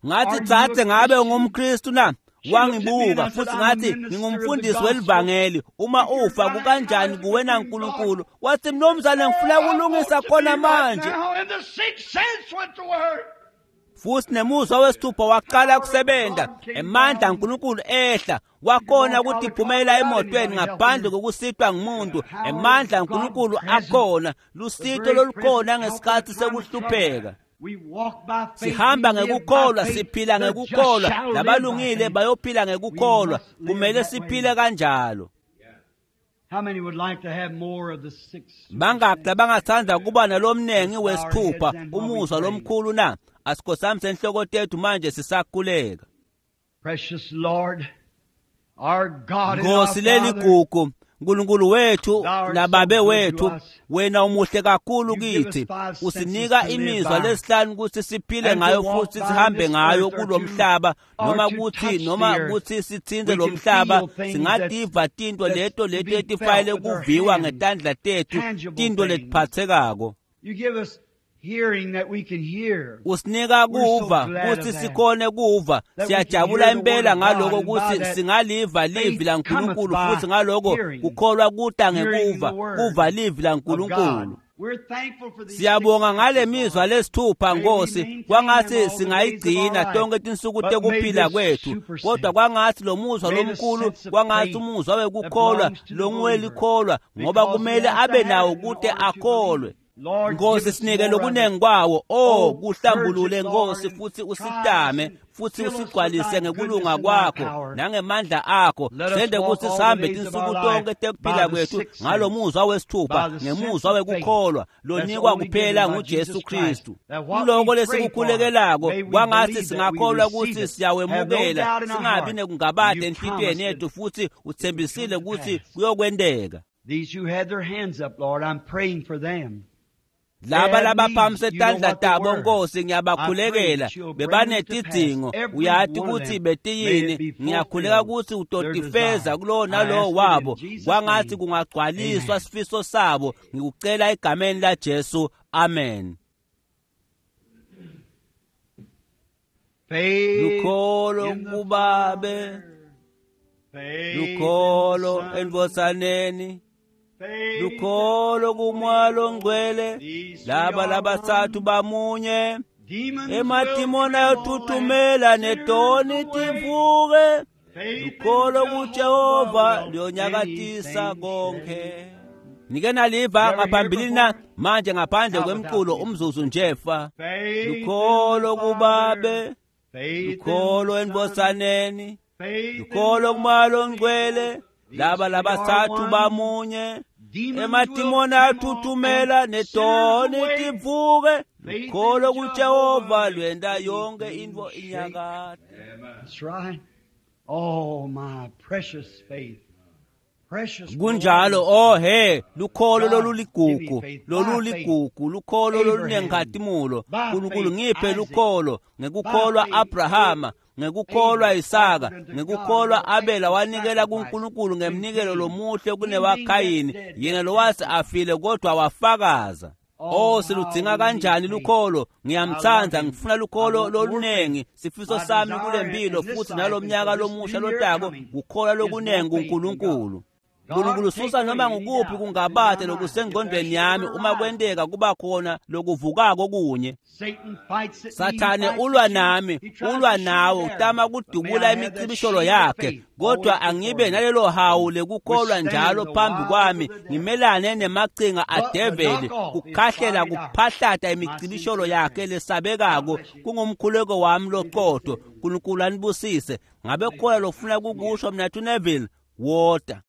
Speaker 2: Ngathi dzadze ngabe ungumKristu na? Wangibuka futhi ngathi ngingumfundisi welivangeli, uma ufa kukanjani kuwe naNkulunkulu? Wathi mnumzane ngifuna kulungisa khona manje. Futhi nemuzwa wesithupha waqala kusebenza, emandla kaNkulunkulu ehla, wakhona ukuthi iphumela emotweni ngaphandle kokusitwa ngumuntu. Emandla kaNkulunkulu akhona, lusito lolukhona ngesikhathi sekuhlupheka. Sihamba ngekukholwa, siphila ngekukholwa, labalungile bayophila ngekukholwa. Kumele siphile kanjalo. Bangaki labangathanda kuba nalomnengi wesithupha umuzwa lomkhulu na? Asikhosamise enhloko tethu manje sisakhuleka. Nkosi leligugu, Nkulunkulu wethu nababe wethu, wena umuhle kakhulu kithi. Usinika imizwa lesihlanu ukuthi siphile ngayo futhi sihambe ngayo kulomhlaba, noma kuthi sithinte lo mhlaba, singativa tinto leto leto etifayele kuviwa ngetandla tethu, tinto letiphathekako. Usinika kuva kuthi sikhone kuva. Siyajabula impela ngaloko ukuthi singaliva livi laNkulunkulu, futhi ngaloko kukholwa kuta ngekuva, kuva livi laNkulunkulu. Siyabonga ngale mizwa lesithupha Nkosi, kwangathi singayigcina tonke tinsuku tekuphila kwethu, kodwa kwangathi lo muzwa lomkhulu, kwangathi umuzwa wekukholwa longuwelikholwa, ngoba kumele abe nawo kute akholwe. Nkosi, sinike lokunengi kwawo. Oh, kuhlambulule Nkosi, futhi usitame futhi usigcwalise ngekulunga kwakho nangemandla akho. Sende ukuthi sihambe tinsuku tonke tekuphila kwethu ngalo muzwa wesithupha, ngemuzwa wekukholwa lonikwa kuphela nguJesu Kristu. Kuloko lesikukhulekelako, kwangathi singakholwa ukuthi siyawemukela, singabi nekungabade enhlitiyweni yethu, futhi uthembisile ukuthi kuyokwenteka.
Speaker 1: These who had their hands up, Lord, I'm praying for them.
Speaker 2: Laba labaphakamise tandla tabo Nkosi, ngiyabakhulekela, bebanetidzingo, uyati ukuthi betiyini. Ngiyakhuleka ukuthi utotifeza kulowo nalowo wabo, kwangathi kungagcwaliswa sifiso sabo. Ngikucela egameni laJesu, amen. Lukholo kubabe, lukholo endvodzaneni, lukholo kuMoya Longcwele, laba labatsatfu bamunye. Emadimoni ayothuthumela netoni tivuke. Lukholo kuJehova luyonyakatisa konke. Nike naliva ngaphambilini na? Manje ngaphandle kwemculo umzuzu nje fa. Lukholo kubabe, lukholo endvodzaneni, lukholo kuMoya Longcwele, laba labatsatfu bamunye. Emadimoni ayathuthumela netoni tivuke. Lukholo kuJehova lwenta yonke intfo inyakate.
Speaker 1: That's right. Oh, my precious faith. Precious.
Speaker 2: Kunjalo. Oh he, lukholo loluligugu, loluligugu, lukholo lolunenkhatimulo. Nkulunkulu ngiphe lukholo. Ngekukholwa Abrahama, ngekukholwa Isaka, ngekukholwa Abela wanikela kuNkulunkulu ngemnikelo lomuhle kunewaKhayini, yena lowase afile kodwa wafakaza. Oh, siludzinga kanjani lukholo. Ngiyamtsandza, ngifuna lukholo lolunengi. Sifiso sami kule mpilo futhi nalomnyaka lomusha lotako kukholwa lokunengi kuNkulunkulu. Nkulunkulu susa noma ngukuphi kungabade lokusengqondweni yami, uma kwenteka kuba khona lokuvukako kunye. Sathane ulwa nami, ulwa nawe, utama kudubula imicibisholo yakhe, kodwa angibe nalelo hawu lekukholwa njalo phambi kwami, ngimelane nemacinga adeveli, kukhahlela kuphahlata imicibisholo yakhe lesabekako. Kungumkhuleko wami loqotho. Nkulunkulu anibusise. Ngabe khona lofuna kukusho mnathu Neville? Wota.